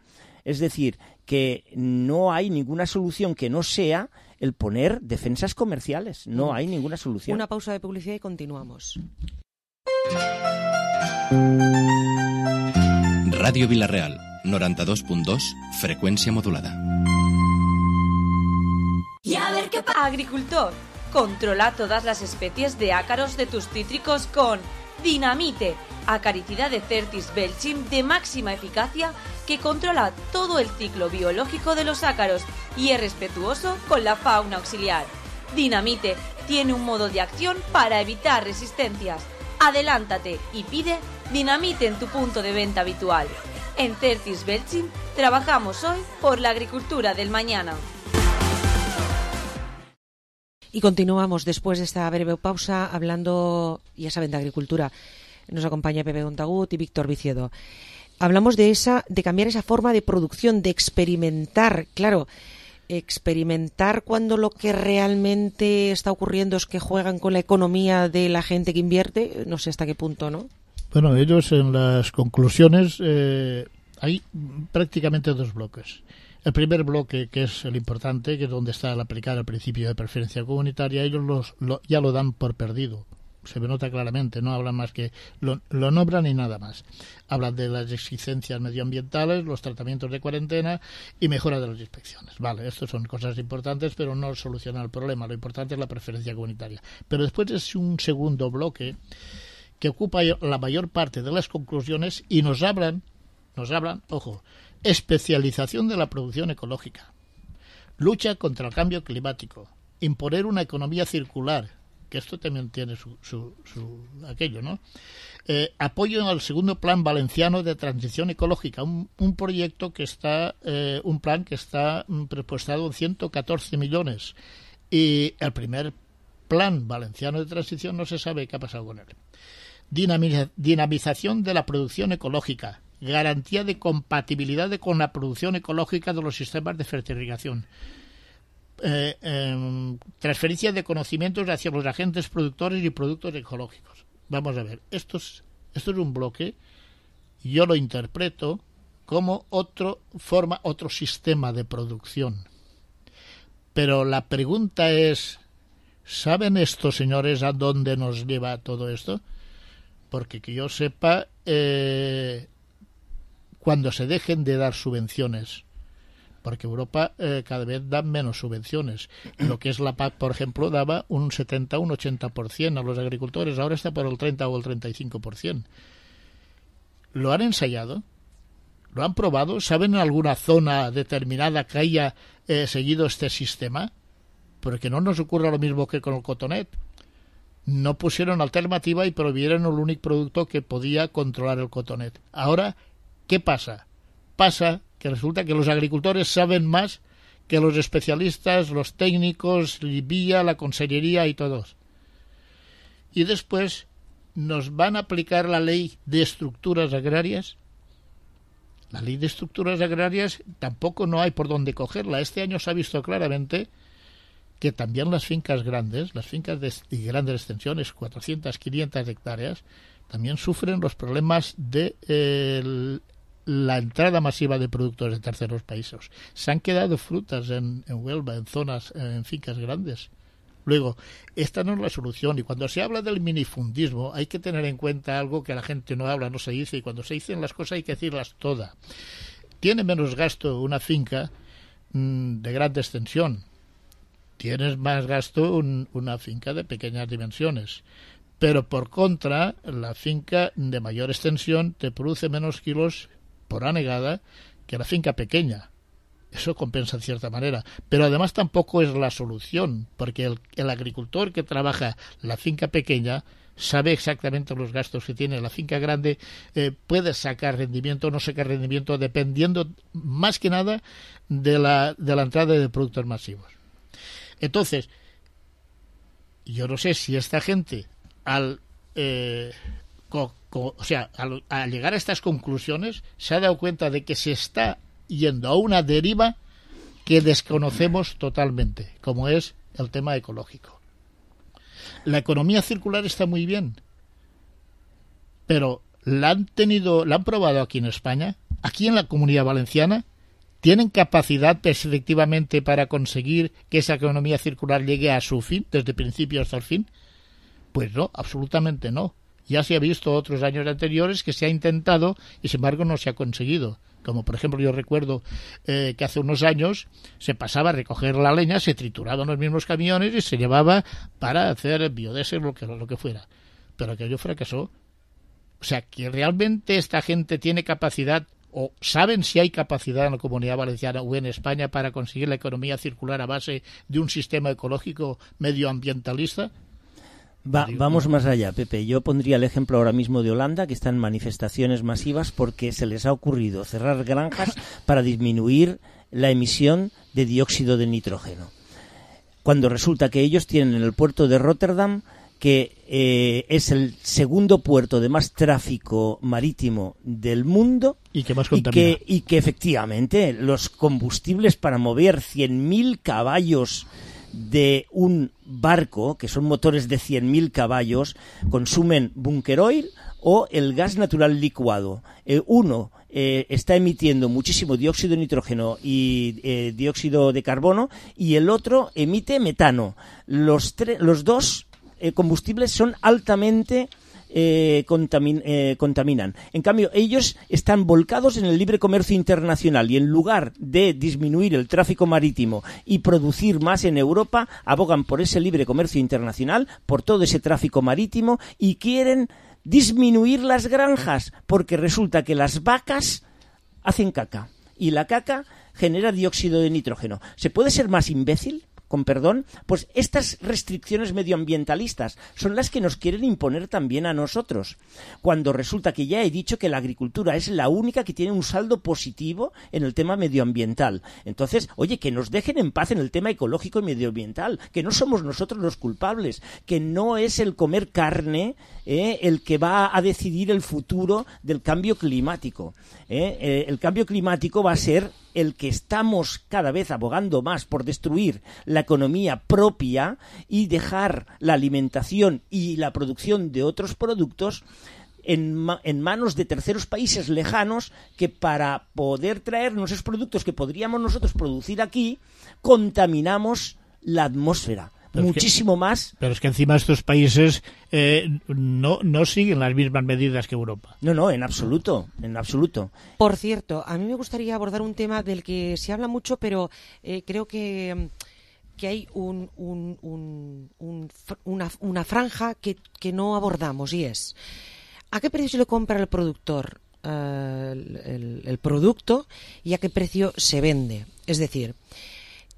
Es decir, que no hay ninguna solución que no sea el poner defensas comerciales. No hay ninguna solución. Una pausa de publicidad y continuamos. Radio Vilareal, noranta-dos punt dos, frecuencia modulada. Y a ver qué pasa. Agricultor, controla todas las especies de ácaros de tus cítricos con Dinamite, acaricida de Certis Belchim de máxima eficacia que controla todo el ciclo biológico de los ácaros y es respetuoso con la fauna auxiliar. Dinamite tiene un modo de acción para evitar resistencias. Adelántate y pide Dinamite en tu punto de venta habitual. En Certis Belchim trabajamos hoy por la agricultura del mañana. Y continuamos después de esta breve pausa hablando, ya saben, de agricultura. Nos acompaña Pepe Gontagut y Víctor Viciedo. Hablamos de esa, de cambiar esa forma de producción, de experimentar. Claro, experimentar cuando lo que realmente está ocurriendo es que juegan con la economía de la gente que invierte, no sé hasta qué punto, ¿no? Bueno, ellos en las conclusiones eh, hay prácticamente dos bloques. El primer bloque, que es el importante, que es donde está el aplicar el principio de preferencia comunitaria, ellos los, lo, ya lo dan por perdido. Se nota claramente, no hablan más que lo, lo nombran y nada más. Hablan de las exigencias medioambientales, los tratamientos de cuarentena y mejora de las inspecciones. Vale, estas son cosas importantes, pero no solucionan el problema. Lo importante es la preferencia comunitaria. Pero después es un segundo bloque que ocupa la mayor parte de las conclusiones y nos hablan, nos hablan, ojo, especialización de la producción ecológica, lucha contra el cambio climático, imponer una economía circular, que esto también tiene su, su, su aquello, ¿no? Eh, apoyo al segundo plan valenciano de transición ecológica, un, un proyecto que está, eh, un plan que está presupuestado en ciento catorce millones, y el primer plan valenciano de transición no se sabe qué ha pasado con él. Dinamiza, dinamización de la producción ecológica, garantía de compatibilidad de, con la producción ecológica de los sistemas de fertilización, eh, eh, transferencia de conocimientos hacia los agentes productores y productos ecológicos. Vamos a ver, esto es, esto es un bloque, yo lo interpreto como otro forma, otro sistema de producción. Pero la pregunta es, ¿saben estos señores a dónde nos lleva todo esto? Porque que yo sepa, eh, cuando se dejen de dar subvenciones, porque Europa eh, cada vez da menos subvenciones. Lo que es la P A C, por ejemplo, daba un setenta, un ochenta por ciento a los agricultores, ahora está por el treinta o el treinta y cinco por ciento. ¿Lo han ensayado? ¿Lo han probado? ¿Saben en alguna zona determinada que haya eh, seguido este sistema? Porque no nos ocurra lo mismo que con el cotonet. No pusieron alternativa y prohibieron el único producto que podía controlar el cotonet. Ahora, ¿qué pasa? Pasa que resulta que los agricultores saben más que los especialistas, los técnicos, Vía, la consellería y todos. Y después nos van a aplicar la ley de estructuras agrarias. La ley de estructuras agrarias tampoco no hay por dónde cogerla. Este año se ha visto claramente que también las fincas grandes, las fincas de, de grandes extensiones, cuatrocientas, quinientas hectáreas, también sufren los problemas de eh, la entrada masiva de productos de terceros países. Se han quedado frutas en, en Huelva, en zonas, en fincas grandes. Luego, esta no es la solución, y cuando se habla del minifundismo hay que tener en cuenta algo que la gente no habla, no se dice, y cuando se dicen las cosas hay que decirlas todas. Tiene menos gasto una finca mmm, de gran extensión. Tienes más gasto un, una finca de pequeñas dimensiones. Pero por contra, la finca de mayor extensión te produce menos kilos por anegada que la finca pequeña. Eso compensa en cierta manera. Pero además tampoco es la solución, porque el, el agricultor que trabaja la finca pequeña sabe exactamente los gastos que tiene. La finca grande eh, puede sacar rendimiento o no sacar rendimiento dependiendo más que nada de la, de la entrada de productos masivos. Entonces, yo no sé si esta gente, al, eh, co, co, o sea, al, al llegar a estas conclusiones, se ha dado cuenta de que se está yendo a una deriva que desconocemos totalmente, como es el tema ecológico. La economía circular está muy bien, pero la han tenido, la han probado aquí en España, aquí en la Comunidad Valenciana. ¿Tienen capacidad efectivamente para conseguir que esa economía circular llegue a su fin, desde el principio hasta el fin? Pues no, absolutamente no. Ya se ha visto otros años anteriores que se ha intentado y sin embargo no se ha conseguido. Como por ejemplo yo recuerdo eh, que hace unos años se pasaba a recoger la leña, se trituraba en los mismos camiones y se llevaba para hacer biodiesel o lo que, lo que fuera. Pero aquello fracasó. O sea, que realmente esta gente tiene capacidad, o saben si hay capacidad en la Comunidad Valenciana o en España para conseguir la economía circular a base de un sistema ecológico medioambientalista. Va, vamos más allá, Pepe. Yo pondría el ejemplo ahora mismo de Holanda, que está en manifestaciones masivas porque se les ha ocurrido cerrar granjas para disminuir la emisión de dióxido de nitrógeno. Cuando resulta que ellos tienen en el puerto de Rotterdam que eh, es el segundo puerto de más tráfico marítimo del mundo y que más y contamina. que, y que efectivamente los combustibles para mover cien mil caballos de un barco, que son motores de cien mil caballos, consumen bunker oil o el gas natural licuado. Eh, uno eh, está emitiendo muchísimo dióxido de nitrógeno y eh, dióxido de carbono y el otro emite metano. Los, tre- los dos eh, combustibles son altamente eh, contamin- eh, contaminan. En cambio, ellos están volcados en el libre comercio internacional y en lugar de disminuir el tráfico marítimo y producir más en Europa, abogan por ese libre comercio internacional, por todo ese tráfico marítimo y quieren disminuir las granjas, porque resulta que las vacas hacen caca y la caca genera dióxido de nitrógeno. ¿Se puede ser más imbécil? Con perdón, pues estas restricciones medioambientalistas son las que nos quieren imponer también a nosotros, cuando resulta que ya he dicho que la agricultura es la única que tiene un saldo positivo en el tema medioambiental. Entonces, oye, que nos dejen en paz en el tema ecológico y medioambiental, que no somos nosotros los culpables, que no es el comer carne eh, el que va a decidir el futuro del cambio climático. Eh, eh, el cambio climático va a ser el que estamos cada vez abogando más por destruir la economía propia y dejar la alimentación y la producción de otros productos en, ma- en manos de terceros países lejanos que para poder traernos esos productos que podríamos nosotros producir aquí, contaminamos la atmósfera. Pero muchísimo es que, más. Pero es que encima estos países eh, no, no siguen las mismas medidas que Europa. No, no, en absoluto, en absoluto. Por cierto, a mí me gustaría abordar un tema del que se habla mucho, pero eh, creo que, que hay un, un, un, un, una, una franja que, que no abordamos y es ¿a qué precio le compra el productor uh, el, el, el producto y a qué precio se vende? Es decir,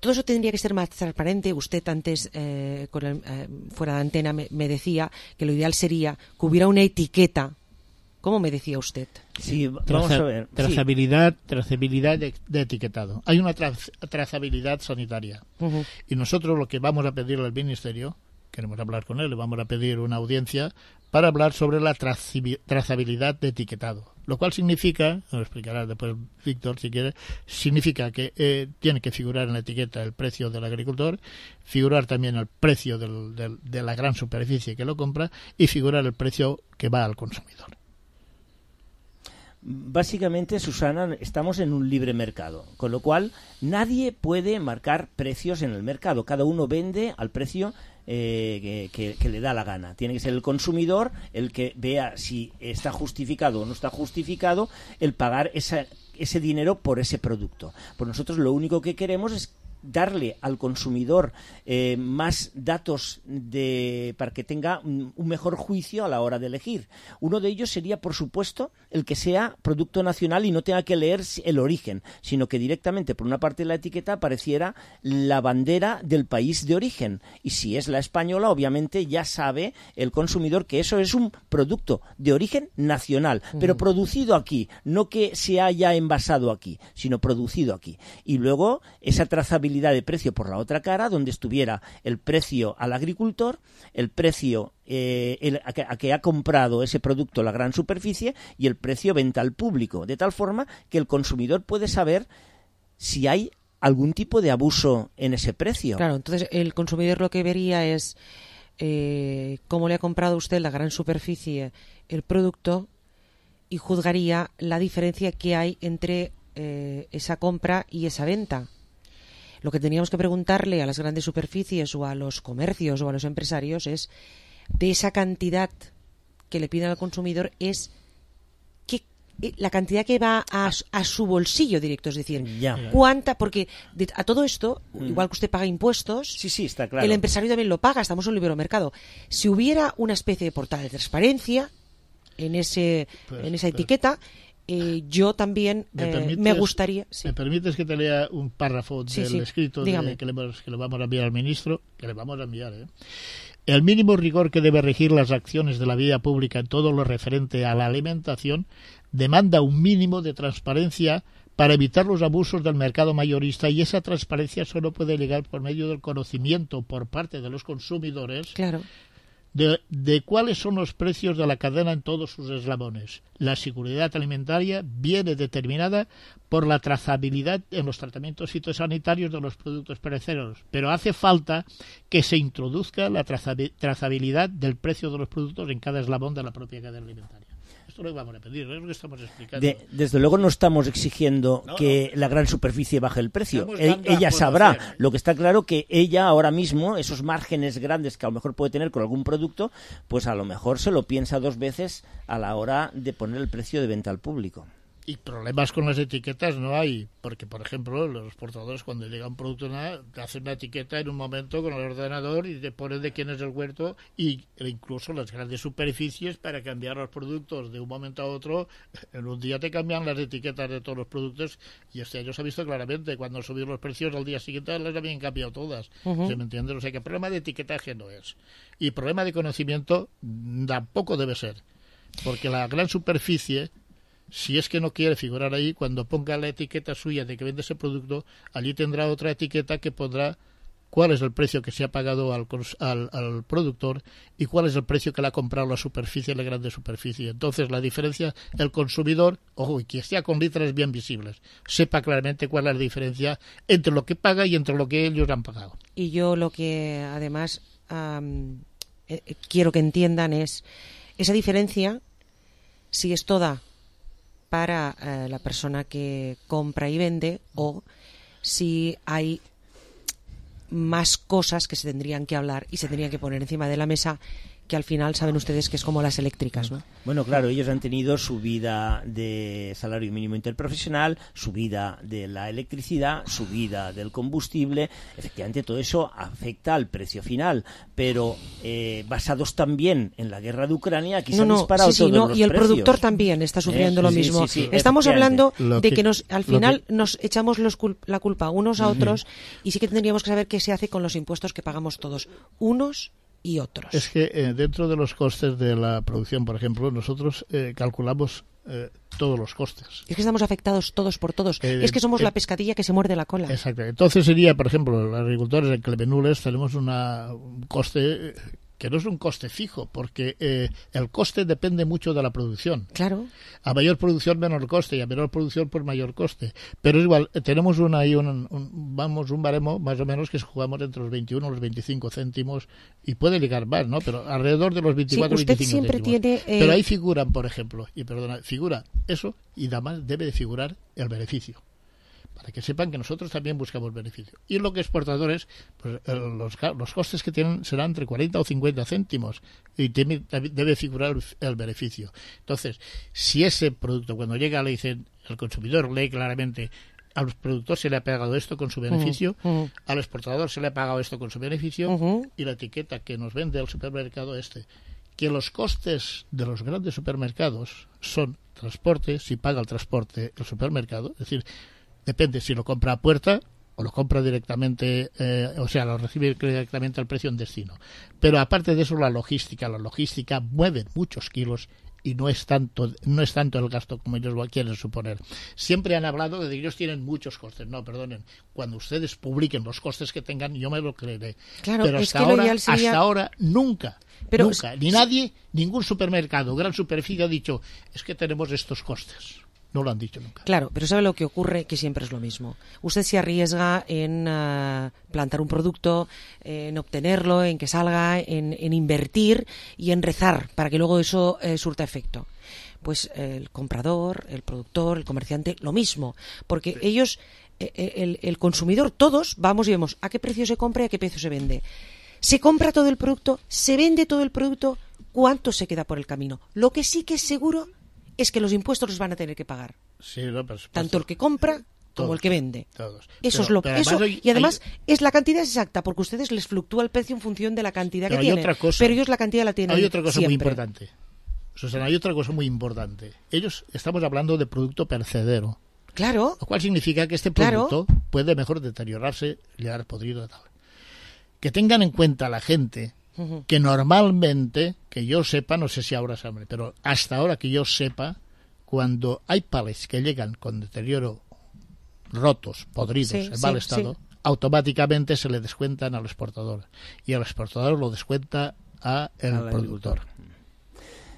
todo eso tendría que ser más transparente. Usted antes, eh, con el, eh, fuera de antena, me, me decía que lo ideal sería que hubiera una etiqueta. ¿Cómo me decía usted? Sí, vamos Traza, a ver. Trazabilidad, sí. trazabilidad de, de etiquetado. Hay una tra trazabilidad sanitaria. Uh-huh. Y nosotros lo que vamos a pedirle al Ministerio, queremos hablar con él, le vamos a pedir una audiencia para hablar sobre la trazabilidad de etiquetado. Lo cual significa, lo explicará después Víctor si quiere, significa que eh, tiene que figurar en la etiqueta el precio del agricultor, figurar también el precio del, del, de la gran superficie que lo compra y figurar el precio que va al consumidor. Básicamente, Susana, estamos en un libre mercado, con lo cual nadie puede marcar precios en el mercado. Cada uno vende al precio eh, que, que, que le da la gana. Tiene que ser el consumidor el que vea si está justificado o no está justificado el pagar esa, ese dinero por ese producto. Pues nosotros lo único que queremos es darle al consumidor eh, más datos de, para que tenga un, un mejor juicio a la hora de elegir. Uno de ellos sería, por supuesto, el que sea producto nacional y no tenga que leer el origen, sino que directamente por una parte de la etiqueta apareciera la bandera del país de origen. Y si es la española, obviamente ya sabe el consumidor que eso es un producto de origen nacional, uh-huh. pero producido aquí, no que se haya envasado aquí, sino producido aquí. Y luego esa trazabilidad de precio por la otra cara, donde estuviera el precio al agricultor, el precio eh, el, a, que, a que ha comprado ese producto la gran superficie y el precio venta al público, de tal forma que el consumidor puede saber si hay algún tipo de abuso en ese precio. Claro, entonces el consumidor lo que vería es eh, cómo le ha comprado usted la gran superficie el producto y juzgaría la diferencia que hay entre eh, esa compra y esa venta. Lo que teníamos que preguntarle a las grandes superficies o a los comercios o a los empresarios es, de esa cantidad que le piden al consumidor, es que la cantidad que va a, a su bolsillo directo, es decir, ya. cuánta, porque de, a todo esto, mm. igual que usted paga impuestos, sí, sí, está claro. El empresario también lo paga, estamos en un libre mercado. Si hubiera una especie de portal de transparencia en ese pues, en esa pues. etiqueta, Eh, yo también eh, me gustaría... Sí. ¿Me permites que te lea un párrafo sí, del sí. escrito de, que, le, que le vamos a enviar al ministro? Que le vamos a enviar, ¿eh? El mínimo rigor que debe regir las acciones de la vida pública en todo lo referente a la alimentación demanda un mínimo de transparencia para evitar los abusos del mercado mayorista, y esa transparencia solo puede llegar por medio del conocimiento por parte de los consumidores claro. de, de cuáles son los precios de la cadena en todos sus eslabones. La seguridad alimentaria viene determinada por la trazabilidad en los tratamientos fitosanitarios de los productos perecederos, pero hace falta que se introduzca la trazabilidad del precio de los productos en cada eslabón de la propia cadena alimentaria. Esto lo vamos a pedir, es lo que estamos explicando. De, desde luego no estamos exigiendo no, que no. la gran superficie baje el precio. E, ella sabrá. Hacer. Lo que está claro que ella ahora mismo, esos márgenes grandes que a lo mejor puede tener con algún producto, pues a lo mejor se lo piensa dos veces a la hora de poner el precio de venta al público. Y problemas con las etiquetas no hay, porque, por ejemplo, los exportadores cuando llega un producto nada, te hacen una etiqueta en un momento con el ordenador y te ponen de quién es el huerto, y incluso las grandes superficies para cambiar los productos de un momento a otro, en un día te cambian las etiquetas de todos los productos, y este año se ha visto claramente, cuando subieron los precios al día siguiente las habían cambiado todas. Uh-huh. ¿Se me entiende? O sea que problema de etiquetaje no es. Y problema de conocimiento tampoco debe ser, porque la gran superficie, si es que no quiere figurar ahí, cuando ponga la etiqueta suya de que vende ese producto, allí tendrá otra etiqueta que pondrá cuál es el precio que se ha pagado al, al, al productor y cuál es el precio que le ha comprado la superficie, la grande superficie. Entonces la diferencia, el consumidor, ojo, y que esté con letras bien visibles, sepa claramente cuál es la diferencia entre lo que paga y entre lo que ellos han pagado. Y yo lo que además um, eh, quiero que entiendan es esa diferencia, si es toda para eh, la persona que compra y vende, o si hay más cosas que se tendrían que hablar y se tendrían que poner encima de la mesa, que al final saben ustedes que es como las eléctricas, ¿no? Bueno, claro, ellos han tenido subida de salario mínimo interprofesional, subida de la electricidad, subida del combustible. Efectivamente, todo eso afecta al precio final, pero eh, basados también en la guerra de Ucrania, aquí no, se han no, disparado sí, sí, todos no, los y el precios. productor también está sufriendo eh, lo sí, mismo. Sí, sí, Estamos hablando lo de que, que nos, al final que... nos echamos los cul- la culpa unos a otros, uh-huh. y sí que tendríamos que saber qué se hace con los impuestos que pagamos todos, unos y otros. Es que eh, dentro de los costes de la producción, por ejemplo, nosotros eh, calculamos eh, todos los costes. Es que estamos afectados todos por todos. Eh, es que somos eh, la pescadilla que se muerde la cola. Exacto. Entonces sería, por ejemplo, los agricultores en Clemenules tenemos una, un coste que no es un coste fijo, porque eh, el coste depende mucho de la producción. Claro. A mayor producción, menor coste, y a menor producción, pues mayor coste. Pero es igual, tenemos una, ahí un, un, vamos, un baremo más o menos que jugamos entre los veintiuno y los veinticinco céntimos, y puede llegar más, ¿no? Pero alrededor de los veinticuatro sí, veinticinco siempre céntimos. Tiene, eh... Pero ahí figuran, por ejemplo, y perdona, figura eso, y además debe de figurar el beneficio, para que sepan que nosotros también buscamos beneficio. Y lo que exportadores, pues los, los costes que tienen serán entre cuarenta o cincuenta céntimos, y tiene, debe figurar el, el beneficio. Entonces, si ese producto cuando llega le dicen, el consumidor lee claramente, al productor se le ha pagado esto con su beneficio, uh-huh, uh-huh. al exportador se le ha pagado esto con su beneficio, uh-huh. y la etiqueta que nos vende el supermercado este, que los costes de los grandes supermercados son transporte, si paga el transporte el supermercado, es decir, depende si lo compra a puerta o lo compra directamente, eh, o sea, lo recibe directamente al precio en destino. Pero aparte de eso, la logística, la logística mueve muchos kilos y no es tanto no es tanto el gasto como ellos lo quieren suponer. Siempre han hablado de que ellos tienen muchos costes. No, perdonen, cuando ustedes publiquen los costes que tengan, yo me lo creeré. Claro, pero hasta ahora, sería... hasta ahora nunca, pero nunca, ni nadie, ningún supermercado, gran superficie ha dicho, es que tenemos estos costes. No lo han dicho nunca. Claro, pero ¿sabe lo que ocurre? Que siempre es lo mismo. Usted se arriesga en uh, plantar un producto, en obtenerlo, en que salga, en, en invertir y en rezar para que luego eso eh, surta efecto. Pues eh, el comprador, el productor, el comerciante, lo mismo. Porque sí. ellos, eh, el, el consumidor, todos vamos y vemos a qué precio se compra y a qué precio se vende. Se compra todo el producto, se vende todo el producto, ¿cuánto se queda por el camino? Lo que sí que es seguro es que los impuestos los van a tener que pagar. Sí, no, pues, tanto el que compra todos, como el que vende. Todos. Eso pero, es lo pero eso hay, y además hay, es la cantidad exacta, porque a ustedes les fluctúa el precio en función de la cantidad pero que tienen. Otra cosa, pero ellos la cantidad la tienen. Hay otra cosa siempre. muy importante. Susana, hay otra cosa muy importante. Ellos estamos hablando de producto perecedero. Claro. Lo cual significa que este producto claro. puede mejor deteriorarse, llegar podrido y tal. Que tengan en cuenta la gente uh-huh. que normalmente, que yo sepa, no sé si ahora sabe, pero hasta ahora que yo sepa, cuando hay palets que llegan con deterioro, rotos, podridos, sí, en mal sí, estado, sí. automáticamente se le descuentan al exportador. Y el exportador lo descuenta a el productor.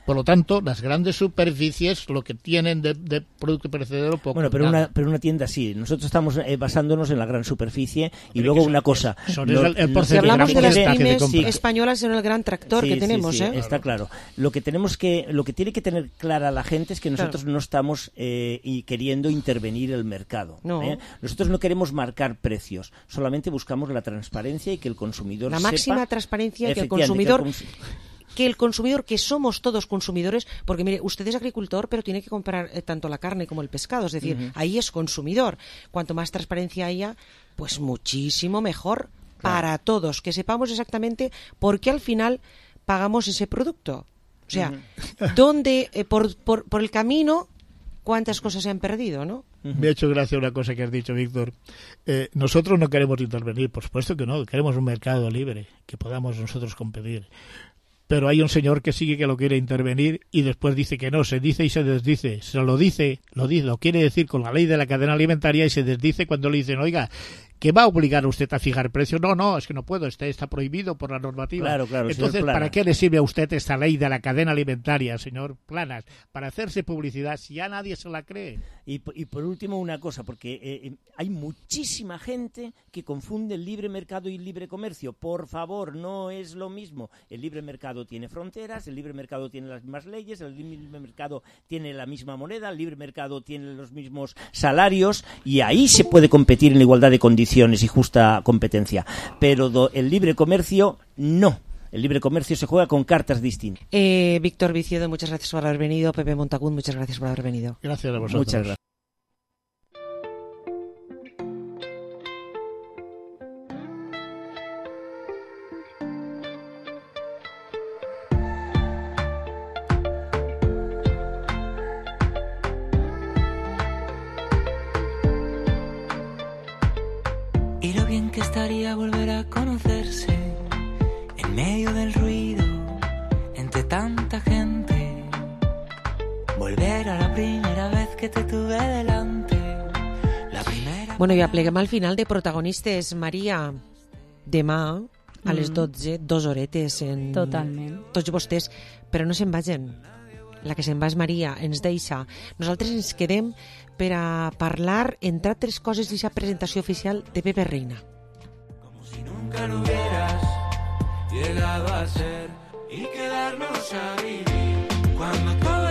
Por lo tanto, las grandes superficies lo que tienen de, de producto perecedero poco. Bueno, pero una, pero una tienda sí. Nosotros estamos eh, basándonos en la gran superficie y pero luego una son, cosa. Son lo, el, el si hablamos de las pymes sí, españolas, son el gran tractor sí, que tenemos, sí, sí, ¿eh? Está claro. Lo que tenemos que, lo que tiene que tener clara la gente es que nosotros claro. no estamos eh, y queriendo intervenir el mercado. No. ¿eh? Nosotros no queremos marcar precios. Solamente buscamos la transparencia y que el consumidor la sepa. La máxima transparencia y que el consumidor. Que el cons que el consumidor, que somos todos consumidores, porque mire, usted es agricultor, pero tiene que comprar eh, tanto la carne como el pescado, es decir, uh-huh. ahí es consumidor. Cuanto más transparencia haya, pues muchísimo mejor claro. para todos, que sepamos exactamente por qué al final pagamos ese producto. O sea, uh-huh. dónde, eh, por, por, por el camino, cuántas cosas se han perdido, ¿no? Uh-huh. Me ha hecho gracia una cosa que has dicho, Víctor. Eh, nosotros no queremos intervenir, por supuesto que no, queremos un mercado libre, que podamos nosotros competir. Pero hay un señor que sigue que lo quiere intervenir y después dice que no, se dice y se desdice. Se lo dice, lo dice, lo quiere decir con la ley de la cadena alimentaria y se desdice cuando le dicen, oiga, ¿que va a obligar a usted a fijar precios? No, no, es que no puedo, este está prohibido por la normativa. Claro, claro, entonces, ¿para qué le sirve a usted esta ley de la cadena alimentaria, señor Planas? Para hacerse publicidad, si ya nadie se la cree. Y, y por último una cosa, porque eh, hay muchísima gente que confunde el libre mercado y el libre comercio. Por favor, no es lo mismo. El libre mercado tiene fronteras, el libre mercado tiene las mismas leyes, el libre mercado tiene la misma moneda, el libre mercado tiene los mismos salarios y ahí se puede competir en igualdad de condiciones y justa competencia, pero do, el libre comercio no. El libre comercio se juega con cartas distintas. Eh, Víctor Viciedo, muchas gracias por haber venido. Pepe Montagún, muchas gracias por haber venido. Gracias a vosotros. Muchas gracias. Y lo bien que estaría volver a conocerse en medio del ruido, entre tanta gente. Volver a la primera vez que te tuve delante. La primera... Bueno, i apleguem al final de protagonistes. Maria, demà a les dotze, dos horetes en... Totalment. Tots vostès, però no se'n vagin. La que se'n va és Maria, ens deixa. Nosaltres ens quedem per a parlar, entre altres coses, d'aquesta presentació oficial de Pepe Reina. Como si nunca lo hubieras llegado a ser y quedarnos a vivir cuando todo